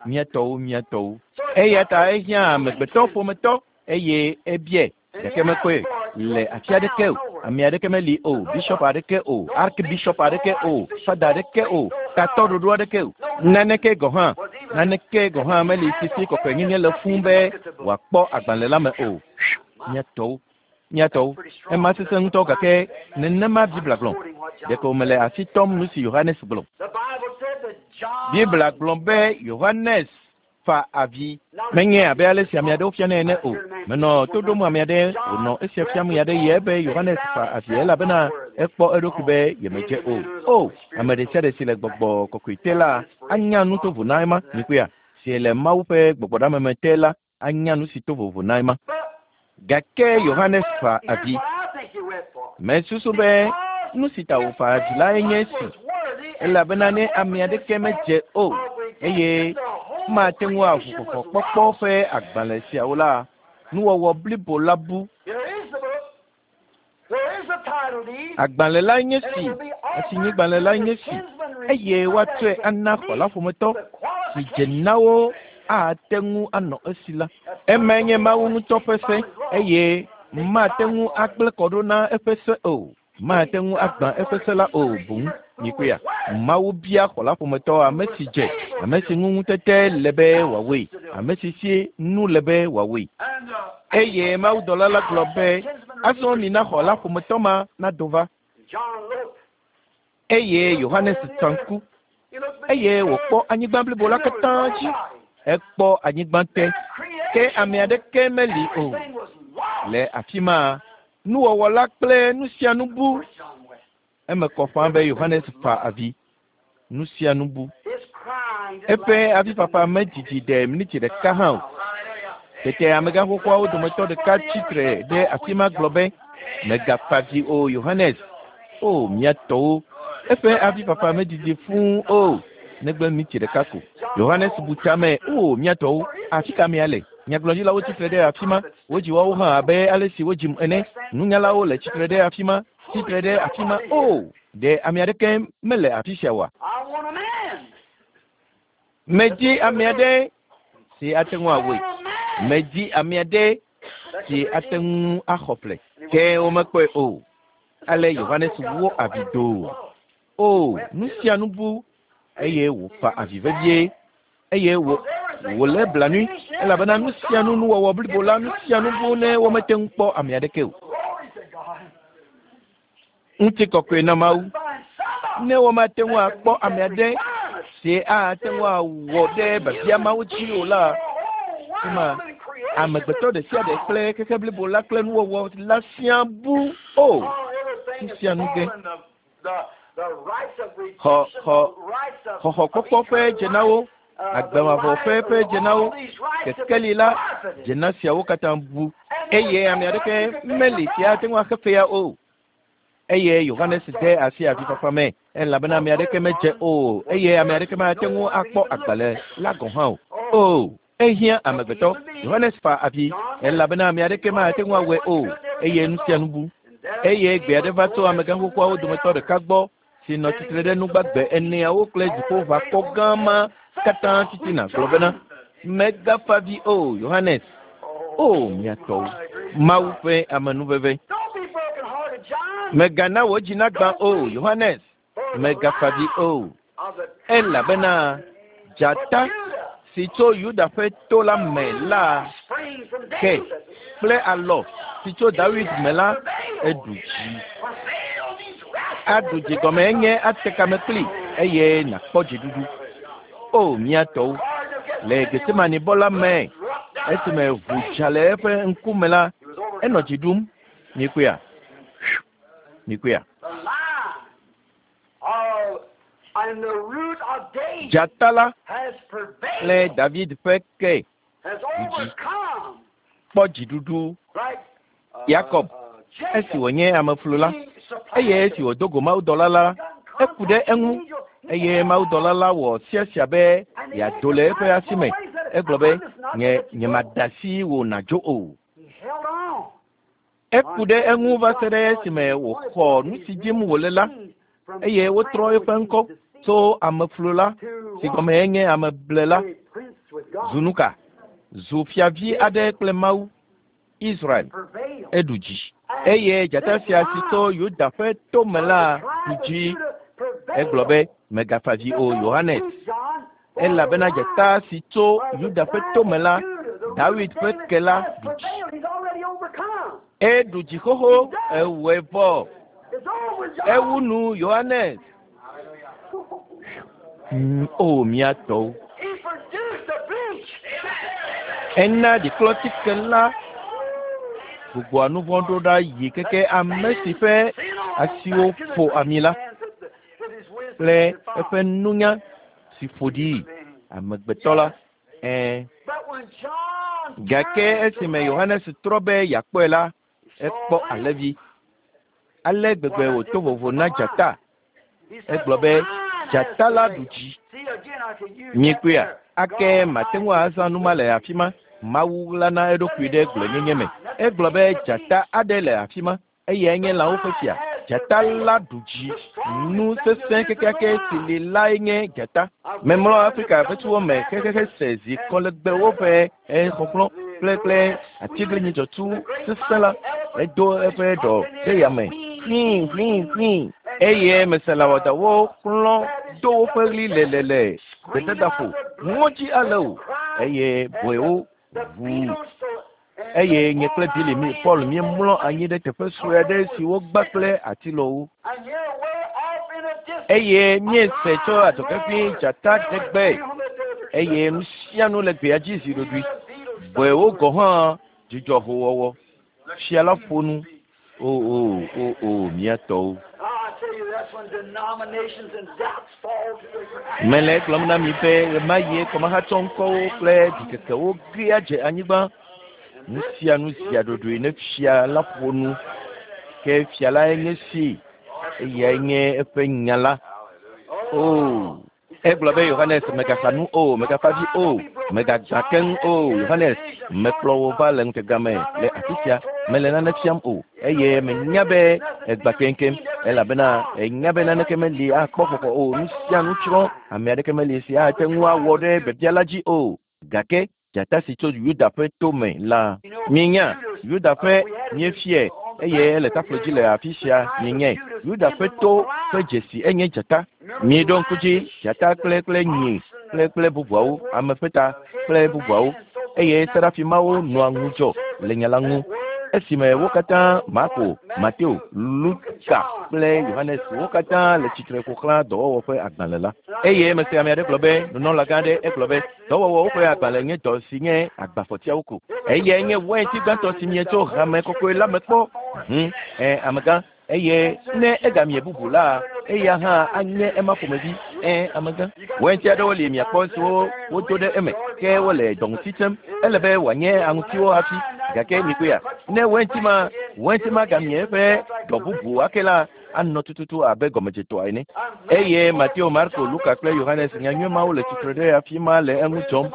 mía tɔwo, mía tɔwo. Eya ta ehiã amegbetɔ ƒometɔ eye ebiae, gake mekpɔe le afi aɖeke o. Ame aɖeke meli o, bishop aɖeke o, archbishop aɖeke o, fada aɖeke o, tatɔ ɖoɖo aɖeke o. Naneke gɔ̃ hã, naneke gɔ̃ hã meli sisi kɔkɔenyenye le fũu be wòakpɔ agbalẽ la me o. Mía tɔwo, mía tɔwo, ema sesẽ ŋutɔ gake nenema Biblia gblɔ. Ɖeko mele asi tɔm nu si Yohanes gblɔ. The Bible said that John Biblia gblɔ be Yohanes fa avi. Menye abe ale si ame aɖewo fianɛ ene o. Menɔ to ɖom ame aɖe wònɔ esia fiam ɣe aɖe ɣi be Yohanes fa avi elabena ekpɔ eɖokui be yemedze o. O, ame ɖe sia ɖe si le gbɔgbɔ kɔkɔe te la anya nu tovo na ema. Mikpɔea? si le Mawu ƒe gbɔgbɔɖameme te la anya nu si to vovo na ema. Gake Yohanes fa avi. Mesusu be nu si ta wòfa avi lae nye esi, elabena ne ame aɖeke medze o eye mate ŋu aʋu xɔxɔkpɔkpɔ ƒe agbalẽ siawo la, nuwɔwɔ blibo la bu. Agbalẽ lae nye si, asinyigbalẽ lae nye si, eye woatsɔe ana xɔla ƒometɔ si dze na wo ate ŋu anɔ esi la. Emae nye Mawu ŋutɔ ƒe se, eye mate ŋu agblẽ kɔ ɖo na eƒe se o. Mate ŋu agbã eƒe se la o boŋ. Mikpɔea? Mawu bia xɔla ƒometɔ ame si dze, ame si ŋu ŋutete le be wòawɔe, ame si si nu le be wòawɔe. Eye mawudɔla la gblɔ be, azɔ mina xɔla ƒometɔ ma nado va. Eye Yohanes tsa ŋku, eye wòkpɔ anyigba blibo la katã dzi. Ekpɔ anyigba te, ke ame aɖeke meli o. Le afi ma, nuwɔwɔ la kple nu sia nu bu. Eme kɔ ƒãa be Yohanes fa avi. Nu sia nu bu. Eƒe avifafa medidi ɖe miniti ɖeka hã o. Tete amegã xoxoawo dometɔ ɖeka tsitre ɖe afi ma gblɔ be, megafa avi o Yohanes. O mía tɔwo, eƒe avifafa medidi fũu o, negbe miniti ɖeka ko. Yohanes bu tame, o mía tɔwo, afi ka amea le? Nyagblɔɖilawo tsitre ɖe afi ma, wodzi woawo hã abe ale si wodzim ene. Nunyalawo le tsitre ɖe afi ma, tsitre ɖe afi ma. O, ɖe ame aɖeke mele afi sia oa? Medi ame aɖe si ate ŋu awɔe. Medi ame aɖe si ate ŋu axɔ ƒle. Ke womekpɔe o. Ale Yohanes wɔ avi doo. O, nu sia nu bu eye wòfa avi vevie eye wòlé blanui elabena nu sia nu nuwɔwɔ blibo la nu sia nu bu ne womete ŋu kpɔ ame aɖeke o. Ŋutikɔkɔe na Mawu. Ne womate ŋu akpɔ ame aɖe si ate ŋu awɔ ɖe biabia mawo dzi o la, ema amegbetɔ ɖe sia ɖe kple xexe blibo la kple nuwɔwɔ la siaa bu o. Nu sia nu ge. Xɔxɔkpɔkpɔ ƒe dzenawo, agbemavɔ ƒe dzenawo, kekeli la, dzena siawo katã bu eye ame aɖeke meli si ate ŋu axe fea o. Eye Yohanes de asi avifafa me elabena ame aɖeke medze o eye ame aɖeke mate ŋu akpɔ agbalẽ la gɔ̃ hã o. O, ehiã amegbetɔ. Yohanes fa avi elabena ame aɖeke mate ŋu awɔe o eye nu sia nu bu. Eye gbe aɖe va tso amegã xoxoawo dometɔ ɖeka gbɔ si nɔ tsitre ɖe nugbagbe eneawo kple dziƒoʋakɔ gã ma katã titina gblɔ bena, megafa avi o Yohanes. O mía tɔwo, Mawu ƒe amenuveve. Megana wò dzi nagbã o Yohanes, megafa avi o, elabena dzata si tso Yuda ƒe to la me la ke kple alɔ si tso Dawid me la eɖu dzi. Aɖu dzi gɔme enye ate kame kpli eye nàkpɔ dziɖuɖu. O mía tɔwo, le Getsemane-bɔ la me, esime ʋu dza le eƒe ŋkume la, enɔ dzi ɖum. Mikpɔea? Mikpɔea? Dzata la kple David ƒe ke dzi kpɔ dziɖuɖu. Yakob, esi wònye ameflu la, eye esi wòdo go mawudɔla la, eku ɖe eŋu eye mawudɔla la wɔ siasia be yeado le eƒe asi me. Egblɔ be, nye nyemada asi wò nàdzo o. Eku ɖe eŋu va se ɖe esime wòxɔ nu si dim wòle la eye wotrɔ eƒe ŋkɔ tso ameflu la si gɔme enye ameblela zu nu ka? Zu fiavi aɖe kple Mawu Israel eɖu dzi. Eye dzata sia si tso Yuda ƒe to me la ɖu dzi. Egblɔ be, megafa avi o Yohanes, elabena dzata si tso Yuda ƒe to me la, Dawid ƒe ke la ɖu dzi. Eɖu dzi xoxo, ewɔe vɔ. Ewu nu Yohanes. O mía tɔwo. Ena ɖiklɔtike la gbugbɔa nu vɔ̃ ɖo ɖa yi keke ame si ƒe asiwo ƒo ami la kple eƒe nunya si ƒo ɖi amegbetɔ la. Ɛ̃. Gake esime Yohanes trɔ be yeakpɔe la, ekpɔ alẽvi. Ale gbegbe wòto vovo na dzata. Egblɔ be, Dzata la ɖu dzi. Miekpɔea? Ake mate ŋu azã nu ma le afi ma. Mawu ɣlana eɖokui ɖe gblɔenyenye me. Egblɔ be dzata aɖe le afi ma. Eyae nye lãwo ƒe fia. Dzata la ɖu dzi. Nu sesẽ kekeake si li lae nye dzata. Memlɔ Afrika ƒe me xexexe se zi kɔlegbewo ƒe exɔxlɔ̃ kple kple atiglinyi dzɔtsu sesẽ la. Edo eƒe ɖɔ ɖe yame hlĩ hlĩ hlĩ eye mese lãwɔdawo xlɔ̃ do woƒe ɣli lelele gbedadaƒo ŋɔdzi ale o eye bɔewo ʋu eye nye kple Billy mi Paul míemlɔ anyi ɖe teƒe sue aɖe si wogba kple atilɔwo eye míese tso adzɔge dzata ɖe gbe eye nu sia nu le gbea dzi zi ɖoɖoe. Bɔewo gɔ̃ hã dzudzɔ howɔwɔ. Fia la ƒo nu. O o o o mía tɔwo. Mele egblɔm na mi be ɣemaɣie kɔmahatsɔ ŋkɔwo kple ɖikekewo gea dze anyigba. Nu sia nu zia ɖoɖoe ne fia la ƒo nu. Ke fia lae nye si. Eyae nye eƒe nya la. O. Egblɔ be Yohanes megaxa nu o, megafa vi o, megagbã keŋ o. Yohanes, mekplɔ wò va le ŋutega me le afi sia, mele nane fiam o eye menya be egbã keŋkeŋ elabena enya be naneke meli akpɔ xɔxɔ o. Nu sia nu tsrɔ̃, ame aɖeke meli si ate ŋu awɔ ɖe biabia la dzi o. Gake dzata si tso Yuda ƒe to me la, mienya Yuda ƒe míefiae eye ele taflo dzi le afi sia mienyae. Yuda ƒe to ƒe dzesi enye dzata. Miɖo ŋku dzi dzata kple kple nyi kple kple bubuawo, ame ƒe ta kple bubuawo eye serafimawo nɔa ŋudzɔ le nya la ŋu. Esime wo katã Marko, Mateo, Luka kple Yohanes wo katã le tsitre ƒo xlã dɔwɔwɔ ƒe agbalẽ la. Eye mese ame aɖe gblɔ be nunɔlagã aɖe egblɔ be dɔwɔwɔwo ƒe agbalẽ nye dɔ si nye agbafɔtiawo ko. Eyae nye wainti gbãtɔ si mie tso hame kɔkɔe la me kpɔ. Hm, ɛ amegã eye ne egamie bubu la, eya hã anye ema ƒomevi. Ɛ amegã. Wainti aɖewo li miakpɔ siwo wodo ɖe eme ke wole dɔŋuti tsem. Ele be wòanye aŋutiwo hafi. Gake mikpɔea, ne wainti ma wainti ma gamie eƒe dɔ bubu ake la, anɔ tututu abe gɔmedzetɔa ene. Eye Mateo, Marko, Luka kple Yohanes nyanyui mawo le tsitre ɖe afi ma le eŋu dzɔm.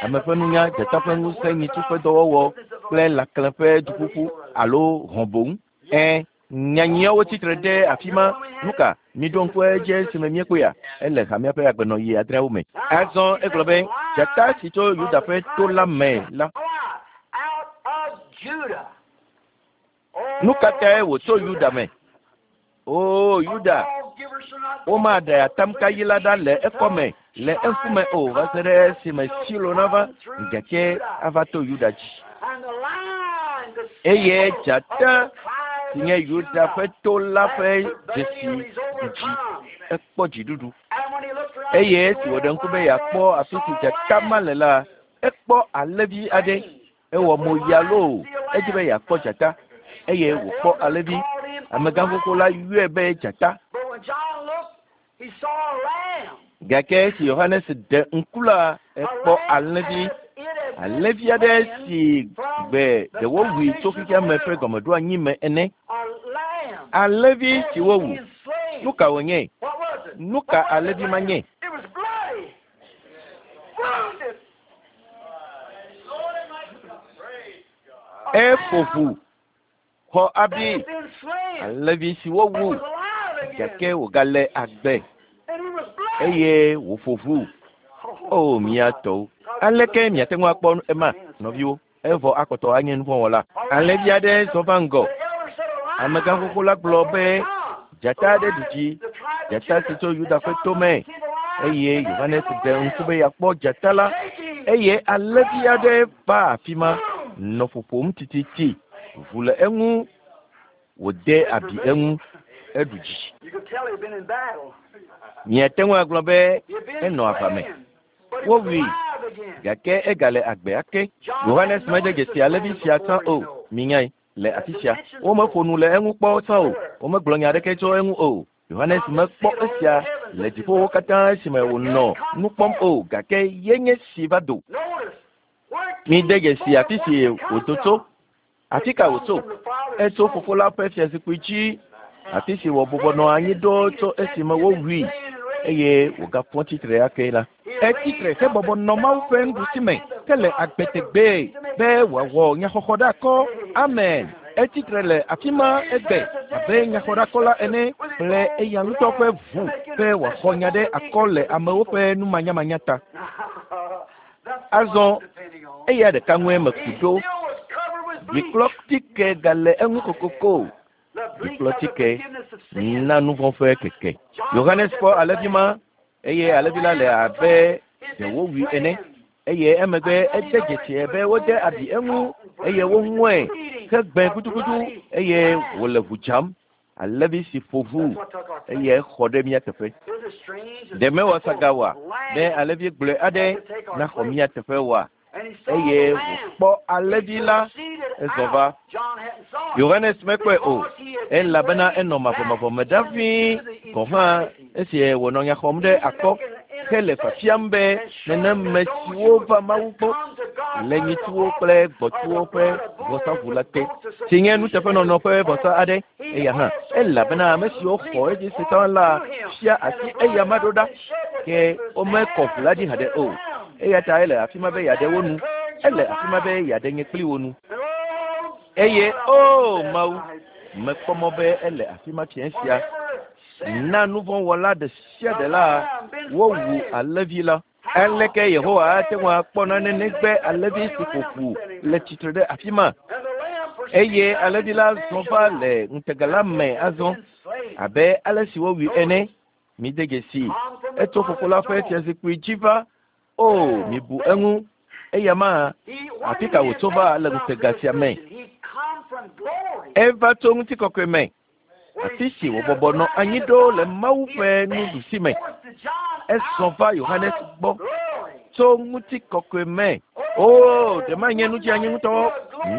Ame ƒe nunya, dzata ƒe ŋusẽ, nyitsu ƒe dɔwɔwɔ kple lãklẽ ƒe duƒuƒu alo hɔ̃ boŋ. Ẽ, nyanyuiawo tsitre ɖe afi ma. Nu ka? Miɖo ŋku edzi esime míekpɔea? Ele hamea ƒe agbenɔɣi adreawo me. Azɔ egblɔ be dzata si tso Yuda ƒe to la me la. Nu ka tae wòtso Yuda me? O Yuda, womaɖe atamkayi la ɖa le ekɔme le eŋkume o va se ɖe esime Silo nava gake ava to Yuda dzi. Eye dzata si nye Yuda ƒe to la ƒe dzesi ɖu dzi ekpɔ dziɖuɖu. Eye esi wòɖe ŋku be yeakpɔ afi si dzata ma le la, ekpɔ alẽvi aɖe. Ewɔ mo ya loo, edzi be yeakpɔ dzata eye wòkpɔ alẽvi. Amegã xoxo la yɔe be dzata. Gake esi Yohanes ɖe ŋku la, ekpɔ alẽvi. Alẽvi aɖe si gbe ɖe wowui tso xexea me ƒe gɔmeɖoanyi me ene. Alẽvi si wowu. Nu ka wònye? Nu ka alẽvi ma nye? Eƒo ʋu xɔ abi alẽvi si wowu gake wògale agbe eye wòƒo ʋu. O mía tɔwo, aleke miate ŋu akpɔ ema, nɔviwo? Evɔ akpɔtɔ anye nuvɔ̃wɔla. Alẽvi aɖe zɔ va ŋgɔ. Amegã xoxo la gblɔ be dzata aɖe ɖu dzi, dzata si tso Yuda ƒe to me. Eye Yohanes ɖe ŋku be yeakpɔ dzata la eye alẽvi aɖe va afi ma nɔ ƒoƒom tititi. Ʋu le eŋu, wòde abi eŋu, eɖu dzi. Miate ŋu agblɔ be enɔ aʋa me. Wowui gake egale agbe ake. Yohanes mede dzesi alẽvi sia tsã o. Minyae le afi sia. Womeƒo nu le eŋu kpɔ tsã o. Womegblɔ nya aɖeke tso eŋu o. Yohanes mekpɔ esia le dziƒowo katã esime wònɔ nu kpɔm o gake ye nye si va do. Mide dzesi afi si wòdo tso. Afi ka wòtso? Etso fofo la ƒe fiazikpui dzi, afi si wòbɔbɔ nɔ anyi ɖo tso esime wowui eye wògafɔ tsitre ake la. Etsitre hebɔbɔ nɔ Mawu ƒe nuɖusi me hele agbe tegbee be wòawɔ nyaxɔxɔ ɖe akɔ. Amen. Etsitre le afi ma egbe abe nyaxɔɖakɔla ene kple eya ŋutɔ ƒe ʋu be wòaxɔ nya ɖe akɔ le amewo ƒe numanyamanya ta. Azɔ eya ɖeka ŋue meku ɖo. Ɖiklɔtike gale eŋu kokoko. Ɖiklɔtike na nuvɔ̃ ƒe keke. Yohanes kpɔ alẽvi ma eye alẽvi la le abe ɖe wowui ene eye emegbe ede dzesi be wode abi eŋu eye woŋɔe hegbẽ gudugudu eye wòle ʋu dzam. Alẽvi si ƒo ʋu eye exɔ ɖe mía teƒe. Ɖe mewɔ saga oa be alẽvi gblɔe aɖe naxɔ mía teƒe oa? Eye wòkpɔ alẽvi la ezɔ va. Yohanes mekpɔe o elabena enɔ mavɔmavɔ me ɖa ʋĩi gɔ̃ hã esi wònɔ nya xɔm ɖe akɔ hele fiafiam be neneme siwo va Mawu gbɔ le nyitsuwo kple gbɔ̃tsuwo ƒe vɔsaʋu la te, si nye nuteƒenɔnɔ ƒe vɔsa aɖe. Eya hã elabena ame siwo xɔ edzi se tsã la fia asi eya ma ɖo ɖa, ke womekɔ ʋu la dzi haɖe o. Eya ta ele afi ma be yeaɖe wo nu. Ele afi ma be yeaɖe nye kpli wo nu. Eye o Mawu, mekpɔ mɔ be ele afi ma fiẽ sia. Na nuvɔ̃wɔla ɖe sia ɖe la, wowu alẽvi la. Aleke Yehowa ate ŋu akpɔ nane negbe alẽvi si ƒo ƒu le tsitre ɖe afi ma? Eye alẽvi la zɔ va le ŋutega la me azɔ abe ale si wowui ene. Mide dzesi, etso fofo la ƒe fiazikpui dzi va. O, mibu eŋu. Eya ma, afi ka wòtso va le ŋutega sia me? Eva tso ŋutikɔkɔe me, afi si wòbɔbɔ nɔ anyi ɖo le Mawu ƒe nuɖusi me. Ezɔ va Yohanes gbɔ tso ŋutikɔkɔe me. O, ɖe manye nudzeanyi ŋutɔ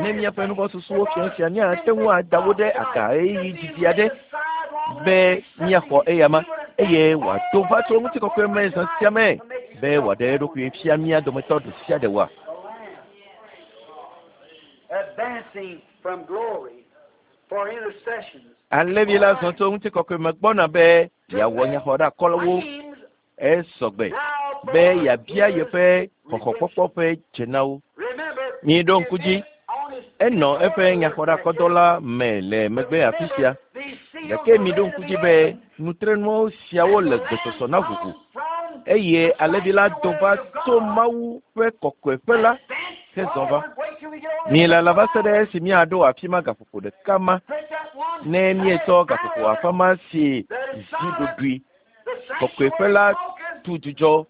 ne míaƒe nuvɔ̃susuwo fia sia míate ŋu ada wo ɖe aga ɣeyiɣi didi aɖe be míaxɔ eyama eye wòado va tso ŋutikɔkɔe me zã sia me be wòaɖe eɖokui fia mía dometɔ ɖe sia ɖe oa? Advancing from glory for intercessions. Alẽvi la zɔ tso ŋutikɔkɔe me gbɔna be yeawɔ nyaxɔɖeakɔlawo esɔgbe be yeabia yeƒe xɔxɔkpɔkpɔ ƒe dze na wo. Remember, Miɖo ŋku dzi, enɔ eƒe nyaxɔɖeakɔdɔ la me le megbe afi sia. Gake miɖo ŋku dzi be nutrenuwo siawo le gbesɔsɔ na ʋuʋu eye alẽvi la do va tso Mawu ƒe kɔkɔeƒe la hezɔ va. Mielala va se ɖe esi míaɖo afi ma gaƒoƒo ɖeka ma ne míetsɔ gaƒoƒo afã ma si zi ɖoɖoe kɔkɔeƒe la tu dzudzɔ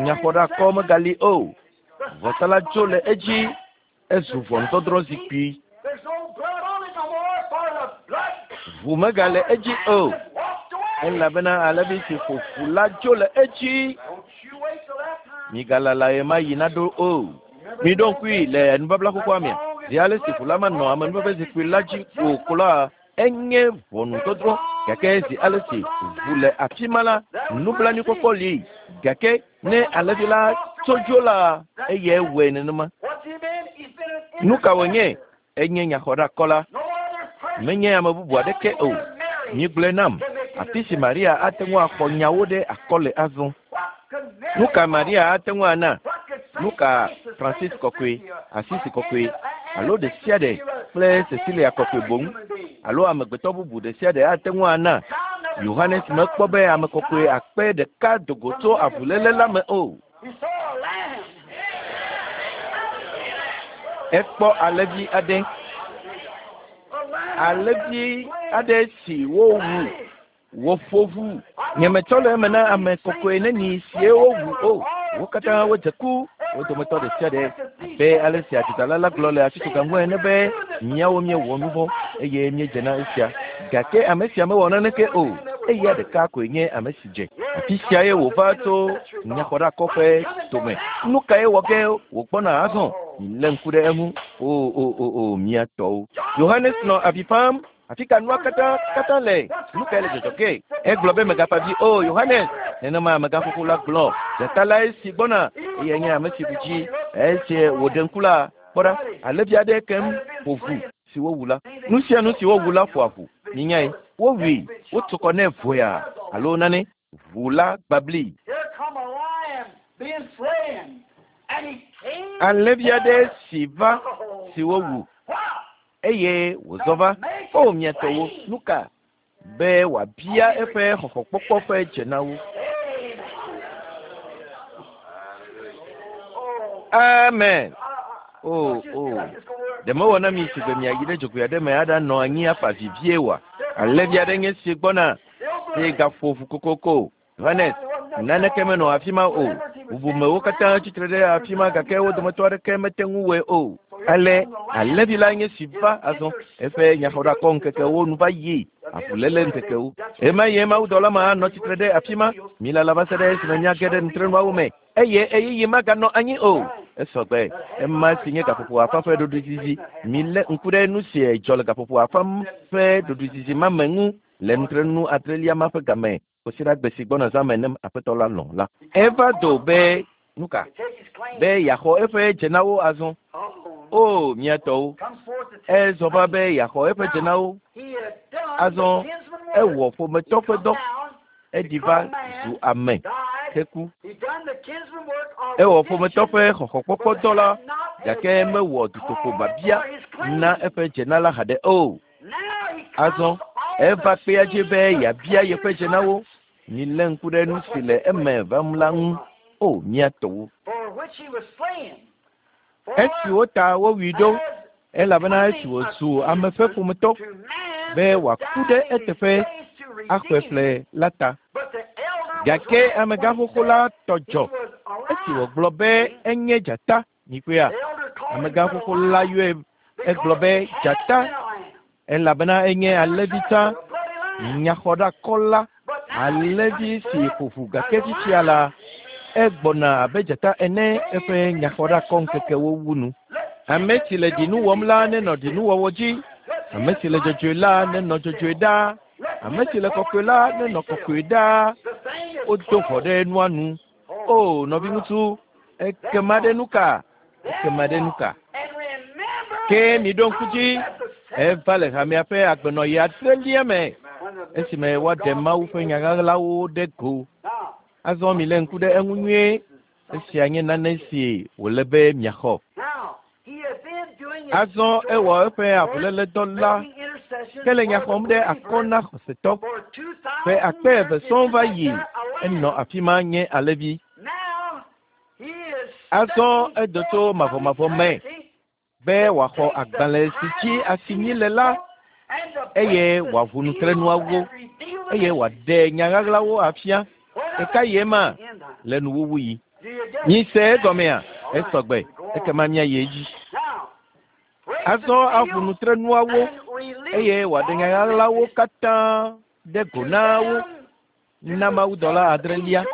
nyaxɔɖeakɔ megali o. Vɔsa la dzo le edzi ezu ʋɔnudɔdrɔ̃ zikpui. There's no blood on it no more, for the blood Ʋu megale edzi o has walked away. elabena alẽvi si ƒo ʋu la dzo le edzi. Don't you wait till that time. Migalala ɣe ma ɣi naɖo o. Miɖo ŋkui le nubabla xoxoa mea, zi ale si ʋu la manɔ amenuveve zikpui la dzi o ko la, enye ʋɔnudɔdrɔ̃ gake zi ale si ʋu le afi ma la, nublanuikpɔkpɔ li gake ne alẽvi la tso dzo la, eyae wɔe nenema. What's he been? He's been an Nu ka wònye? Enye nyaxɔɖeakɔla. No other person. Menye ame bubu aɖeke o. Migblɔe nam, afi si Maria ate ŋu axɔ nyawo ɖe akɔ le azɔ. What could Mary Nu ka Maria ate ŋu ana? What could Saint Nu ka Francis, Francis Saint kɔkɔe, Cecilia, Asisi or kɔkɔe any alo ɖe sia ɖe kple Cecilia kɔkɔe boŋ human being? alo amegbetɔ bubu ɖe sia ɖe ate ŋu ana? John never Yohanes saw a mekpɔ be ame kɔkɔe akpe ɖeka do go tso avuléle la me o. He saw a lamb. Ekpɔ alẽvi aɖe, A lamb. alẽvi aɖe si wowu woƒo ʋu. Nyemetsɔ le eme na ame kɔkɔe neni sie wowu o. Wo katã wodze ku, wo dometɔ ɖe sia ɖe abe ale si adzodala la gblɔ le atsitsoga ŋu ene be míawo míewɔ nu vɔ̃ eye míedze na esia. Gake ame sia mewɔ naneke o. Eya ɖeka koe nye ame si dze. Afi siae wòva tso nyaxɔɖeakɔ ƒe dome. Nu kae wɔ ge wògbɔna azɔ? Milé ŋku ɖe eŋu. O o o o mía tɔwo. Yohanes nɔ avi fam. Afi ka nua katã katã le? Nu kae le dzɔdzɔ ge? Egblɔ be mègafa avi o, Yohanes. Nenema amegãxoxo la gblɔ. Dzata lae si gbɔna eyae nye ame si ɖu dzi. Esi wòɖe ŋku la, kpɔ ɖa, alẽvi aɖe keŋ ƒo ʋu si wowu la. Nu sia nu si wowu la ƒoa ʋu. Minyae, wowui, wotu kɔ nɛ voya alo nane. Ʋu la gbabli. Alẽvi aɖe si va si wowu eye wòzɔ va. O mia tɔwo, nu ka? Be wòabia eƒe xɔxɔkpɔkpɔ ƒe dze na wo. Amen. O, o. Ɖe mewɔ na mi si gbe miayi ɖe dzogoe aɖe me aɖanɔ anyi afa vivie oa? Alẽvi aɖe nye si gbɔna si gaƒo ʋu kokoko. Yohanes, naneke menɔ afi ma o. Bubumewo katã tsitre ɖe afi ma gake wo dometɔ aɖeke mete ŋu wɔe o. Ale alẽvi la nye si va azɔ. Eƒe nyaxɔɖakɔ ŋkekewo nu va yi, avuléle ŋkekewo. Ɣemaɣie mawudɔla ma anɔ tsitre ɖe afi ma. Milala va se ɖe esime míage ɖe nutrenuawo me eye ɣeyiɣi maganɔ anyi o. Esɔgbe. Ema si nye gaƒoƒo afã ƒe ɖoɖoezizi. Milé ŋku ɖe nu si dzɔ le gaƒoƒo afã ƒe ɖoɖoezizi ma me ŋu le nutrenu adrelia ma ƒe game kwasiɖagbe si gbɔna zã me ne Aƒetɔ la lɔ̃ la. Eva do be nu ka? Be yeaxɔ eƒe dzenawo azɔ. O, mía tɔwo! Ezɔ va be yeaxɔ eƒe dzenawo azɔ. Ewɔ ƒometɔ ƒe dɔ. Eɖi va zu ame heku. Ewɔ ƒometɔ ƒe xɔxɔkpɔkpɔ dɔ la, gake mewɔ dutoƒo biabia na eƒe dzena la haɖe o. Azɔ eva kpea dzi be yeabia yeƒe dzenawo. Milé ŋku ɖe nu si le eme vam la ŋu. O, mía tɔwo! Esiwo ta wowui ɖo, elabena esi wòzu ame ƒe ƒometɔ be wòaku ɖe eteƒe axɔe ƒle la ta. Gake amegãxoxo la tɔ dzɔ esi wògblɔ be enye dzata. Mikpɔea? Amegãxoxo la yɔe egblɔ be dzata elabena enye alẽvi tsã, nyaxɔɖakɔla, alẽvi si ƒo ʋu gake fifia la, egbɔna abe dzata ene eƒe nyaxɔɖakɔ ŋkekewo wu nu. Ame si le ɖinu wɔm la nenɔ ɖinuwɔwɔ dzi. Ame si le dzɔdzɔe la nenɔ dzɔdzɔe ɖaa. Ame si le kɔkɔe la nenɔ kɔkɔe ɖaa. Wodo ʋɔ ɖe nua nu. O, nɔviŋutsu, ekema ɖe nu ka? Ekema ɖe nu ka? Ke miɖo ŋku dzi, eva le hamea ƒe agbenɔɣi adrelia me esime woaɖe Mawu ƒe nya ɣaɣlawo ɖe go. Azɔ milé ŋku ɖe eŋu nyuie. Esia nye nane si wòle be miaxɔ. Azɔ ewɔ eƒe avuléledɔ la ke le nya xɔm ɖe akɔ na xɔsetɔ. Ƒe akpe eve sɔŋ va yi enɔ afi ma nye alẽvi. Azɔ edo tso mavɔmavɔ me be wòaxɔ agbalẽ si dzi asinyi le la eye wòaʋu nutrenuawo eye wòaɖe nya ɣaɣlawo afia. Ɖeka yi ema le nuwuwu yi. Mise egɔmea? Esɔgbe. Ekema míayi edzi. Azɔ aʋu nutrenuawo eye wòaɖe nya ɣaɣlawo katã ɖe go na wo na mawudɔla adrelia,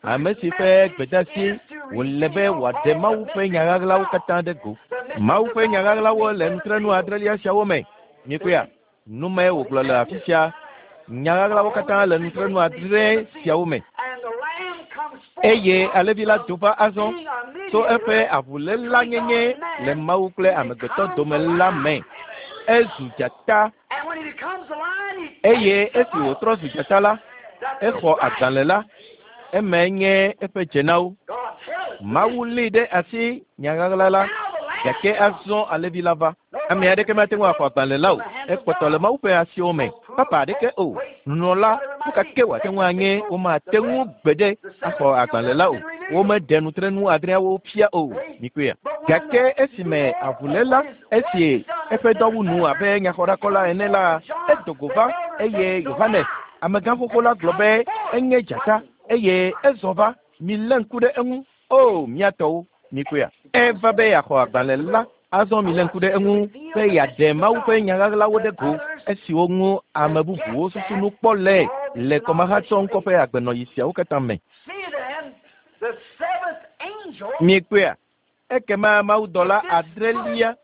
ame si ƒe gbedeasi wòle be wòaɖe Mawu ƒe nya ɣaɣlawo katã ɖe go. Mawu ƒe nya ɣaɣlawo le nutrenu adrelia siawo me. Mikpɔea? Nu mae wògblɔ le afi sia. Nya ɣaɣlawo katã le nutrenu adre siawo me. Eye alẽvi la do va azɔ tso eƒe avulélanyenye le Mawu kple amegbetɔ dome la me. Ezu dzata. Eye esi wòtrɔ zu dzata la, exɔ agbalẽ la. Emae nye eƒe dzenawo. Mawu lée ɖe asi nya ɣaɣla la, gake azɔ alẽvi la va. Ame aɖeke mate ŋu axɔ agbalẽ la o. Ekpɔtɔ le Mawu ƒe asiwo me. Papa aɖeke o. Nunɔla, nu ka ke wòate ŋu anye, womate ŋu gbeɖe axɔ agbalẽ la o. Womeɖe nutrenu adreawo fia o. Mikpɔea? Gake esime avuléla, esi eƒe dɔ wu nu abe nyaxɔɖakɔla ene la, edo go va eye Yohanes, amegãxoxo la gblɔ be enye dzata eye ezɔ va. Milé ŋku ɖe eŋu. O, mía tɔwo, mikpɔea? Eva be yeaxɔ agbalẽ la. Azɔ milé ŋku ɖe eŋu be yeaɖe Mawu ƒe nya ɣaɣlawo ɖe go, esiwo ŋu ame bubuwo susu nu kpɔ le le kɔmahatsɔ ŋkɔ ƒe agbenɔɣi siawo katã me. Miekpɔea? Ekema mawudɔla adrelia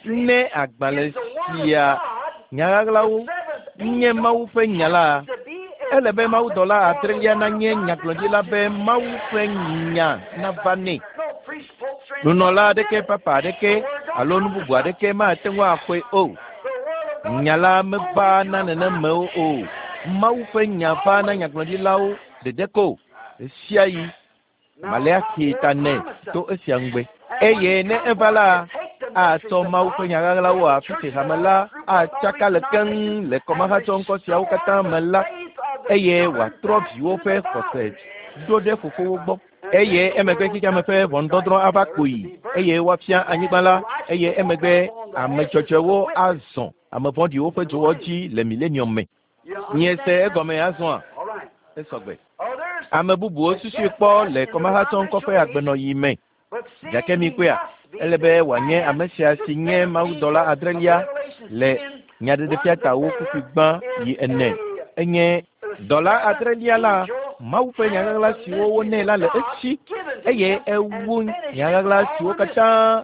ne agbalẽ sia nya ɣaɣlawo nye Mawu ƒe nya la, ele be mawudɔla adrelia nanye nyagblɔɖila be Mawu ƒe nya nava nɛ. Nunɔla aɖeke, papa aɖeke alo nu bubu aɖeke mate ŋu axɔe o. Nya la meva na nenemewo o. Mawu ƒe nya va na nyagblɔɖilawo ɖeɖe ko ɣesiaɣi. Maleaxi ta nɛ to esia ŋugbe. Eye ne eva la, atsɔ Mawu ƒe nya ɣaɣlawo afi si hame la atsaka le keŋ le kɔmahatsɔŋkɔ siawo katã me la, eye wòatrɔ viwo ƒe xɔse ɖo ɖe fofowo gbɔ. Eye emegbe xexeame ƒe ʋɔnudɔdrɔ̃ ava kpoyi, eye woafia anyigba la, eye emegbe ame dzɔdzɔewo azɔ ame vɔ̃ɖiwo ƒe dzowɔ dzi le milenium me. Miese egɔme azɔa? Esɔgbe. Ame bubuwo susui kpɔ le kɔmahatsɔŋkɔ ƒe agbenɔɣi me. Gake mikpɔea, ele be wòanye ame sia si nye mawudɔla adrelia le Nyaɖeɖefia tawo kpukpui gbã yi ene. Enye dɔla adrelia la, Mawu ƒe nyaɣaɣla siwo wonɛ la le esi, eye ewu nyaɣaɣla siwo katã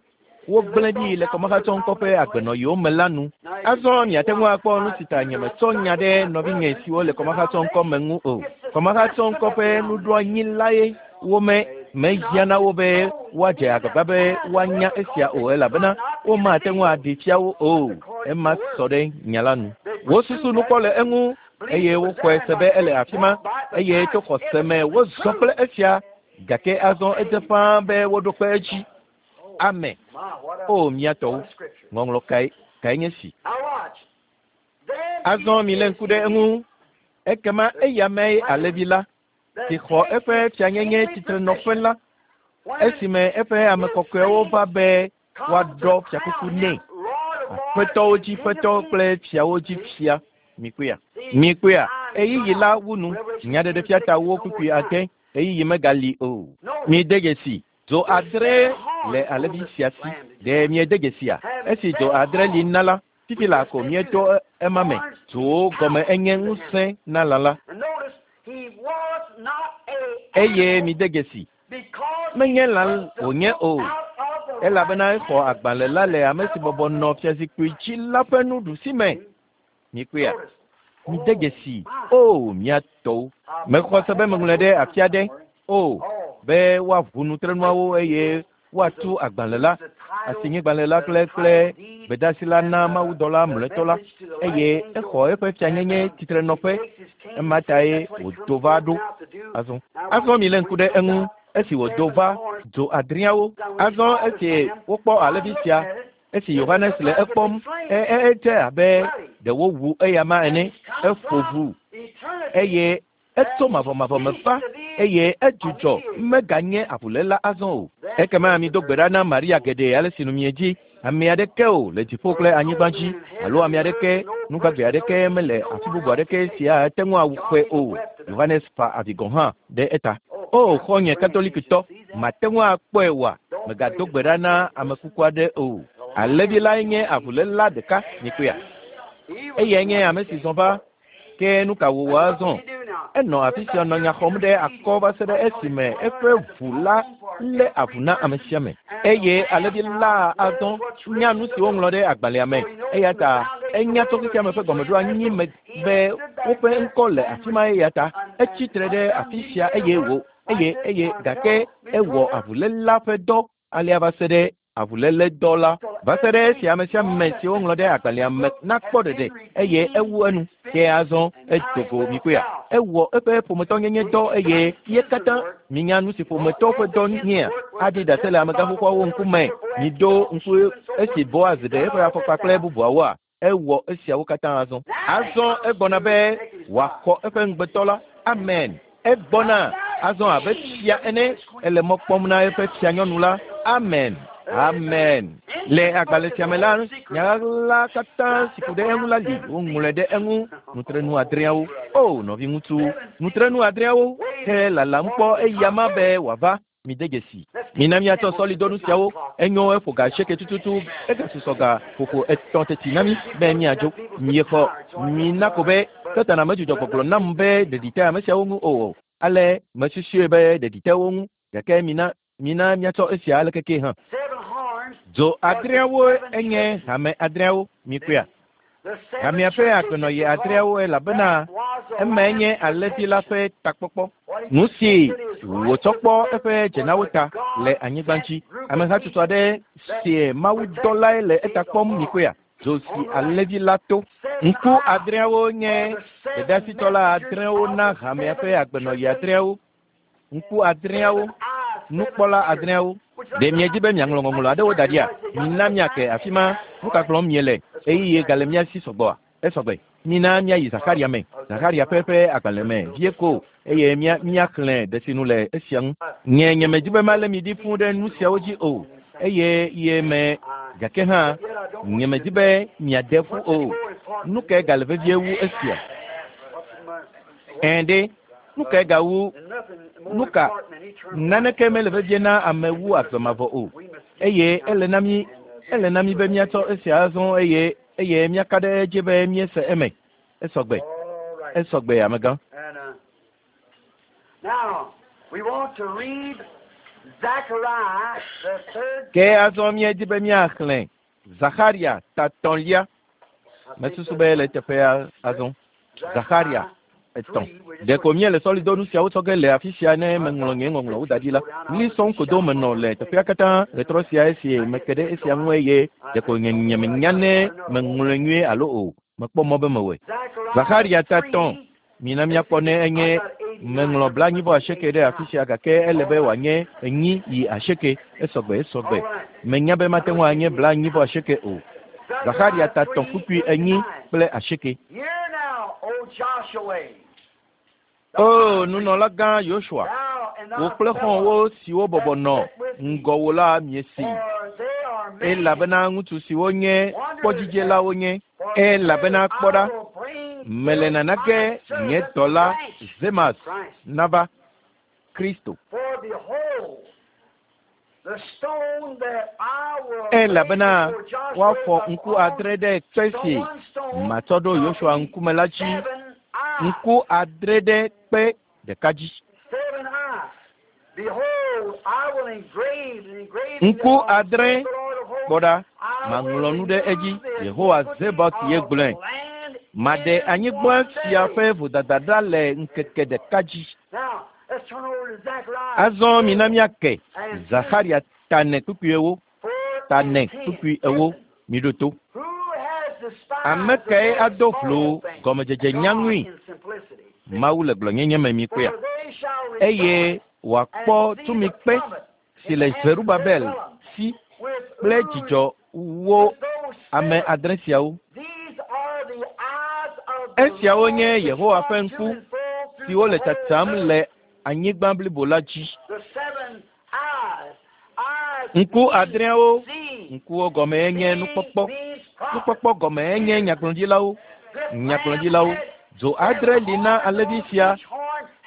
wogblẽ ɖi le kɔmahatsɔŋkɔ ƒe agbenɔɣiwo me la nu. Azɔ miate ŋu akpɔ nu si ta nyemetsɔ nya ɖe nɔvinye siwo le kɔmahatsɔŋkɔ me ŋu o. Kɔmahatsɔŋkɔ ƒe nuɖoanyi lae wome mehiã na wo be woadze agbagba be woanya esia o elabena womate ŋu aɖee fia wo o. Ema sɔ ɖe nya la nu. Wosusu nu kpɔ le eŋu eye woxɔe se be ele afi ma eye to xɔse me wozɔ kple esia gake azɔ edze ƒãa be woɖo kpe edzi. Ame. O mía tɔwo, ŋɔŋlɔ kae kae nye si. Azɔ milé ŋku ɖe eŋu. Ekema eya mee alẽvi la si xɔ eƒe fianyenye tsitrenɔƒe la, esime eƒe ame kɔkɔewo va be woaɖɔ fiakuku nɛ, aƒetɔwo dzi ƒetɔ kple fiawo dzi fia. Mikpɔea? Mikpɔea? Ɣeyiɣi la wu nu. Nyaɖeɖefia ta wo kpukpui ade. Ɣeyiɣi megali o. Mide dzesi, dzo adre le alẽvi sia si. Ɖe miede dzesia? Esi dzo adre li na la, fifi laa ko míeto ema me. Dzowo gɔme enye ŋusẽ na lã la. Eye mide dzesi, menye lã wònye o, elabena exɔ agbalẽ la le ame si bɔbɔ nɔ fiazikpui dzi la ƒe nuɖusi me. Mikpɔea? Mide dzesi, o mía tɔwo. Mexɔ se be meŋlɔe ɖe afi aɖe, o, be woaʋu nutrenuawo eye woatu agbalẽ la, asinyigbalẽ la kple kple gbedeasi la na mawudɔla mlɔetɔ la, eye exɔ eƒe fianyenye tsitrenɔƒe. Ema tae wòdo va ɖo. Azɔ, azɔ milé ŋku ɖe eŋu esi wòdo va dzo adreawo. Azɔ esi wokpɔ alẽvi sia, esi Yohanes le ekpɔm, e, e, edze abe ɖe wowu eyama ene. Eƒo ʋu eye Etso mavɔmavɔ me va, eye edzudzɔ meganye avuléla azɔ o. Ekema mido gbe ɖa na Maria geɖe ale si nu miedzi. Ame aɖeke o le dziƒo kple anyigba dzi, alo ame aɖeke, nugbagbe aɖeke mele afi bubu aɖeke si ate ŋu awu xɔe o. Yohanes fa avi gɔ̃ hã ɖe eta. O, xɔ̃nye Katolikitɔ, màte ŋu akpɔe oa? Mègado gbe ɖa na ame kuku aɖe o. Alẽvi lae nye avuléla ɖeka, mikpɔea? Eyae nye ame si zɔ va Ke nu ka wòwɔ azɔ? Enɔ afi sia nɔ nya xɔm ɖe akɔ va se ɖe esime eƒe ʋu la lé avu na ame sia ame. Eye alẽvi la azɔ nya nu si woŋlɔ ɖe agbalẽa me. Eya ta enya tso xexea me ƒe gɔmeɖoanyi me be woƒe ŋkɔ le afi ma eya ta etsi tre ɖe afi sia eye wò eye eye gake ewɔ avuléla ƒe dɔ alea va se ɖe avuléledɔ la, va se ɖe esi ame sia ame si woŋlɔ ɖe agbalẽa me nakpɔ ɖeɖe, eye ewu enu. Ke azɔ edo go mikpɔea? Ewɔ eƒe ƒometɔnyenye dɔ eye ye katã minya nu si ƒometɔ ƒe dɔ nyea. Aɖi ɖase le amegã xoxoawo ŋkume. Miɖo ŋku esi Boaz ɖe eƒe afɔkpa kple bubuawoa? Ewɔ esiawo katã azɔ. Azɔ egbɔna be wòaxɔ eƒe ŋugbetɔ la. Amen. Egbɔna azɔ abe fia ene. Ele mɔ kpɔm na eƒe fianyɔnu la. Amen. Amen. Le agbalẽ sia me la, nya ɣaɣla katã si ku ɖe eŋu la li. Woŋlɔe ɖe eŋu. Nutrenu adreawo. O, nɔviŋutsu, nutrenu adreawo. Ke lalam kpɔ eyama be wòava. Mide dzesi. Mina míatsɔ sɔlidɔnu siawo. Enyo, eƒo ga asieke tututu. Egasusɔ ga ƒoƒo etɔ̃ teti na mí be míadzo. Miexɔ. Mina ko be Satana medzudzɔ gbɔgblɔ nam be ɖeɖi te ame siawo ŋu o. Ale mesusue be ɖeɖi te wo ŋu. Gake mina, mina míatsɔ esia aleke kee hã. Dzo adreawoe enye hame adreawo. Mikpɔea? Hamea ƒe agbenɔɣi adreawo elabena Emae nye alẽvi la ƒe takpɔkpɔ. Nu si wòtsɔ kpɔ eƒe dzenawo ta le anyigba dzi. Amehatsotso aɖe sie mawudɔlae le eta kpɔm mikpɔea? Dzo si alẽvi la to. Ŋku adreawo nye gbedeasitɔla adrewo na hamea ƒe agbenɔɣi adreawo. Ŋku adreawo, nukpɔla adreawo. Ɖe miedi be miaŋlɔ ŋɔŋlɔ aɖewo da ɖia? Mina míake afi ma. Nu ka gblɔm miele? Ɣeyiɣie gale mía si sɔgbɔa? Esɔgbe. Mina míayi Zaxarya me, Zaxarya ƒe eƒe agbalẽ me vie ko, eye mía, míaxlẽ ɖesinu le esia ŋu. Nye, nyemedi be malé mi ɖi fũu ɖe nu siawo dzi o, eye ye me, gake hã, nyemedi be miade ƒu o. Nu kae gale vevie wu esia? Ɛ̃ ɖe, nu kae gawu nu ka? Naneke mele vevie na ame wu agbe mavɔ o. Eye ele na mí, ele na mí be míatsɔ esia azɔ eye eye míaka ɖe edzi be míese eme. Esɔgbe. Esɔgbe, amegã. Ke azɔ míedi be míaxlẽ Zaxarya ta etɔ̃lia. Mesusu be le eteƒea azɔ. Zaxarya etɔ̃. Ɖeko míele sɔlidonu siawo tsɔ ge le afi sia ne meŋlɔ nye ŋɔŋlɔwo da ɖi la. Ɣli sɔŋ ko do menɔ le teƒea katã ɣetrɔ sia esi meke ɖe esia ŋu eye ɖeko nye nyemenya ne meŋlɔe nyuie alo o. Mekpɔ mɔ be mewɔe. Zaxarya ta etɔ̃. Mina míakpɔ ne enye meŋlɔ 98 ɖe afi sia gake ele be wòanye 4 yi 8. Esɔgbe, esɔgbe. Menya be mate ŋu anye 98 o. Zaxarya ta etɔ̃ kpukpui 4 kple 8. O nunɔlagã Yosua, wò kple xɔ̃wò siwo bɔbɔ nɔ ŋgɔwò la miesee, elabena ŋutsu siwo nye kpɔdzidzelawo nye. Elabena kpɔ ɖa, mele nana ge nye dɔla Zemas nava, Kristo. Elabena woafɔ ŋku adre ɖe kpe si matsɔ ɖo Yosua ŋkume la dzi, ŋku adre ɖe kpe ɖeka dzi. Ŋku adre, kpɔ ɖa, maŋlɔ nu ɖe edzi, Yehowa Zebaot ye gblɔe. Maɖe anyigba sia ƒe vodada ɖa le ŋkeke ɖeka dzi. Azɔ mina míake Zaxarya ta ene kpukpui ewo, ta ene kpukpui ewo, miɖo to. Ame kae ado vlo gɔmedzedze nyaŋui? Mawu le gblɔnyenye me mikpɔea? Eye wòakpɔ tumikpe si le Zerubabel si kple dzidzɔ wo ame adre siawo. Esiawo nye Yehowa ƒe ŋku siwo le tsatsam le anyigba blibo la dzi. Ŋku adreawo, ŋkuwo gɔmee nye nukpɔkpɔ. Nukpɔkpɔ gɔmee nye nyagblɔɖilawo. Nyagblɔɖilawo. Dzo adre li na alẽvi sia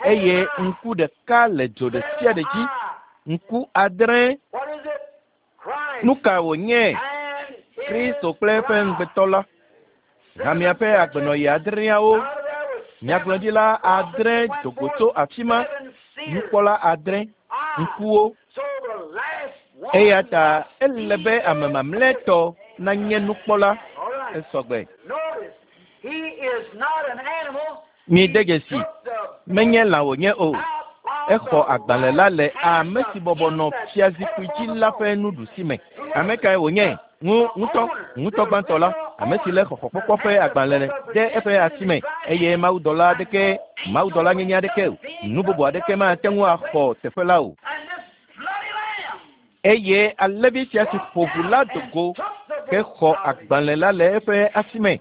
eye ŋku ɖeka le dzo ɖe sia ɖe dzi. Ŋku adre. Nu ka wònye? Kristo kple eƒe ŋugbetɔ la. Hamea ƒe agbenɔɣi adreawo. Nyagblɔɖila adre do go tso afi ma. Nukpɔla adre. Ŋkuwo. Eya ta ele be ame mamlɛtɔ nanye nukpɔla. Esɔgbe. Mide dzesi, menye lã wònye o. Exɔ agbalẽ la le ame si bɔbɔ nɔ fiazikpui dzi la ƒe nuɖusi me. Ame kae wònye? Ŋu, ŋutɔ, ŋutɔ gbãtɔ la, ame si lé xɔxɔkpɔkpɔ ƒe agbalẽ ɖe eƒe asi me, eye mawudɔla aɖeke, mawudɔla nyenye aɖeke o, nu bubu aɖeke mate ŋu axɔ teƒe la o. Eye alẽvi sia si ƒo ʋu la do go hexɔ agbalẽ la le eƒe asi me.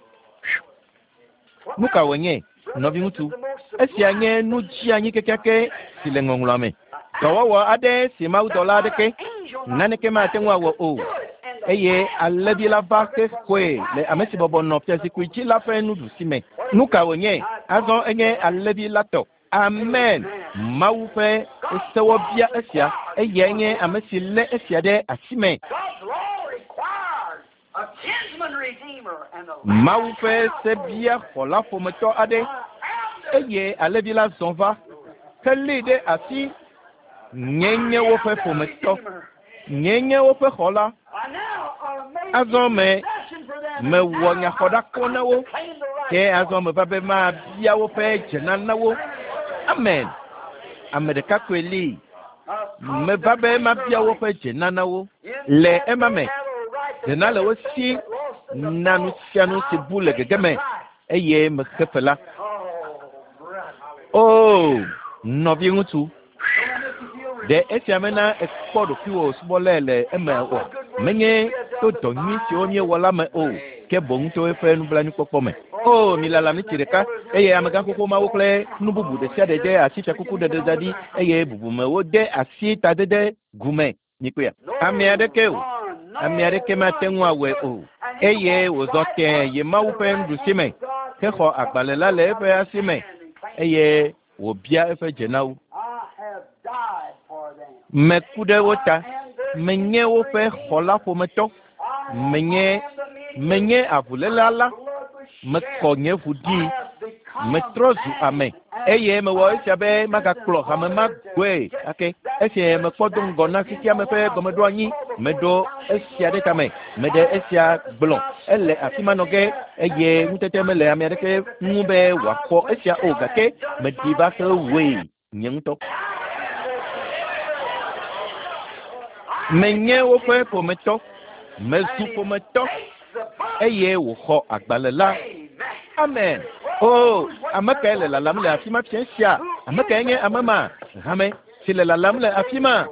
Nu ka wònye, nɔviŋutsu? Esia nye nu dzeanyi kekeake si le ŋɔŋlɔa me. Dɔwɔwɔ aɖe si mawudɔla aɖeke naneke mate ŋu awɔ o. Eye alẽvi la va hexɔe le ame si bɔbɔ nɔ fiazikpui dzi la ƒe nuɖusi me. Nu ka wònye? Azɔ enye alẽvi la tɔ. Amen. Mawu ƒe sewɔ bia esia. Eyae nye ame si lé esia ɖe asi me. Mawu ƒe se bia xɔla ƒometɔ aɖe eye alẽvi la zɔ va helée ɖe asi. Nye nye woƒe ƒometɔ. Nye nye woƒe xɔla. Azɔ me mewɔ nyaxɔɖakɔ na wo. Ke azɔ meva be mabia woƒe dzenana wo. Amen. Ame ɖeka koe li. Meva be mabia woƒe dzenana wo. Le ema me, dzena le wo si na nu sia nu si bu le gegeme eye mexe fe la. Oo, nɔviŋutsu, ɖe esia mena èkpɔ ɖokuiwò subɔlae le eme oa? Menye to dɔ nyui siwo míewɔ la me o, ke boŋ to eƒe nublanuikpɔkpɔ me. Oo, milala miniti ɖeka, eye amegã xoxo mawo kple nu bubu ɖe sia ɖe de asi fiakuku ɖeɖe da ɖi, eye bubumewo de asi tadede gu me. Mikpɔea? Ame aɖeke o. Ame aɖeke mate ŋu awɔe o. Eye wòzɔ tẽe yi Mawu ƒe nuɖusi me, hexɔ agbalẽ la le eƒe asi me, eye wòbia eƒe dze na wo. Meku ɖe wo ta. Menye woƒe xɔla ƒometɔ. Menye, menye avuléla la. Mekɔ nye ʋu ɖi. Metrɔ zu ame eye mewɔ esia be magakplɔ hame ma gbɔe ake. Esi mekpɔ do ŋgɔ na xexeame ƒe gɔmeɖoanyi, meɖo esia ɖe tame, meɖe esia gblɔ. Ele afi ma nɔ ge eye ŋutete mele ame aɖeke ŋu be wòaxɔ esia o gake meɖi va xe wɔe nye ŋutɔ. Menye woƒe ƒometɔ, mezu ƒometɔ eye wòxɔ agbalẽ la. Amen. O, ame kae le lalam le afi ma fiẽ sia? Ame kae nye ame ma? Hame si le lalam le afi ma.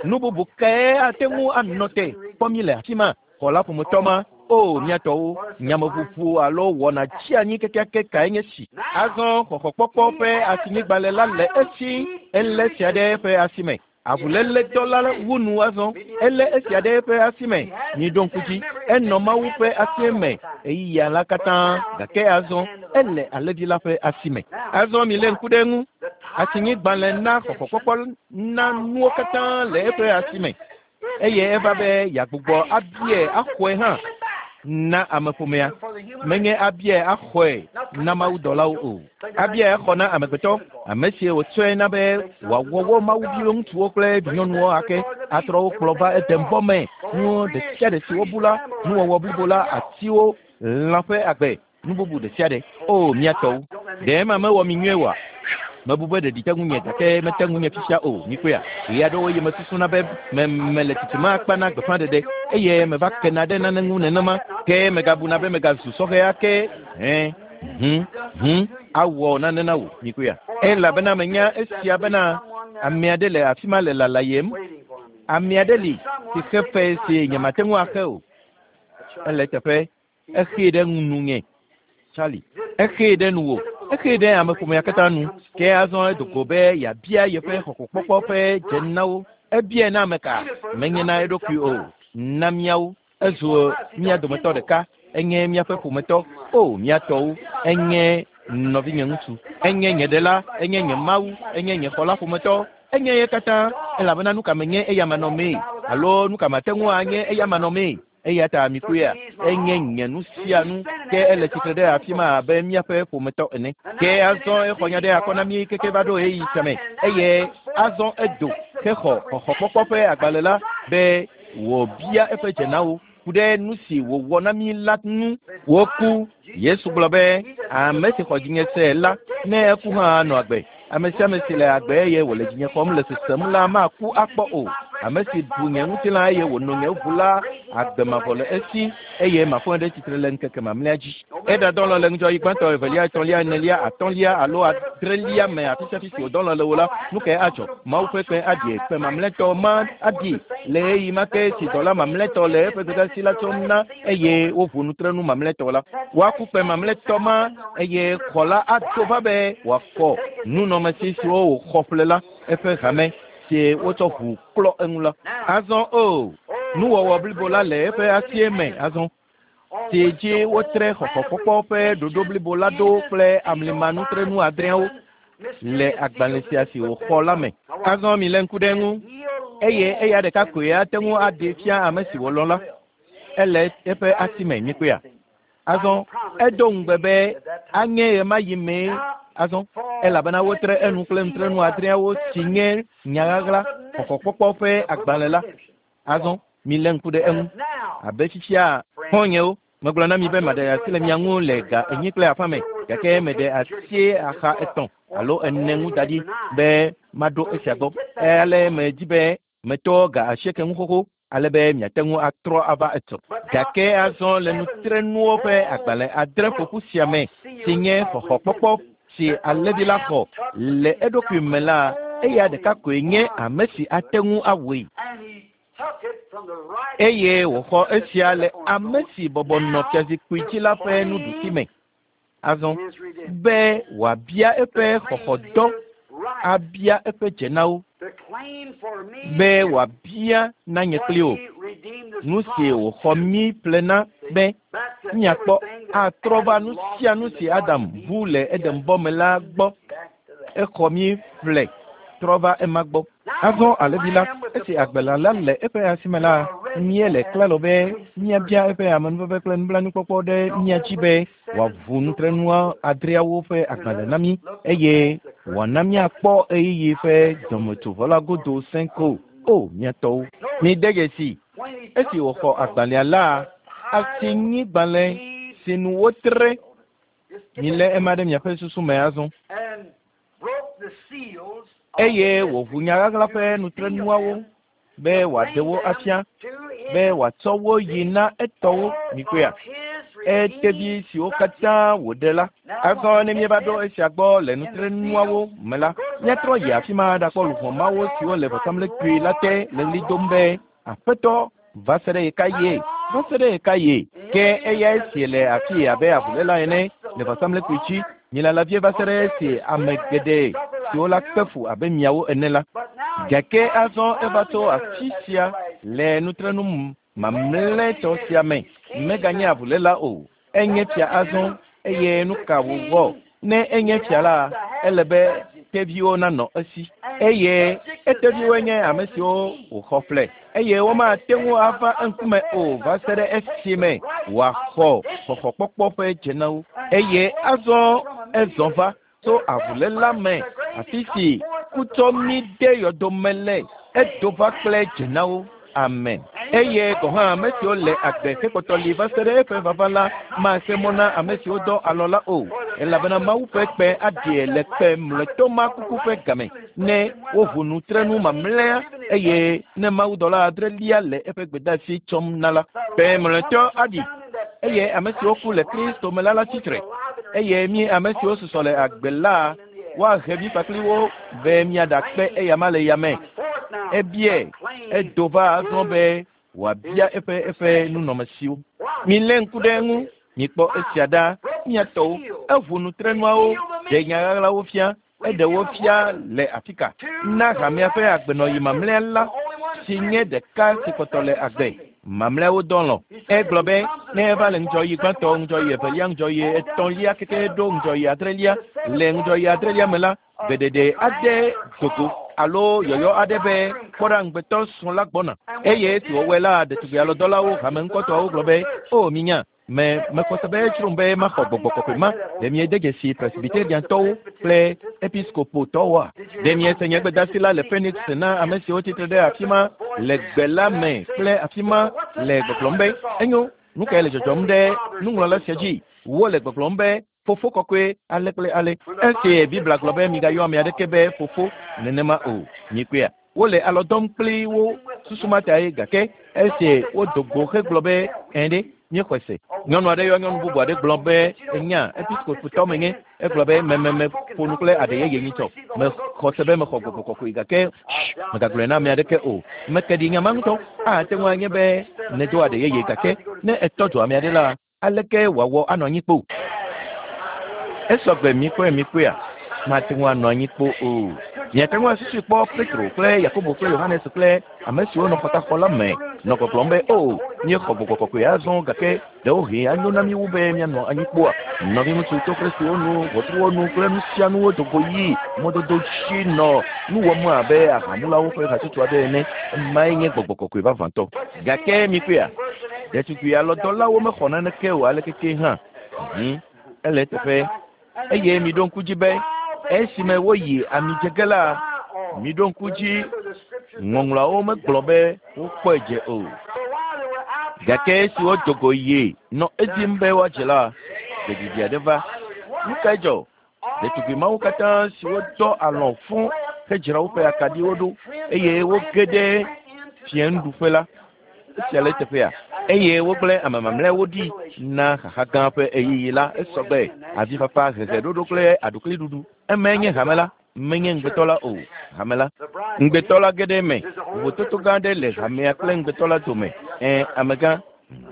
Nu bubu kae ate ŋu anɔ te kpɔ mí le afi ma? Xɔla ƒometɔ ma, o mía tɔwo, nyameʋuʋu alo wɔna tsianyi kekeake kae nye si? Azɔ xɔxɔkpɔkpɔ ƒe asinyigbalẽ la le esi, elé esia ɖe eƒe asi me. Avuléledɔ la wu nu azɔ, elé esia ɖe eƒe asi me. Miɖo ŋku dzi, enɔ Mawu ƒe asie me ɣeyiɣia la katã, gake azɔ ele alẽvi la ƒe asi me. Azɔ milé ŋku ɖe eŋu. Asinyigbalẽ na xɔxɔkpɔkpɔ na nuwo katã le eƒe asi me. Eye eva be yeagbugbɔ abiae axɔe hã na ameƒomea. Menye abiae axɔe na mawudɔlawo o. Abiae axɔ na amegbetɔ, ame si wòtsɔe na be wòawɔ wo mawuviwo ŋutsuwo kple vinyɔnuwo ake, atrɔ wo kplɔ va Edenbɔ me, nuwo ɖe sia ɖe si wobu la, nuwɔwɔ blibo la, atiwo, lã ƒe agbe, nu bubu ɖe sia ɖe. O, mía tɔwo, ɖe ema mewɔ mi nyuie oa? Mebu be ɖeɖi te ŋunye gake mete ŋunye fifia o. Mikpɔea? Ɣe aɖewo ɣi mesusuna be me, mele tsitsime akpa na gbeƒãɖeɖe eye meva kena ɖe nane ŋu nenema ke megabuna be megazu sɔhɛ ake. Hẽ, hũ, hũ, awɔ nane na wò. Mikpɔea? Elabena menya esia bena ame aɖe le afi ma le lalayem. Ame aɖe li si xe fe si nyemate ŋu axe o. Ele eteƒe. Exee ɖe nunye, Charlie. Exee ɖe nuwò. Exee ɖe ameƒomea katã nu. Ke azɔ edo go be yeabia yeƒe xɔxɔkpɔkpɔ ƒe dze na wo. Ebiae na ame ka? Menye na eɖokui o, na míawo. Ezu mía dometɔ ɖeka. Enye míaƒe ƒometɔ. O, mía tɔwo. Enye nɔvinye ŋutsu. Enye nye ɖela. Enye nye Mawu. Enye nye xɔla ƒometɔ. Enye ye katã, elabena nu ka menye eya manɔmee? Alo nu ka mate ŋu anye eya manɔmee? Eya ta mikpɔea, enye nye nu sia nu, ke ele tsitre ɖe afi ma abe míaƒe ƒometɔ ene. Ke azɔ exɔ nya ɖe akɔ na mí keke va ɖo ɣeyiɣi sia me, eye azɔ edo hexɔ xɔxɔkpɔkpɔ ƒe agbalẽ la be wòbia eƒe dze na wo ku ɖe nu si wòwɔ na mí la ŋu. Woku. Yesu gblɔ be, Ame si xɔ dzinye se la, ne eku hã anɔ agbe. Ame sia ame si le agbe eye wòle dzinye xɔm le sesem la maku akpɔ o. Ame si ɖu nye ŋutilã eye wòno nye ʋu la, agbe mavɔ le esi eye mafɔe ɖe tsitre le ŋkeke mamlɛa dzi. Eɖadɔ lɔ le ŋudzɔɣi gbãtɔ, evelia, etɔ̃lia, enelia, atɔ̃lia alo adrelia me afisiafi si wòdɔ lɔ le wò la, nu kae adzɔ? Mawu ƒe kpẽ aɖi kpẽ mamlɛtɔ ma aɖi le ɣeyiɣi ma ke si dɔla mamlɛtɔ le eƒe gbedeasi la tsɔm na eye woʋu nutrenu mamlɛtɔ la. Woaku kpẽ mamlɛtɔ ma eye xɔ la ado va be wòafɔ nunɔamesi siwo wòxɔ ƒle la, eƒe hame si wotsɔ ʋu klɔ eŋu la. Azɔ o, nuwɔwɔ blibo la le eƒe asie me azɔ, si dzi wotre xɔxɔkpɔkpɔ ƒe ɖoɖo blibo la ɖo kple amlimanutrenu adreawo le agbalẽ sia si wòxɔ la me. Azɔ milé ŋku ɖe eŋu, eye eya ɖeka koe ate ŋu aɖee fia ame si wòlɔ̃ la. Ele eƒe asi me, mikpɔea? Azɔ edo ŋugbe be anye ɣemaɣi mee azɔ, elabena wotre enu kple nutrenu adreawo si nye nya ɣaɣla xɔxɔkpɔkpɔ ƒe agbalẽ la. Azɔ milé ŋku ɖe eŋu abe fifia xɔ̃nyewo. Megblɔ na mi be maɖe asi le mia ŋu le ga enyi kple afã me, gake meɖe asi axa etɔ̃ alo ene ŋu da ɖi be maɖo esia gbɔ. Ale medi be metɔ ga asieke ŋu xoxo ale be miate ŋu atrɔ ava etsɔ. Gake azɔ le nutrenuwo ƒe agbalẽ adre ƒoƒu sia me si nye xɔxɔkpɔkpɔ si alẽvi la xɔ le eɖokui me la, eya ɖeka koe nye ame si ate ŋu awɔe. Eye wòxɔ esia le ame si bɔbɔ nɔ fiazikpui dzi la ƒe nuɖusi me. Azɔ be wòabia eƒe xɔxɔdɔ, abia eƒe dzenawo, be wòabia na nye kpli wò nu si wòxɔ mí ƒle na be míakpɔ atrɔ va nu sia nu si Adam bu le Edenbɔ me la gbɔ. Exɔ mí ƒle trɔ va ema gbɔ. Azɔ alẽvi la, esi agbelã la le eƒe asi me la, míele klalo be míabia eƒe amenuveve kple nublanuikpɔkpɔ ɖe mía dzi be wòaʋu nutrenua adreawo ƒe agbalẽ na mí eye wòana míakpɔ ɣeyiɣi ƒe dɔmetsovɔ la godo sẽ ko. O, mía tɔwo! Mide dzesii, esi wòxɔ agbalẽa la, asinyigbalẽ si nu wotre. Milé ema ɖe miaƒe susu me azɔ. Eye wòʋu nya ɣaɣla ƒe nutrenuawo be wòaɖe wo afia, be wòatsɔ wo yi na etɔwo. Mikpɔea? Etevi siwo katã wòɖe la. Azɔ ne míeva ɖo esia gbɔ le nutrenuawo me la, míatrɔ yi afi ma aɖakpɔ luʋɔ mawo siwo le vɔsamlekpui la te le ɣli dom be, Aƒetɔ, va se ɖe ɣekaɣie? Va se ɖe ɣekaɣie? Ke eyae si le afii abe avuléla ene le vɔsamlekpui dzi. Milala vie va se ɖe esi ame geɖe siwo la kpe fu abe miawo ene la. Gake azɔ eva tso afi sia le nutrenu mamlɛtɔ sia me. Meganye avuléla o. Enye fia azɔ, eye nu ka wòwɔ? Ne enye fia la, ele be teviwo nanɔ esi. Eye eteviwoe nye ame siwo wòxɔ ƒle, eye womate ŋu ava eŋkume o va se ɖe esime wòaxɔ xɔxɔkpɔkpɔ ƒe dze na wo. Eye azɔ ezɔ va tso avuléla me, afi si ku tsɔ mí de yɔdo me le, edo va kple dze na wo. Amen. Eye gɔ̃ hã ame siwo le agbe hekpɔtɔ li va se ɖe eƒe vava la mase mɔ na ame siwo dɔ alɔ la o, elabena Mawu ƒe kpẽ aɖie le kpẽ mlɔetɔ ma kuku ƒe game, ne woʋu nutrenu mamlɛa, eye ne mawudɔla adrelia le eƒe gbedeasi tsɔm na la. Kpẽ mlɔetɔ aɖi, eye ame siwo ku le Kristo me la latsi tre, eye mí ame siwo susɔ le agbe la, woahe mí kpakpli wo be míaɖakpe eyama le yame. Ebiae, edo va azɔ be wòabia eƒe eƒe nunɔamesiwo. Milé ŋku ɖe eŋu, mikpɔ esia ɖa, mía tɔwo. Eʋu nutrenuawo, ɖe nya ɣaɣlawo fia, eɖe wo fia le afika na hamea ƒe agbenɔɣi mamlɛa la, si nye ɖeka si kpɔtɔ le agbe. Mamlɛawo dɔ lɔ̃. Egblɔ be, ne eva le ŋudzɔɣi gbãtɔ, ŋudzɔɣi evelia, ŋudzɔɣi etɔ̃lia keke ɖo ŋudzɔɣi adrelia, le ŋudzɔɣi adrelia me la, gbeɖeɖe aɖe do go alo yɔyɔ aɖe be, Kpɔ ɖa, ŋugbetɔ srɔ̃ la gbɔna. Eye esi wòwɔe la, ɖetugbui alɔdɔlawo, hame ŋkɔtɔawo gblɔ be, O, minya, Me, mexɔ se be edzrom be maxɔ gbɔgbɔ kɔkɔe ma. Ɖe miede dzesi Presbyteriantɔwo kple Episkopotɔwoa? Ɖe miese nye gbedasi la le Phoenix na ame siwo tsitre ɖe afi ma le gbe la me kple afi ma le gbɔgblɔm be, Enyo, nu kae le dzɔdzɔm ɖe nuŋlɔla sia dzi? Wole gbɔgblɔm be, Fofo kɔkɔe ale kple ale. Esi Biblia gblɔ be migayɔ ame aɖeke be fofo nenema o. Mikpɔea? Wole alɔ dɔm kpli wo susu ma tae gake esi wodo go hegblɔ be ɛ̃ ɖe, míexɔe se. Nyɔnu aɖe yɔ nyɔnu bubu aɖe gblɔ be, Ènya, episkopotɔ menye. Egblɔ be, Meme meƒo nu kple aɖe yeye nyitsɔ. Mexɔ se be mexɔ gbɔgbɔ kɔkɔe gake shh, mègagblɔe na ame aɖeke o. Meke ɖi nya ma ŋutɔ. Ate ŋu anye be nèdo aɖe yeye gake ne ètɔ dzo ame aɖe la, Aleke wòawɔ anɔ anyi kpo? Esɔgbe mikpɔe mikpɔea? Mate ŋu anɔ anyi kpo o. Miate ŋu asusui kpɔ Petro kple Yakobo kple Yohanes kple ame siwo nɔ xɔtaxɔ la me nɔ gbɔgblɔm be, O, míexɔ gbɔgbɔ kɔkɔe azɔ, gake ɖewohĩ anyo na mí wu be míanɔ anyi kpoa? Nɔviŋutsu toxlesiwo nu, ʋɔtruwo nu kple nu sia nuwo do go yi mɔdodo dzi nɔ nu wɔm abe ahamulawo ƒe hatsotso aɖe ene. Emae nye gbɔgbɔ kɔkɔe vavãtɔ. Gake mikpɔea? Ɖetugbui alɔdɔlawo mexɔ naneke o alekeke hã. Mhm. Ele eteƒe. Eye miɖo ŋku dzi be esime woyi amidzege la, miɖo ŋku dzi ŋɔŋlɔawo megblɔ be wokpɔe dze o. Gake esi wodo go yi nɔ edim be woadze la, gbeɖiɖi aɖe va. Nu kae dzɔ? Ɖetugbui mawo katã siwo dɔ alɔ̃ fũ hedzra woƒe akaɖiwo ɖo eye woge ɖe fiẽnuɖuƒe la, esia le eteƒea? Eye wogblẽ ame mamlɛawo ɖi na xaxa gã ƒe ɣeyiɣi la. Esɔgbe avifafa, heheɖoɖo kple aɖukliɖuɖu. Emae nye hame la, menye ŋugbetɔ la o. Hame la. Ŋugbetɔ la ge ɖe eme. Vovototo gã aɖe le hamea kple ŋugbetɔ la dome. Ẽ, amegã.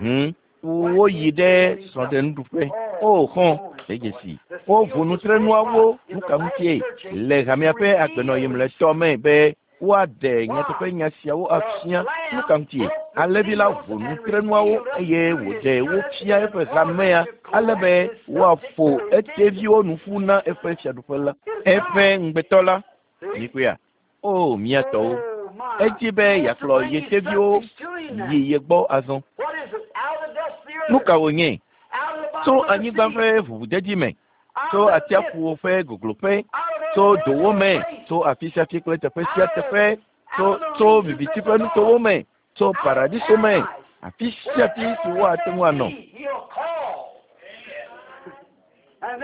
Hum. Woyi ɖe srɔ̃ɖenuɖuƒe. O, xɔ̃, de dzesi. Woʋu nutrenuawo nu ka ŋutie le hamea ƒe agbenɔɣi mlɔetɔ me be woaɖe nyateƒenya siawo afia. Nu ka ŋutie? Alẽvi la ʋu nutrenuawo eye wòɖe wo fia eƒe hamea ale be woaƒo eteviwo nu ƒu na eƒe fiaɖuƒe la. Eƒe ŋugbetɔ la. Mikpɔea? O, mía tɔwo. Edzi be yeakplɔ ye teviwo yi ye gbɔ azɔ. Nu ka wònye? Tso anyigba ƒe ʋuʋudedi me, tso atsiaƒuwo ƒe gogloƒe, tso dowo me, tso afi sia afi kple teƒe sia teƒe, tso tso viviti ƒe nutowo me, tso paradiso me, afi sia afi si woate ŋu anɔ.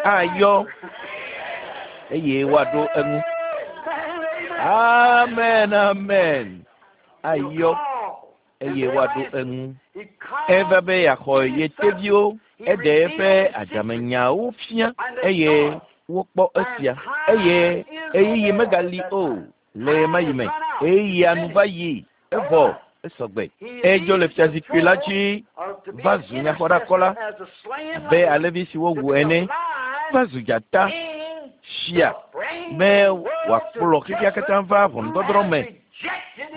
Ayɔ eye woaɖo eŋu. Amen, amen. Ayɔ eye woaɖo eŋu. Eva be yeaxɔ ye teviwo, eɖe eƒe adzamenyawo fia eye wokpɔ esia. Eye ɣeyiɣi megali o le ɣemaɣi me. Ɣeyiɣia nu va yi, evɔ esɔgbe. Edzo le fiazikpui la dzi va zu nyaxɔɖakɔla abe alẽvi si wowu ene, va zu dzata, fia, be wòakplɔ xexea katã va ʋɔnudɔdrɔ̃ me.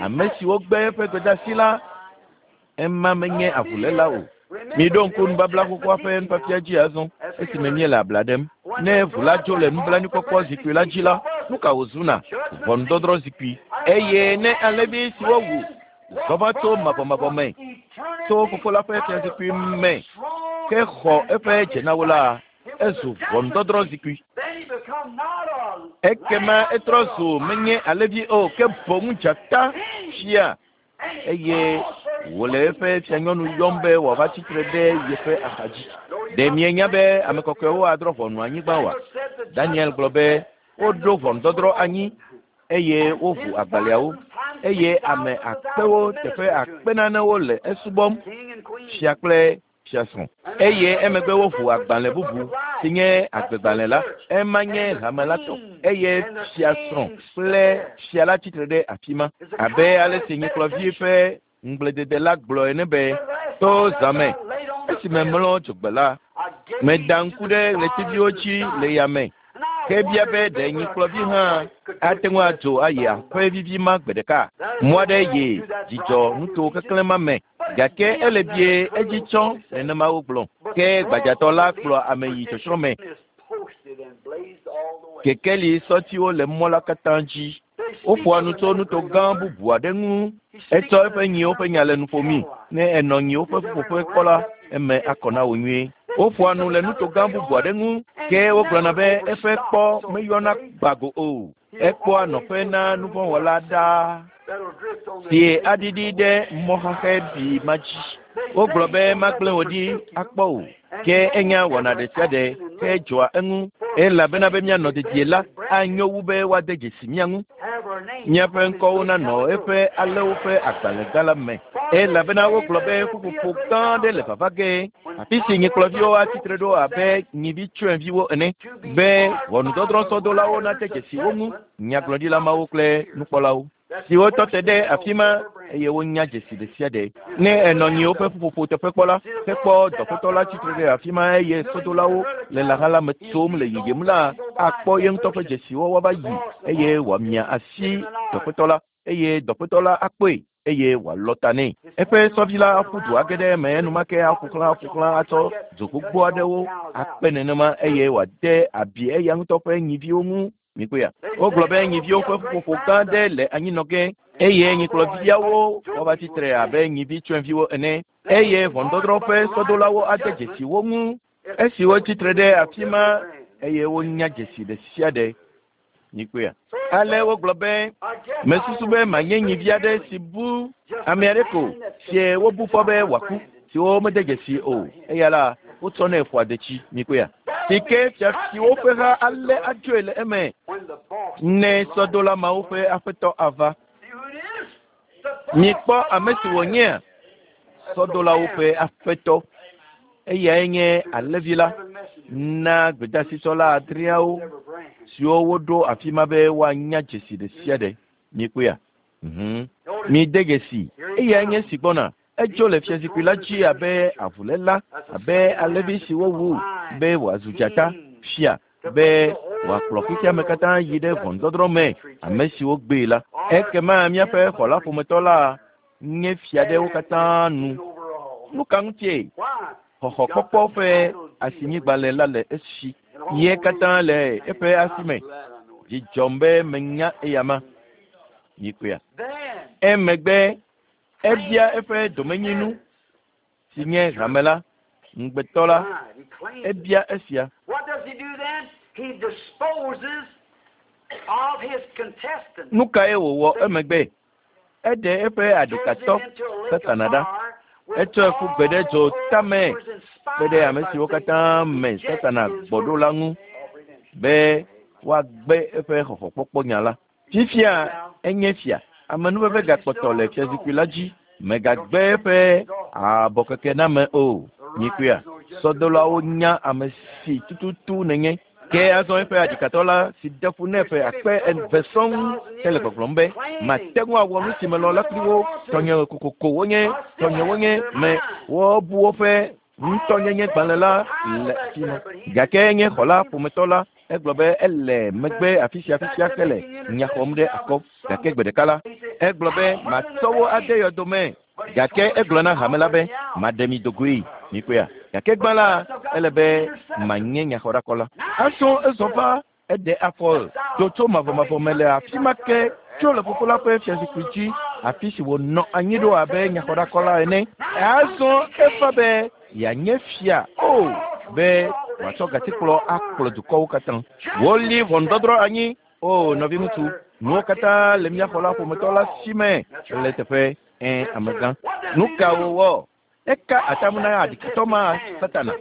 Ame siwo gbe eƒe gbedeasi la, ema menye avuléla o. Miɖo ŋku nubabla xoxoa ƒe nufiafia dzi azɔ esime míele abla ɖem. Ne ʋu la dzo le nublanuikpɔkpɔ zikpui la dzi la, nu ka wòzuna? Ʋɔnudɔdrɔ̃ zikpui. Eye ne alẽvi si wowu zɔ va tso mavɔmavɔ me, tso Fofo la ƒe fiazikpui me, ke xɔ eƒe dzenawo la, ezu ʋɔnudɔdrɔ̃ zikpui. Ekema etrɔ zu menye alẽvi o, ke boŋ dzata fia eye wòle eƒe fianyɔnu yɔm be wòava tsitre ɖe yeƒe axadzi. Ɖe mienya be ame kɔkɔewo adrɔ̃ ʋɔnu anyigba oa? Daniel gblɔ be woɖo ʋɔnudɔdrɔ̃ anyi eye woʋu agbalẽawo eye ame akpewo teƒe akpe nanewo le esubɔm, fia kple fiasrɔ̃. Eye emegbe woʋu agbalẽ bubu si nye agbegbalẽ la, ema nye hame la tɔ eye fiasrɔ̃ kple fia la tsitre ɖe afi ma. Abe ale si nyikplɔvi ƒe ŋugbledede la gblɔ ene be, to zã me, esime mlɔ dzogbe la, meda ŋku ɖe ɣletiviwo dzi le yame ke bia be ɖe nyikplɔvi hã ate ŋu adzo ayi aƒe vivi ma gbe ɖeka. Mɔ aɖe yi dzidzɔ nuto keklẽ ma me gake ele bie edzi tsɔ nenema wogblɔ. Ke gbadzatɔ la kplɔ ame yi tsɔtsrɔ̃ me. Kekeli sɔtiwo le mɔ la katã dzi. Woƒoa nu tso nuto gã bubu aɖe ŋu. Etsɔ eƒe nyiwo ƒe nya le nu ƒomi. Ne enɔ nyiwo ƒe ƒuƒoƒe kpɔ la, eme akɔ na wò nyuie. Woƒoa nu le nuto gã bubu aɖe ŋu ke wogblɔna be eƒe kpɔ meyɔna gbago o. Ekpɔa nɔƒe na nuvɔ̃wɔla ɖaa si aɖiɖi ɖe mɔ xaxɛ bi ma dzi. Wogblɔ be magblẽ wò ɖi akpɔ o. Ke enya wɔna ɖe sia ɖe ke dzɔa eŋu elabena be míanɔ dedie la anyo wu be woade dzesi mía ŋu. Míaƒe ŋkɔwo nanɔ eƒe alẽwo ƒe agbalẽ gã la me elabena wogblɔ be ƒuƒoƒo gã aɖe le vava ge afi si nyikplɔviwo atsitre ɖo abe nyivi tsyɔ̃eviwo ene be ʋɔnudɔdrɔ̃sɔdolawo nade dzesi wo ŋu, nyagblɔɖila mawo kple nukpɔlawo siwo tɔ te ɖe afi ma eye wonya dzesi ɖe sia ɖe. Ne enɔ nyiwo ƒe ƒuƒoƒo teƒe kpɔ la, hekpɔ dɔƒetɔ la tsitre ɖe afi ma eye sɔdolawo le lãha la me tsom le yiyim la, akpɔ ye ŋutɔ ƒe dzesiwo woava yi eye wòamia asi dɔƒetɔ la eye dɔƒetɔ la akpɔe eye wòalɔ ta nɛ. Eƒe sɔvi la aƒu du age ɖe eme enumake aƒo xlã aƒo xlã atsɔ dzo gbogbo aɖewo akpe nenema eye wòade abi eya ŋutɔ ƒe nyiviwo ŋu. Mikpɔea? Wogblɔ be nyiviwo ƒe ƒuƒoƒo gã aɖe le anyinɔ ge eye nyikplɔviawo woava tsitre abe nyivi tsyɔ̃eviwo ene eye ʋɔnudɔdrɔ̃ ƒe sɔdolawo ade dzesi wo ŋu esi wotsitre ɖe afi ma eye wonya dzesi ɖe sia ɖe. Mikpɔea? Ale wogblɔ be mesusu be manye nyivi aɖe si bu ame aɖe ko sie wobu fɔ be wòaku. siwo mede dzesi o. Eya la, wotsɔnɛ ƒoa detsi, mikpɔea. Si ke fiafiwo ƒe ha alé adzoe le eme ne sɔdola mawo ƒe aƒetɔ ava. Mikpɔ ame si wònyea? Sɔdolawo ƒe aƒetɔ. Eyae nye alẽvi la na gbedasitsɔla adreawo siwo woɖo afi ma be woanya dzesi ɖe sia ɖe. Mikpɔea? Mhm. Mide dzesi. Eyae nye esi gbɔna. Edzo le fiazikpui la dzi abe avuléla, abe alẽvi si wowu be wòazu dzata, fia, be wòakplɔ xexeame katã yi ɖe ʋɔnudɔdrɔ̃ me, ame siwo gbee la. Ekema míaƒe xɔla ƒometɔ la nye fia ɖe wo katã nu. Nu ka ŋutie? Xɔxɔkpɔkpɔ ƒe asinyigbalẽ la le esi. Ye katã le eƒe asi me. Dzi dzɔm be menya eyama. Mikpɔea? Emegbe ebia eƒe domenyinu si nye hame la, ŋugbetɔ la, ebia esia. Nu kae wòwɔ emegbe? Eɖe eƒe aɖikatɔ, Satana ɖa. Etsɔe ƒu gbe ɖe dzo tame kpe ɖe ame siwo katã me Satana gbɔ ɖo la ŋu be woagbe eƒe xɔxɔkpɔkpɔ nya la. Fifia enye fia. Amenuveve gakpɔtɔ le fiazikpui la dzi. Megagbe eƒe abɔkekename o. Mikpɔea? Sɔdolawo nya ame si tututu nènye. Ke azɔ eƒe aɖikatɔ la si de ƒu nɛ ƒe akpe eve sɔŋ hele gbɔgblɔm be, Mate ŋu awɔ nu si melɔ̃ la kpli wo. Tɔnye kokoko wonye, tɔnye wonye, me wobu woƒe ŋutɔnyenye gbalẽ la le afi ma. Gake nye xɔla ƒometɔ la, egblɔ be ele megbe afi sia fifia hele nya xɔm ɖe akɔ. Gake gbe ɖeka la, egblɔ be matsɔ wo ade yɔdo me. Gake egblɔ na hame la be, Maɖe mi do goe. Mikpɔea? Gake gbã la, ele be manye nyaxɔɖakɔla. Azɔ ezɔ va, eɖe afɔ do tso mavɔmavɔ me le afi ma ke, tso le Fofo la ƒe fiazikpui dzi, afi si wònɔ anyi ɖo abe nyaxɔɖakɔla ene. Azɔ eva be yeanye fia, o, be wòatsɔ gatikplɔ akplɔ dukɔwo katã. Woli ʋɔnudɔdrɔ̃ anyi. O, nɔviŋutsu, nuwo katã le mía xɔla ƒometɔ la si me le teƒe. Ẽ, amegã. Nu ka wòwɔ? Eka atam na aɖikatɔ ma, Satana.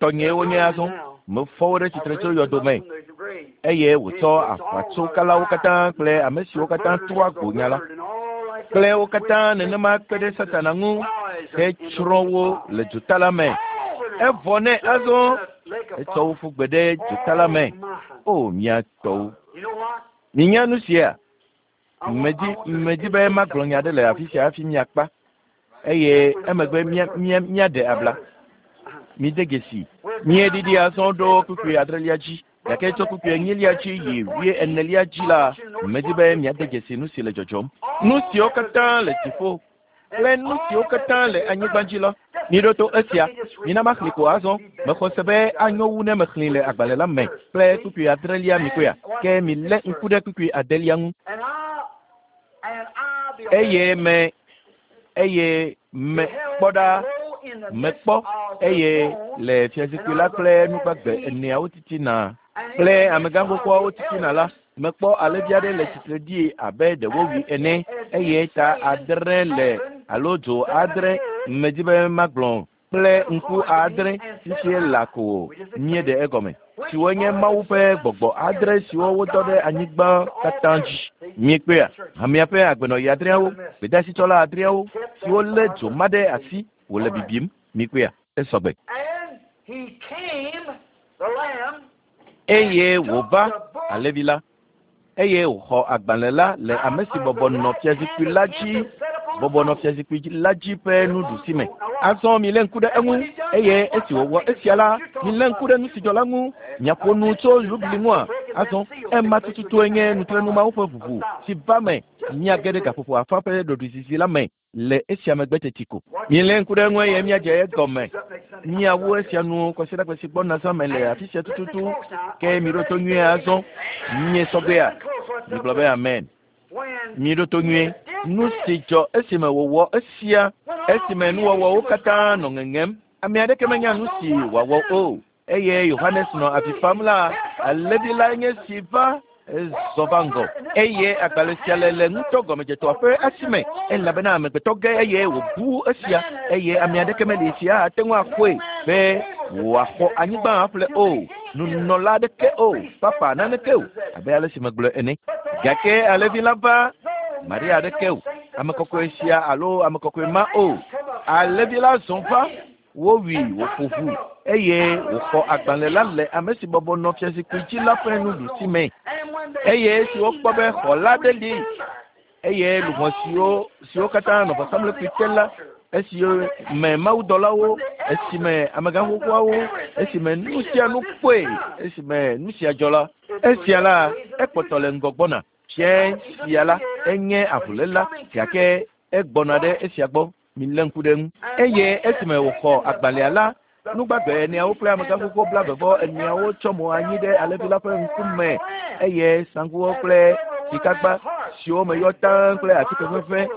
Tɔnyee wonye azɔ. Mefɔ wo ɖe tsitre tso yɔdo me. Eye wòtsɔ aʋatsokalawo katã kple ame siwo katã trɔa gbo nya la kple wo katã nenema kpe ɖe Satana ŋu hetsrɔ̃ wo le dzota la me. Evɔ nɛ azɔ. Etsɔ wo ƒu gbe ɖe dzota la me. O, mía tɔwo. Minya nu sia? Medi, medi be magblɔ nya aɖe le afi sia hafi miakpa, eye emegbe mía, mía, míaɖe abla. Mide dzesi. Míeɖiɖi azɔ ɖo kpukpui adrelia dzi, gake tso kpukpui enyilia dzi yi wuienelia dzi la, medi be miade dzesi nu si le dzɔdzɔm. Nu siwo katã le dziƒo kple nu siwo katã le anyigba dzi la. Miɖo to esia. Mina maxlẽ ko azɔ. Mexɔ se be anyo wu ne mexlẽe le agbalẽ la me kple kpukpui adrelia mikpɔea? Ke milé ŋku ɖe kpukpui adelia ŋu. Eye me, eye me, kpɔ ɖa, mekpɔ, eye le fiazikpui la kple nu gbagbe eneawo titina kple amegã xoxoawo titina la, Mekpɔ alẽvi aɖe le tsitre ɖi abe ɖe wowui ene, eye ta adre le alo dzo adre, medi be magblɔ, kple ŋku adre, fifie la ko míeɖe egɔme, siwo nye Mawu ƒe gbɔgbɔ adre siwo wodɔ ɖe anyigba katã dzi. Miekpɔea? Hamea ƒe agbenɔɣi adreawo, gbedeasitsɔla adreawo, siwo lé dzo ma ɖe asi wòle bibim. Mikpɔea? Esɔgbe. Eye wòva, alẽvi la, eye wòxɔ agbalẽ la le ame si bɔbɔ nɔ fiazikpui la dzi, bɔbɔ nɔ fiazikpui la dzi ƒe nuɖusi me. Azɔ milé ŋku ɖe eŋu, eye esi wòwɔ esia la, milé ŋku ɖe nu si dzɔ la ŋu. Miaƒo nu tso yubili ŋua? Azɔ ema tututue nye nutrenu mawo ƒe ʋuʋu si va me. Míage ɖe gaƒoƒo afã ƒe ɖoɖoezizi la me. le esia megbe teti ko. Milé ŋku ɖe eŋu eye míadze egɔme. Míawu esia nu kwasiɖagbe si gbɔna zã me le afi sia tututu. Ke miɖo to nyuie azɔ. Mie sɔgbea? Migblɔ be amen. Miɖo to nyuie. Nu si dzɔ esime wòwɔ esia, esime nuwɔwɔwo katã nɔ ŋeŋem, ame aɖeke menya nu si wòawɔ o. Eye Yohanes nɔ avi fam la, alẽvi lae nye si va. Ezɔ va ŋgɔ eye agbalẽ sia le le ŋutɔ gɔmedzetɔa ƒe asi me elabena amegbetɔ ge eye wòbu esia eye ame aɖeke meli si ate ŋu akpɔe be wòaxɔ anyigba aƒle o, nunɔla aɖeke o, papa naneke o, abe ale si megblɔe ene. Gake alẽvi la va, Maria aɖeke o, ame kɔkɔe sia alo ame kɔkɔe ma o. Alẽvi la zɔ va, wowui wòƒo ʋu eye wòxɔ agbalẽ la le ame si bɔbɔ nɔ fiazikpui dzi la ƒe nuɖusi me. Eye esi wokpɔ be xɔla aɖe li eye luʋɔ siwo siwo katã nɔ vɔsamlekpui te la, esi me mawudɔlawo, esime amegã xoxoawo, esime nu sia nu kpɔe, esime nu sia dzɔ la, esia la, ekpɔtɔ le ŋgɔ gbɔna. Fia sia la, enye avuléla, gake egbɔna ɖe esia gbɔ. Milé ŋku ɖe eŋu. Eye esime wòxɔ agbalẽa la, nugbagbe eneawo kple amegã xoxo blaeve-vɔ-eneawo tsɔ mo anyi ɖe alẽvi la ƒe ŋkume, eye saŋkuwo kple sikagba siwo me yɔ taŋ kple atike ʋeʋẽ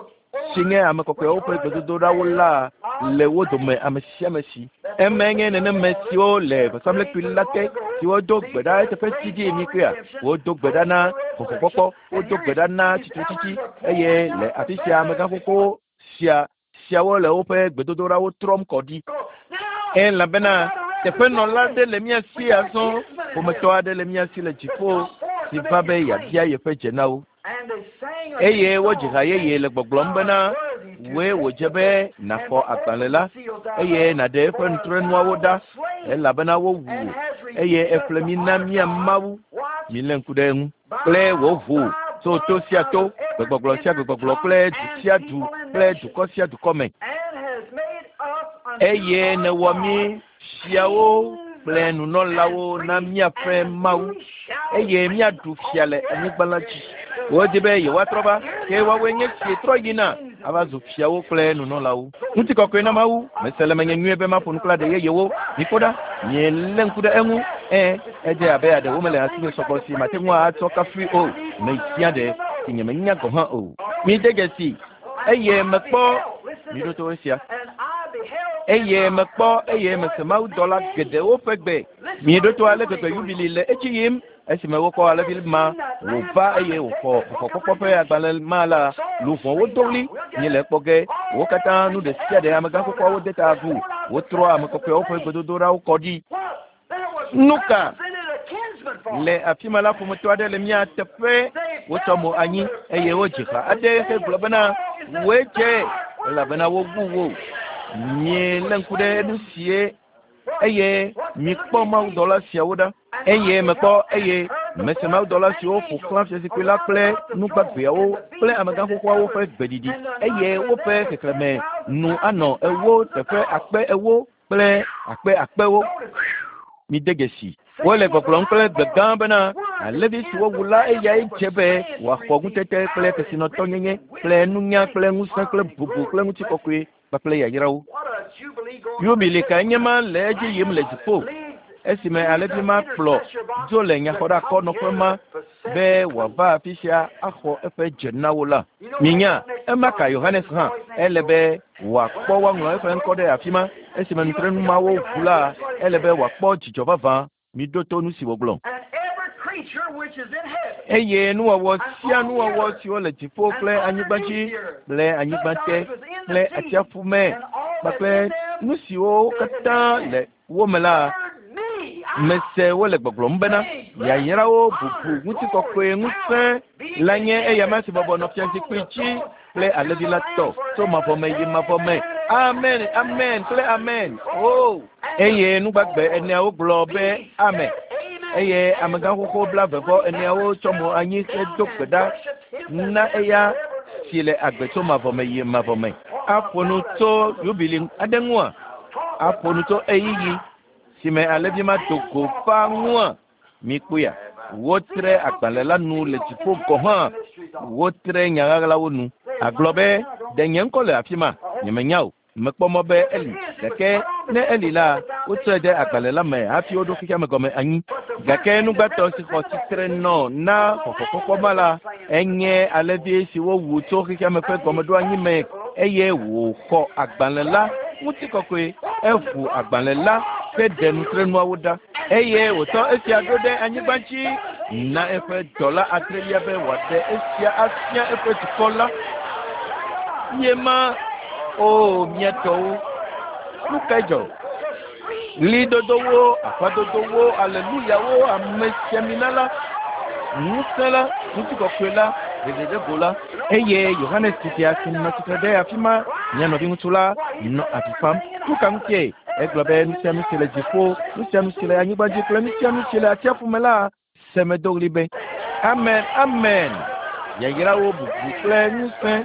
si nye ame kɔkɔewo ƒe gbedodoɖawo la le wo dome ame sia ame si. Emae nye nenem siwo le vɔsamlekpui la te, siwo do gbe ɖa eteƒe didi mikpɔea? Wodo gbe ɖa na xɔxɔkpɔkpɔ, wodo gbe ɖa na tsitretsitsi, eye le afi sia amegã xoxo sia siawo le woƒe gbedodoɖawo trɔm kɔ ɖi. Elabena teƒenɔla aɖe le mía si azɔ, ƒometɔ aɖe le mía si le dziƒo si va be yeabia yeƒe dze na wo. Eye wodzi ha yeye le gbɔgblɔm bena, Wòe wòdze be nàxɔ agbalẽ la, eye nàɖe eƒe nutrenuawo ɖa, elabena wowu wò, eye èƒle mí na mía Mawu. Milé ŋku ɖe eŋu. Kple wò ʋu tso to sia to, gbegbɔgblɔ sia gbegbɔgblɔ kple du sia du kple dukɔ sia dukɔ me. Eye nèwɔ mí fiawo kple nunɔlawo na míaƒe Mawu, eye míaɖu fia le anyigba la dzi. Wodi be yewoatrɔ va, ke woawoe nye si trɔ yina ava zu fiawo kple nunɔlawo. Ŋutikɔkɔe na Mawu! Mese le menye nyuie be maƒo nu kple aɖe yeyewo. Mikpɔ ɖa, mielé ŋku ɖe eŋu. Ẽ, edze abe aɖewo mele asinye sɔgbɔ si mate ŋu atsɔ kafui o. Mezia ɖe si nyemenya gɔ̃ hã o. Mide dzesi, eye mekpɔ, miɖo to esia, eye mekpɔ, eye mese mawudɔla geɖewo ƒe gbe. Miɖo to ale gbegbe yubili le edzi yim. Esime wokpɔ alẽvi ma wòva eye wòxɔ xɔxɔkpɔkpɔ ƒe agbalẽ ma la, luʋɔwo do ɣli, Míele ekpɔ ge! Wo katã nu ɖe sia ɖe amegã xoxoawo de ta agu, wotrɔ ame kɔkɔeawo ƒe gbedodoɖawo kɔ ɖi. Nuka? Le afi ma la, ƒometɔ aɖe le mía teƒe. Wotsɔ mo anyi eye wodzi ha aɖe hegblɔ bena, Wòe dze, elabena wowu wò. Mielé ŋku ɖe nu sie eye mikpɔ mawudɔla siawo ɖa. Eye mekpɔ eye mese mawudɔla siwo ƒo xlã fiazikpui la kple nugbagbeawo kple amegã xoxoawo ƒe gbeɖiɖi, eye woƒe xexlẽme nu anɔ ewo teƒe akpe ewo kple akpe akpewo. Mide dzesi. Wole gbɔgblɔm kple gbe gã bena, Alẽvi si wowu la eyae dze be wòaxɔ ŋutete kple kesinɔtɔnyenye kple nunya kple ŋusẽ kple bubu kple ŋutikɔkɔe kpakple yayrawo. Yubili kae nye ma le edzi yim le dziƒo esime alẽvi ma kplɔ dzo le nyaxɔɖeakɔnɔƒe ma be wòava afi sia axɔ eƒe dze na wo la? Minya, ema ka Yohanes hã ele be wòakpɔ woaŋlɔ eƒe ŋkɔ ɖe afi ma. Esime nutrenu mawo ʋu la, ele be wòakpɔ dzidzɔ vavã. Miɖo to nu si wògblɔ. Eye nuwɔwɔ sia nuwɔwɔ siwo le dziƒo kple anyigba dzi kple anyigba te kple atsiaƒu me kpakple nu siwo katã le wo me la, mese wole gbɔgblɔm bena, Yayrawo, bubu, ŋutikɔkɔe, ŋusẽ la nye eyama si bɔbɔ nɔ fiazikpui dzi kple alẽvi la tɔ tso mavɔ me yi mavɔ me. Amen, amen kple amen. O! Eye nugbagbe eneawo gblɔ be, Amen. Eye amegã xoxo blaeve vɔ eneawo tsɔ mo anyi hedo gbe ɖa na eya si le agbe tso mavɔ me yi mavɔ me. Aƒo nu tso yubili aɖe ŋua? Aƒo nu tso ɣeyiɣi si me alẽvi ma do go va ŋua? Mikpɔea, wotre agbalẽ la nu le dziƒo gɔ̃ hã, wotre nya ɣaɣlawo nu. Àgblɔ be, Ɖe nye ŋkɔ le afi ma? Nyemenya o. Mekpɔ mɔ be eli, gake ne eli la, wotsɔe de agbalẽ la me hafi woɖo xexeame gɔme anyi. Gake nugbãtɔ si xɔ tsitre nɔ na xɔxɔkpɔkpɔ ma la, enye alẽvi si wowu tso xexeame ƒe gɔmeɖoanyi me eye wòxɔ agbalẽ la ŋutikɔkɔe. Eʋu agbalẽ la heɖe nutrenuawo ɖa. Eye wòtsɔ esia ɖo ɖe anyigba dzi. na eƒe dɔla adrelia be wòaɖe esia afia eƒe dukɔ la. Ye ma, o mía tɔwo, nu kae dzɔ? Ɣlidodowo, aƒadodowo, aleluyawo, amesiamina la, ŋusẽ la, ŋutikɔkɔe la, ɖeɖeɖego la. Eye Yohanes titia si nɔ tsitre ɖe afi ma, mía nɔviŋutsu la, nɔ avi fam. Nu ka ŋutie? Egblɔ be nu sia nu si le dziƒo, nu sia nu si le anyigba dzi kple nu sia nu si le atsiaƒu me la, se medo ɣli be, Amen, amen! Yayrawo, bubu kple ŋusẽ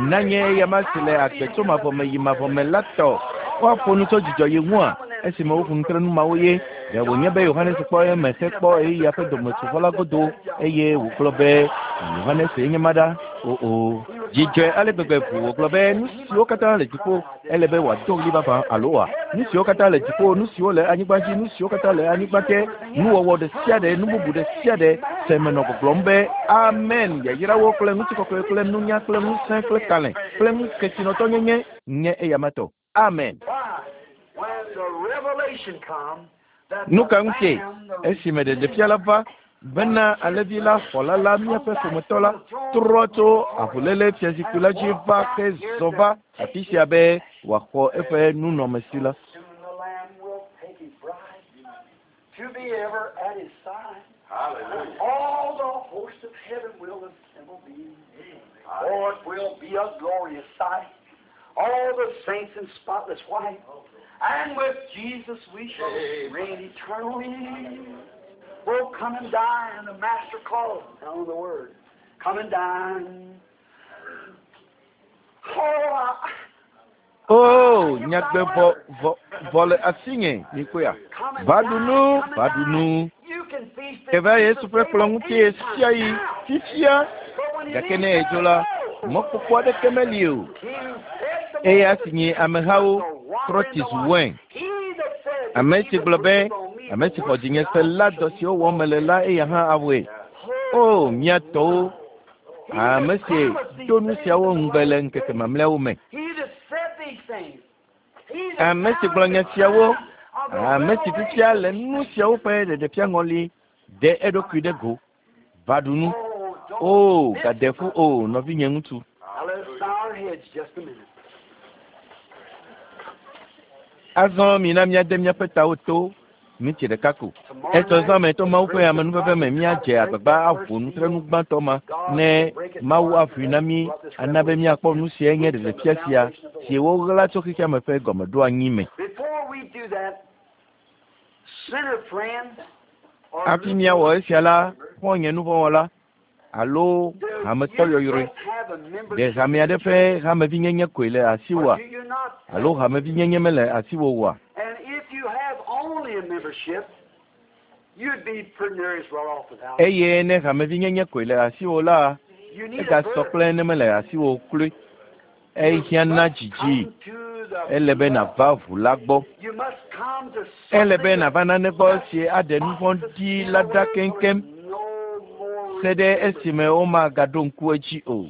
nanye eyama si le agbe tso mavɔ me yi mavɔ me la tɔ. Woaƒo nu tso dzidzɔ yi ŋua esime woƒo nu kple nu mawo ye. Ɖe wònye be Yohanes kpɔ eme hekpɔ ɣeyiɣia ƒe dometsovɔ la godo eye wògblɔ be Yohanes ye nye ma ɖa? O, o. Dzi dzɔe ale gbegbe ʋuu wògblɔ be nu siwo katã le dziƒo ele be wòado ɣli vavã alo oa? Nu siwo katã le dziƒo, nu siwo le anyigba dzi, nu siwo katã le anyigba te, nuwɔwɔ ɖe sia ɖe, nu bubu ɖe sia ɖe, se menɔ gbɔgblɔm be, Amen! Yayrawo kple ŋutikɔkɔe kple nunya kple ŋusẽ kple kalẽ kple kesinɔtɔnyenye nye eyama tɔ. Amen! Nu ka ŋutie? Esime ɖeɖefia la va bena alẽvi la xɔla la míaƒe ƒometɔ la trɔ tso avuléle fiazikpui la dzi va ke zɔ va afi sia be wòaxɔ eƒe nunɔamesi la. To be ever at his side. All the hosts of heaven will assemble be. Oh, it will be a glorious sight. All the saints in spotless white. And with Jesus we shall reign eternally. Oh, come and dine, the Master calls. Now the word. Come and dine. Oh, I, O, nyagbe vɔ, vɔ, vɔ le asinye, mikpɔea? Va ɖu nu, va ɖu nu. Ke va Yesu ƒe kplɔ̃ ŋuti ɣesiaɣi, fifia. Gake ne edzo la, mɔkpɔkpɔ aɖeke meli o. Eya si nyi amehawo trɔ tsi zu wain. Ame si gblɔ be, ame si xɔ dzinye se la, dɔ siwo wɔm mele la, eya hã awɔe. O, mía tɔwo, ame si do nu siawo ŋugbe le ŋkeke mamlɛawo me. Ame si gblɔ nya siawo, ame si fifia le nu siawo ƒe ɖeɖefia ŋɔli ɖe eɖokui ɖe go va ɖu nu. O, gade ƒu o, nɔvinye ŋutsu. Azɔ mina míade míaƒe tawo to minti ɖeka ko. Etsɔ zã me to Mawu ƒe amenuveve me míadze agbagba aʋu nutrenu gbãtɔ ma ne Mawu aʋui na mí ana be míakpɔ nu siae nye ɖeɖefia sia si woɣla tso xexeame ƒe gɔmeɖoanyi me. Hafi míawɔ esia la, xɔ̃nye nuvɔ̃wɔla alo hametɔ yɔyrɔe, ɖe hame aɖe ƒe hamevinyenye koe le asiwòa alo hamevinyenye mele asiwò oa? Eye ne hamevinyenye koe le asiwò la, egasɔ kple ne mele asiwò kloe. Ehiã na dzidzi. Ele be nàva ʋu la gbɔ. Ele be nàva nane gbɔ si aɖe nu vɔ̃ ɖi la ɖa keŋkeŋ se ɖe esime womagaɖo ŋku edzi o.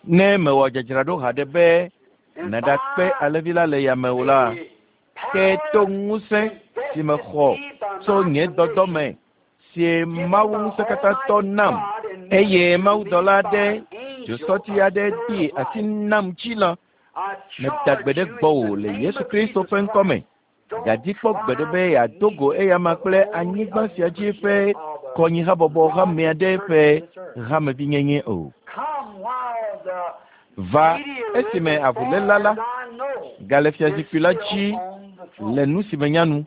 Ne mèwɔ dzadzraɖo haɖe be nàɖakpe alẽvi la le yame o la, ke to ŋusẽ si mexɔ tso nye dɔdɔ me si Mawu Ŋusẽkatãtɔ nam, eye mawudɔla aɖe, dzosɔti aɖe de asi nam dzi la, meda gbe ɖe gbɔwò le Yesu Kristo ƒe ŋkɔ me. Gadi kpɔ gbeɖe be yeado go eyama kple anyigba sia dzi ƒe kɔnyihabɔbɔ hame aɖe ƒe hamevinyenye o. Va esime avuléla la gale fiazikpui la dzi le nu si menya nu,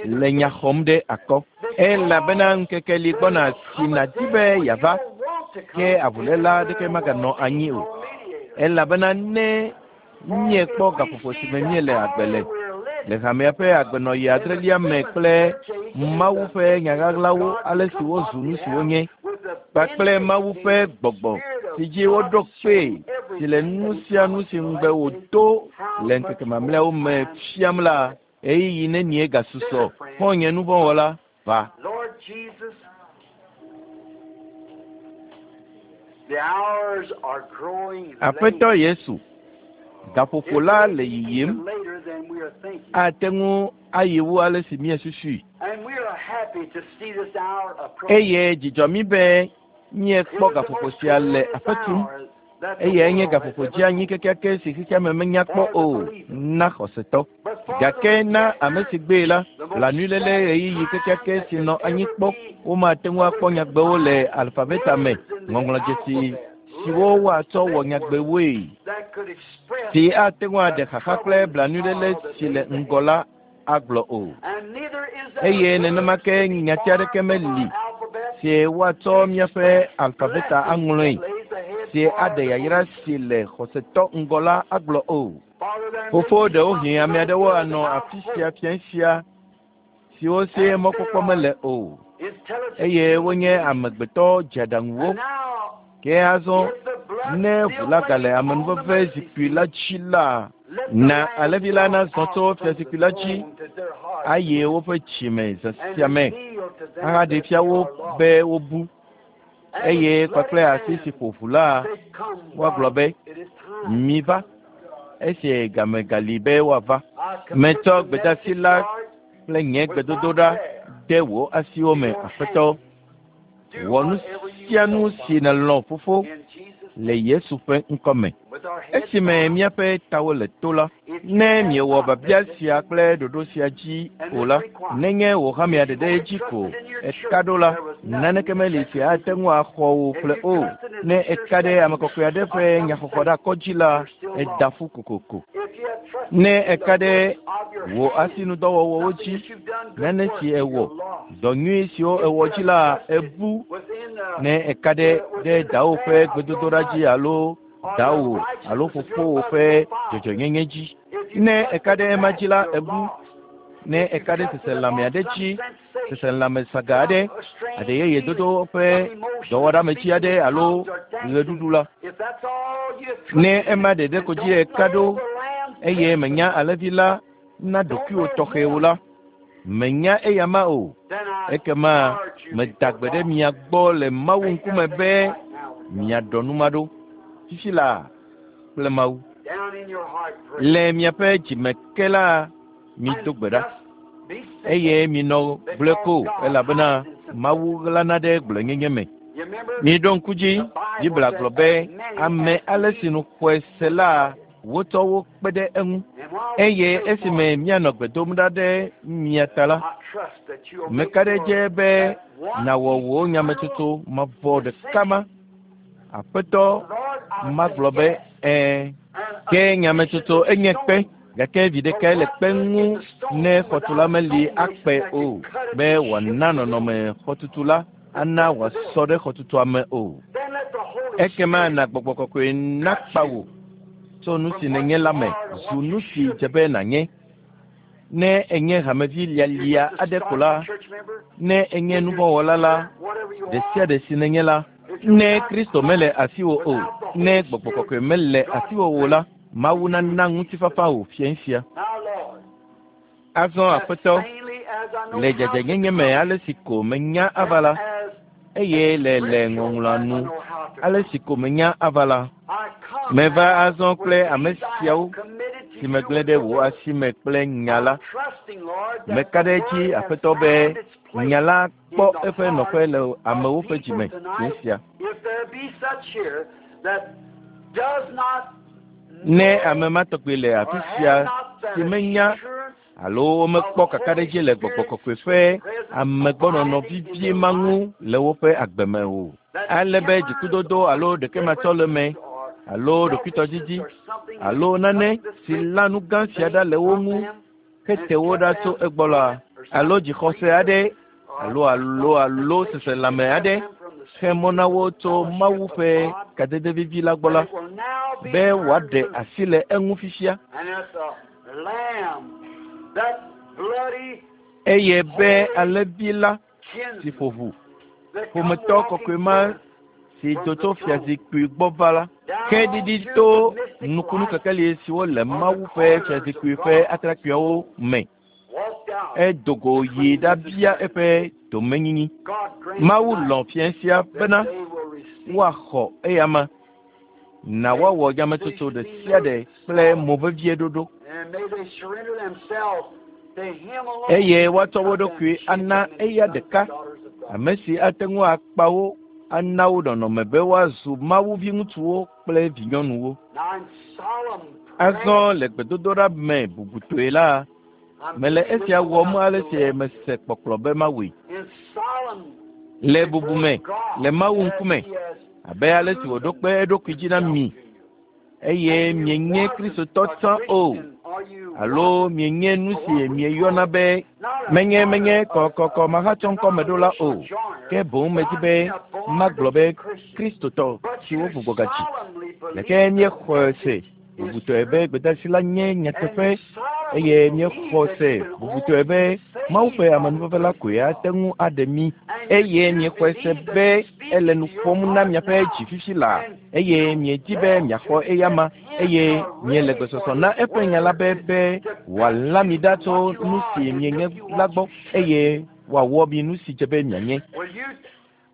le nya xɔm ɖe akɔ. Elabena ŋkeke li gbɔna si nàdi be yeava, ke avuléla aɖeke maganɔ anyi o. Elabena ne míekpɔ gaƒoƒo si me míele agbe le, le hamea ƒe agbenɔɣi adrelia me kple Mawu ƒe nya ɣaɣlawo ale si wozu nu si wonye, kpakple Mawu ƒe gbɔgbɔ si dzi woɖo kpee si le nu sia nu si ŋugbe wòdo le ŋkeke mamlɛawo me fiam la, ɣeyiɣi nenie gasusɔ, xɔ̃nye nuvɔ̃wɔla, va. Aƒetɔ Yesu, gaƒoƒo la le yiyim. Ate ŋu ayi wu ale si míesusui. Eye dzidzɔ mí be míekpɔ gaƒoƒo sia le aƒe tum. Eyae nye gaƒoƒo dzeanyi kekeake si xexeame menya kpɔ o na xɔsetɔ. Gake na ame si gbee la, blanuiléle ɣeyiɣi kekeake si nɔ anyi kpɔ. Womate ŋu akpɔ nyagbewo le alfabeta me, ŋɔŋlɔdzesi siwo woatsɔ wɔ nyagbewoe, si ate ŋu aɖe xaxa kple blanuiléle si le ŋgɔ la agblɔ o. Eye nenema ke nyati aɖeke meli si woatsɔ míaƒe alfabeta aŋlɔe, si aɖe yayra si le xɔsetɔ ŋgɔ la agblɔ o. Fofo, ɖewohĩ ame aɖewo anɔ afi sia fia sia siwo si mɔkpɔkpɔ mele o, eye wonye amegbetɔ dzeaɖaŋuwo. Ke azɔ ne ʋu la gale amenuveve zikpui la dzi la, na alẽvi la nazɔ tso fiazikpui la dzi ayi woƒe dzime zã sia me ahaɖe fia wo be wobu, eye kpakple asi si ƒo ʋu la, woagblɔ be, miva, esi game gali be woava. Metsɔ gbedeasi la kple nye gbedodoɖa de wò asiwo me, Aƒetɔ. Wɔ nu sia nu si nèlɔ̃, Fofo, le Yesu ƒe ŋkɔ me. Esime míaƒe tawo le to la, ne miewɔ biabia sia kple ɖoɖo sia dzi o la, nenye wò hamea ɖeɖe dzi ko eka ɖo la, naneke meli si ate ŋu axɔ wò ƒle o. Ne eka ɖe ame kɔkɔe aɖe ƒe nyaxɔxɔ ɖe akɔ dzi la, eda ƒu kokoko. Ne eka ɖe wò asinudɔwɔwɔwo dzi, nane si ewɔ, dɔ nyui siwo ewɔ dzi la, ebu. Ne eka ɖe ɖe dawo ƒe gbedodoɖa dzi alo dawo alo fofowò ƒe dzɔdzɔnyenye dzi, ne eka ɖe ema dzi la, ebu. Ne eka ɖe seselãme aɖe dzi, seselãme saga aɖe, aɖe yeye dodo ƒe dɔwɔɖametsi aɖe alo ɣeɖuɖu la, ne ema ɖeɖe ko dzi eka ɖo eye menya alẽvi la na ɖokuiwò tɔxɛwo la, menya eyama o. Ekema meda gbe ɖe mia gbɔ le Mawu ŋkume be miaɖɔ nu ma ɖo fifi laa kple Mawu. Le miaƒe dzime ke la, mido gbe ɖa eye minɔ gblɔe ko, elabena Mawu ɣlana ɖe gblɔenyenye me. Miɖo ŋku dzi, Biblia gblɔ be ame ale si nu xɔe se la, wotsɔ wo kpe ɖe eŋu. Eye esime míanɔ gbe dom ɖa ɖe mia ta la, meka ɖe dze be nàwɔ wò nyametsotso mavɔ ɖeka ma. Aƒetɔ magblɔ be ɛ̃, ke nyametsotso enye kpe, gake vi ɖekae le kpe ŋu ne xɔtula meli akpe o, be wòana nɔnɔme xɔtutu la ana wòasɔ ɖe xɔtutua me o. Ekema na gbɔgbɔ kɔkɔe nakpa wò tso nu si nènye la me zu nu si dze be nànye. Ne enye hamevi lialia aɖe ko la, ne enye nuvɔ̃wɔla la, ɖe sia ɖe si nènye la, ne Kristo mele asiwò o, ne gbɔgbɔ kɔkɔe mele asiwò o la, Mawu nana ŋutifafa wò fiẽ sia. Azɔ Aƒetɔ, le dzadzɛnyenye me ale si ko menya ava la, eye le le ŋɔŋlɔa nu ale si ko menya ava la, meva azɔ kple ame siawo si megblẽ ɖe wò asi me kple nya la. Meka ɖe edzi, Aƒetɔ, be nya la kpɔ eƒe nɔƒe le amewo ƒe dzime fiẽ sia. Ne ame ma tɔgbi le afi sia si menya alo womekpɔ kakaɖedzi le gbɔgbɔ kɔkɔe ƒe amegbɔnɔnɔ vivie ma ŋu le woƒe agbe me o, ale be dzikudodo alo ɖekematsɔleme alo ɖokuitɔdidi alo nane si la nu gã sia ɖa le wo ŋu hete wo ɖa tso egbɔ la, alo dzixɔse aɖe alo alo alo seselãme aɖe xe mɔ na wo tso Mawu ƒe kadede vivi la gbɔ la, be wòaɖe asi le eŋu fifia, eye be alẽvi la si ƒo ʋu, ƒometɔ kɔkɔe ma si do tso fiazikpui gbɔ va la, ke ɖiɖi to nukunu kekeli siwo le Mawu ƒe fiazikpui ƒe atrakpuiawo me, edo go yi ɖabia eƒe domenyinyi. Mawu lɔ̃ fiẽ sia bena woaxɔ eyama, na woawɔ nyametsotso ɖe sia ɖe kple mo vevie ɖoɖo. Eye woatsɔ wo ɖokui ana eya ɖeka, ame si ate ŋu akpa wo ana wo nɔnɔme be woazu Mawu viŋutsuwo kple vinyɔnuwo. Azɔ le gbedodoɖa me bubutɔe la, mele esia wɔm ale si mese kpɔkplɔ be mawɔe. Le bubu me, le Mawu ŋkume, abe ale si wòɖo kpe eɖokui dzi na mi, eye mienye Kristotɔ tsã o, alo mienye nu si mieyɔna be menye menye kɔkɔkɔ mahatsɔŋkɔmeɖola o, ke boŋ medi be magblɔ be Kristotɔ siwo gbugbɔ gadzi. Gake míexɔe se bubutɔe be gbedeasi la nye nyateƒe eye míexɔ se bubutɔe be Mawu ƒe amenuveve la koe ate ŋu aɖe mí eye míexɔe se be ele nu ƒom na miaƒe dzi fifi laa eye miedi be miaxɔ eyama eye miele gbesɔsɔ na eƒe nya la be be wòalã mi ɖa tso nu si mienye la gbɔ eye wòawɔ mi nu si dze be mianye. Will you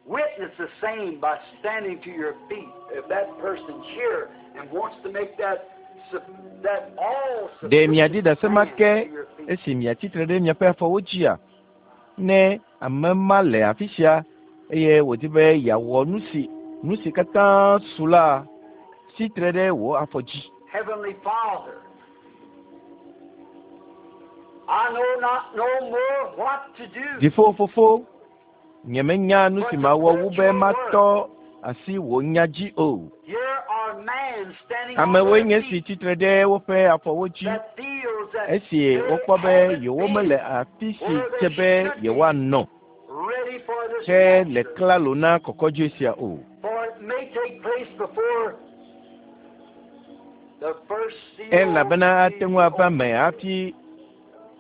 witness the same by standing to your feet if that person's here and wants to make that that all Ɖe miadi ɖase ma sufficient ke stand to your feet? esi miatsitre ɖe miaƒe afɔwo dzia? Ne ame ma le afi sia eye wòdi be yeawɔ nu si nu si katã su la, tsitre ɖe wò afɔ dzi. Heavenly Father, I know not no more what to do. Dziƒo fofo, nyemenya nu si mawɔ wu be matɔ asi wò nya dzi o. Here are man standing on Amewoe their nye si feet tsitre ɖe woƒe afɔwo dzi that feels that esi they wokpɔ be haven't yewomele been afi si where dze they be should be yewoanɔ ready for this ke le rapture. klalo na kɔkɔdzoe sia o. For it may take place before the first seal Elabena ate be ŋu ava opened. me hafi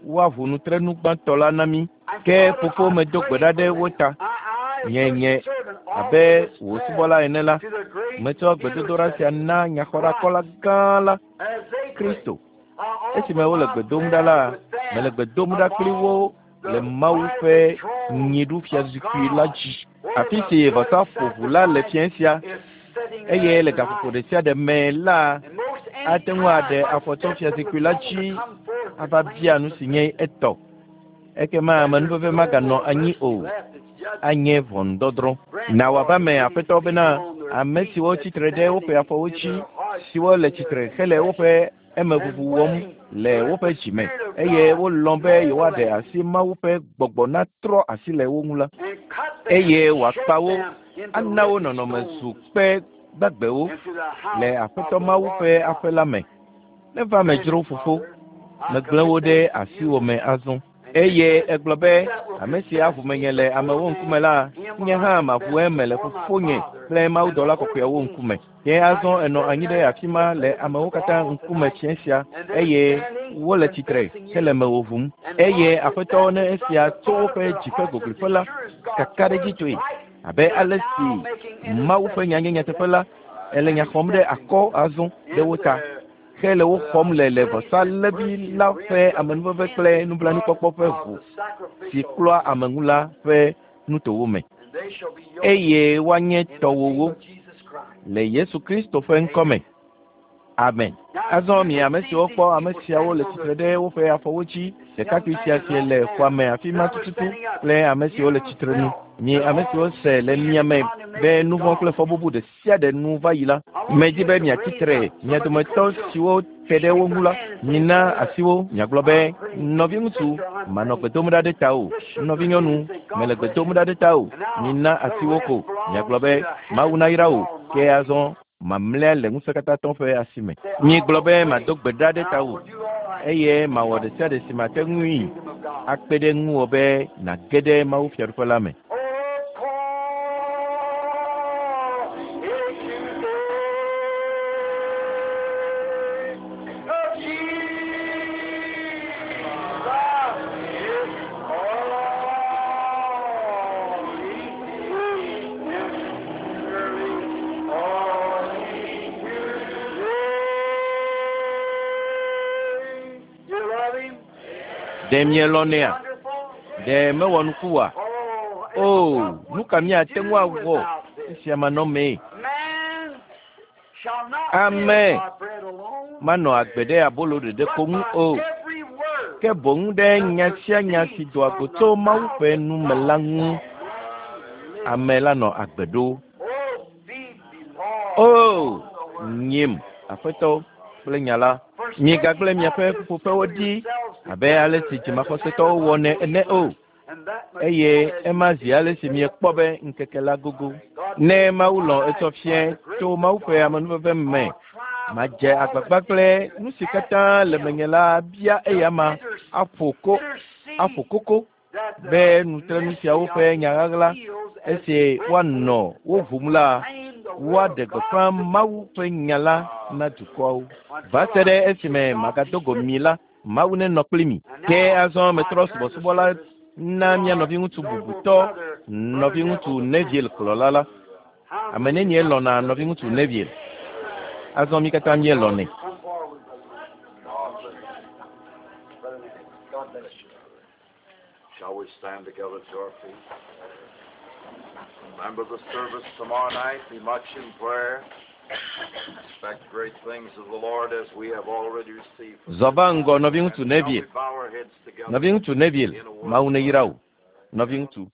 woaʋu nutrenu gbãtɔ la na mí. And Ke Father, fofo I medo gbe pray ɖa for ɖe wo them. ta. I, as Nye your nye servant, offer abe this wò prayer subɔla ene la, to the great metsɔ gbedodoɖa sia intercessor, na nyaxɔɖakɔla Christ, gã la, as they pray. Kristo. I Esime offer wole my gbe dom ɖa prayer la, with mele them gbe dom ɖa kpli wo upon le the Mawu mighty ƒe throne of nyiɖufiazikpui la God, dzi. where Afi the si blood vɔsa ƒo ʋu la le sacrifice fiẽ sia is sitting eye there le gaƒoƒo tonight. ɖe sia ɖe me la, And most any ate ŋu time aɖe might afɔ tso step from the fiazikpui la throne to dzi come forth to ava claim bia the nu si nye possession. etɔ. Ekema Then there's amenuveve no maganɔ more anyi mercy o, left. It's judgment. anye ʋɔnudɔdrɔ̃. Grant, Na wòava Lord, me that these aƒetɔ bena people on their ame feet siwo that's tsitre ɖe woƒe standing afɔwo in dzi, their hearts siwo le in their tsitre hele confession woƒe and emeʋuʋu wɔm willing le to let woƒe the dzi me Spirit of eye God wolɔ̃ be mold yewoaɖe them asi Mawu ƒe gbɔgbɔ natrɔ asi le wo ŋu la, and cut them eye and wòakpa shape wo them into ana wo living nɔnɔme zu stones kpe gbagbewo into the le house of Aƒetɔ the Mawu Lord ƒe God. aƒe la me. Neva me Grant dzro it, fofo, Father. I megblẽ wo commit ɖe them to asiwò you. me azɔ. And you Eye said, egblɔ He be, that will ame si confess aʋu me menye le before amewo ŋkume men, la, him will nye I hã maʋu confess eme le before my fofonye Father kple and the mawudɔla holy kɔkɔeawo ŋkume. angels. Ke Now azɔ you're enɔ sitting anyi ɖe there afi in ma the le presence amewo of katã all ŋkume tonight, fiẽ sia and they're eye standing wole tsitre confessing hele you. mewò ʋum. And Eye Lord, if Aƒetɔ that ne is from esia the tso bottom of woƒe their dzi ƒe hearts as goglƒe la, sure as God's word kakaɖedzitɔe is right, abe they're ale now si making Mawu ƒe nya nye intercession for nyateƒe them la, ele and nya xɔm ɖe accepting akɔ azɔ ɖe wo in ta the hele wo xɔm le le grace vɔsa and lévi virtue la ƒe rim of the amenuveve kple cleansing blood nublanuikpɔkpɔ ƒe of ʋu the si sacrificial klɔa lamb, ame ŋu la ƒe nutowo me and they shall be yours eye woanye in the name tɔwòwo of Jesus Christ. le Yesu Kristo ƒe ŋkɔ me. Amen. Amen. Now Azɔ you mi can ame see siwo these kpɔ ame people siawo le standing on tsitre their ɖe feet. woƒe afɔwo dzi, This young ɖekakpui man sia and si that le man, xɔa me afi ma now they're tututu standing up. kple ame siwo le You tsitre nu. felt Mi that ame siwo all se le sin mia and me be condemnation nu vɔ̃ kple gone. fɔbubu ɖe sia ɖe nu va yi la, I want medi you be to miatsi raise tre up mia some of you dometɔ close to 'em. siwo te ɖe Shake wo ŋu their la, hand and say, mina Brother, asiwo miagblɔ be I'm praying for you. nɔviŋutsu Sister, I'm manɔ praying gbe dom for ɖa you. ɖe tawò, Just shook their hand nɔvinyɔnu and say, God mele gbe bless dom you. ɖa ɖe tawò, And now mina the asiwo rest ko belongs miagblɔ to be the Mawu hands of nayra the wò ke Almighty. azɔ mamlɛa le ŋusẽkatãtɔ ƒe asi me. Say, I Miegblɔ will be pray mado gbe ɖa ɖe and I tawò will do all I eye can to mawɔ help ɖe sia ɖe si mate you in the ŋui kingdom of God. akpe ɖe ŋuwò be nàge ɖe Mawu fiaɖuƒe la me. Oh, call it today of Jesus is all he is all today. You love him? Ɖe Isn't he mielɔ̃nɛa? wonderful? Ɖe mewɔ nuku oa? Oh, O, what nu would ka we míate ŋu do awɔ without this? esia manɔmee? Man shall not live Ame by bread alone, Manɔ agbe ɖe abolo ɖeɖe ko ŋu o, ke boŋ ɖe nya sia nya si doa go tso Mawu ƒe nu me la ŋu ame la nɔ agbe ɖo. O, nyim, Aƒetɔ, kple nya la. Migagblẽ miaƒe ƒuƒoƒewo ɖi abe ale si dzimaxɔsetɔwo wɔnɛ ene o. Eye ema zi ale si miekpɔ be ŋkeke la gogo. Ne Mawu lɔ̃ etsɔ fiẽ tso Mawu ƒe amenuveve me, madze agbagba kple nu si katã le menye la bia eyama aƒo ko, aƒo koko be nutrenu siawo ƒe nya ɣaɣla esi woanɔ wo ʋum la, woaɖe gbeƒã Mawu ƒe nya la na dukɔawo. Va se ɖe esime magado go mi la, Mawu nenɔ kpli mi. Ke azɔ metrɔ subɔsubɔ la na mía nɔviŋutsu bubutɔ, nɔviŋutsu Neville kplɔla la. Ame nenie lɔ̃na nɔviŋutsu Neville? Azɔ mí katã míelɔ̃nɛ. Shall we stand together to our feet? Remember the service tomorrow night. Be much in prayer. Expect great things of the Lord as we have already received. Zɔ va ŋgɔ, nɔviŋutsu Shall Neville. we bow our heads together? Nɔviŋutsu Neville, Mawu neyra wò. Nɔviŋutsu.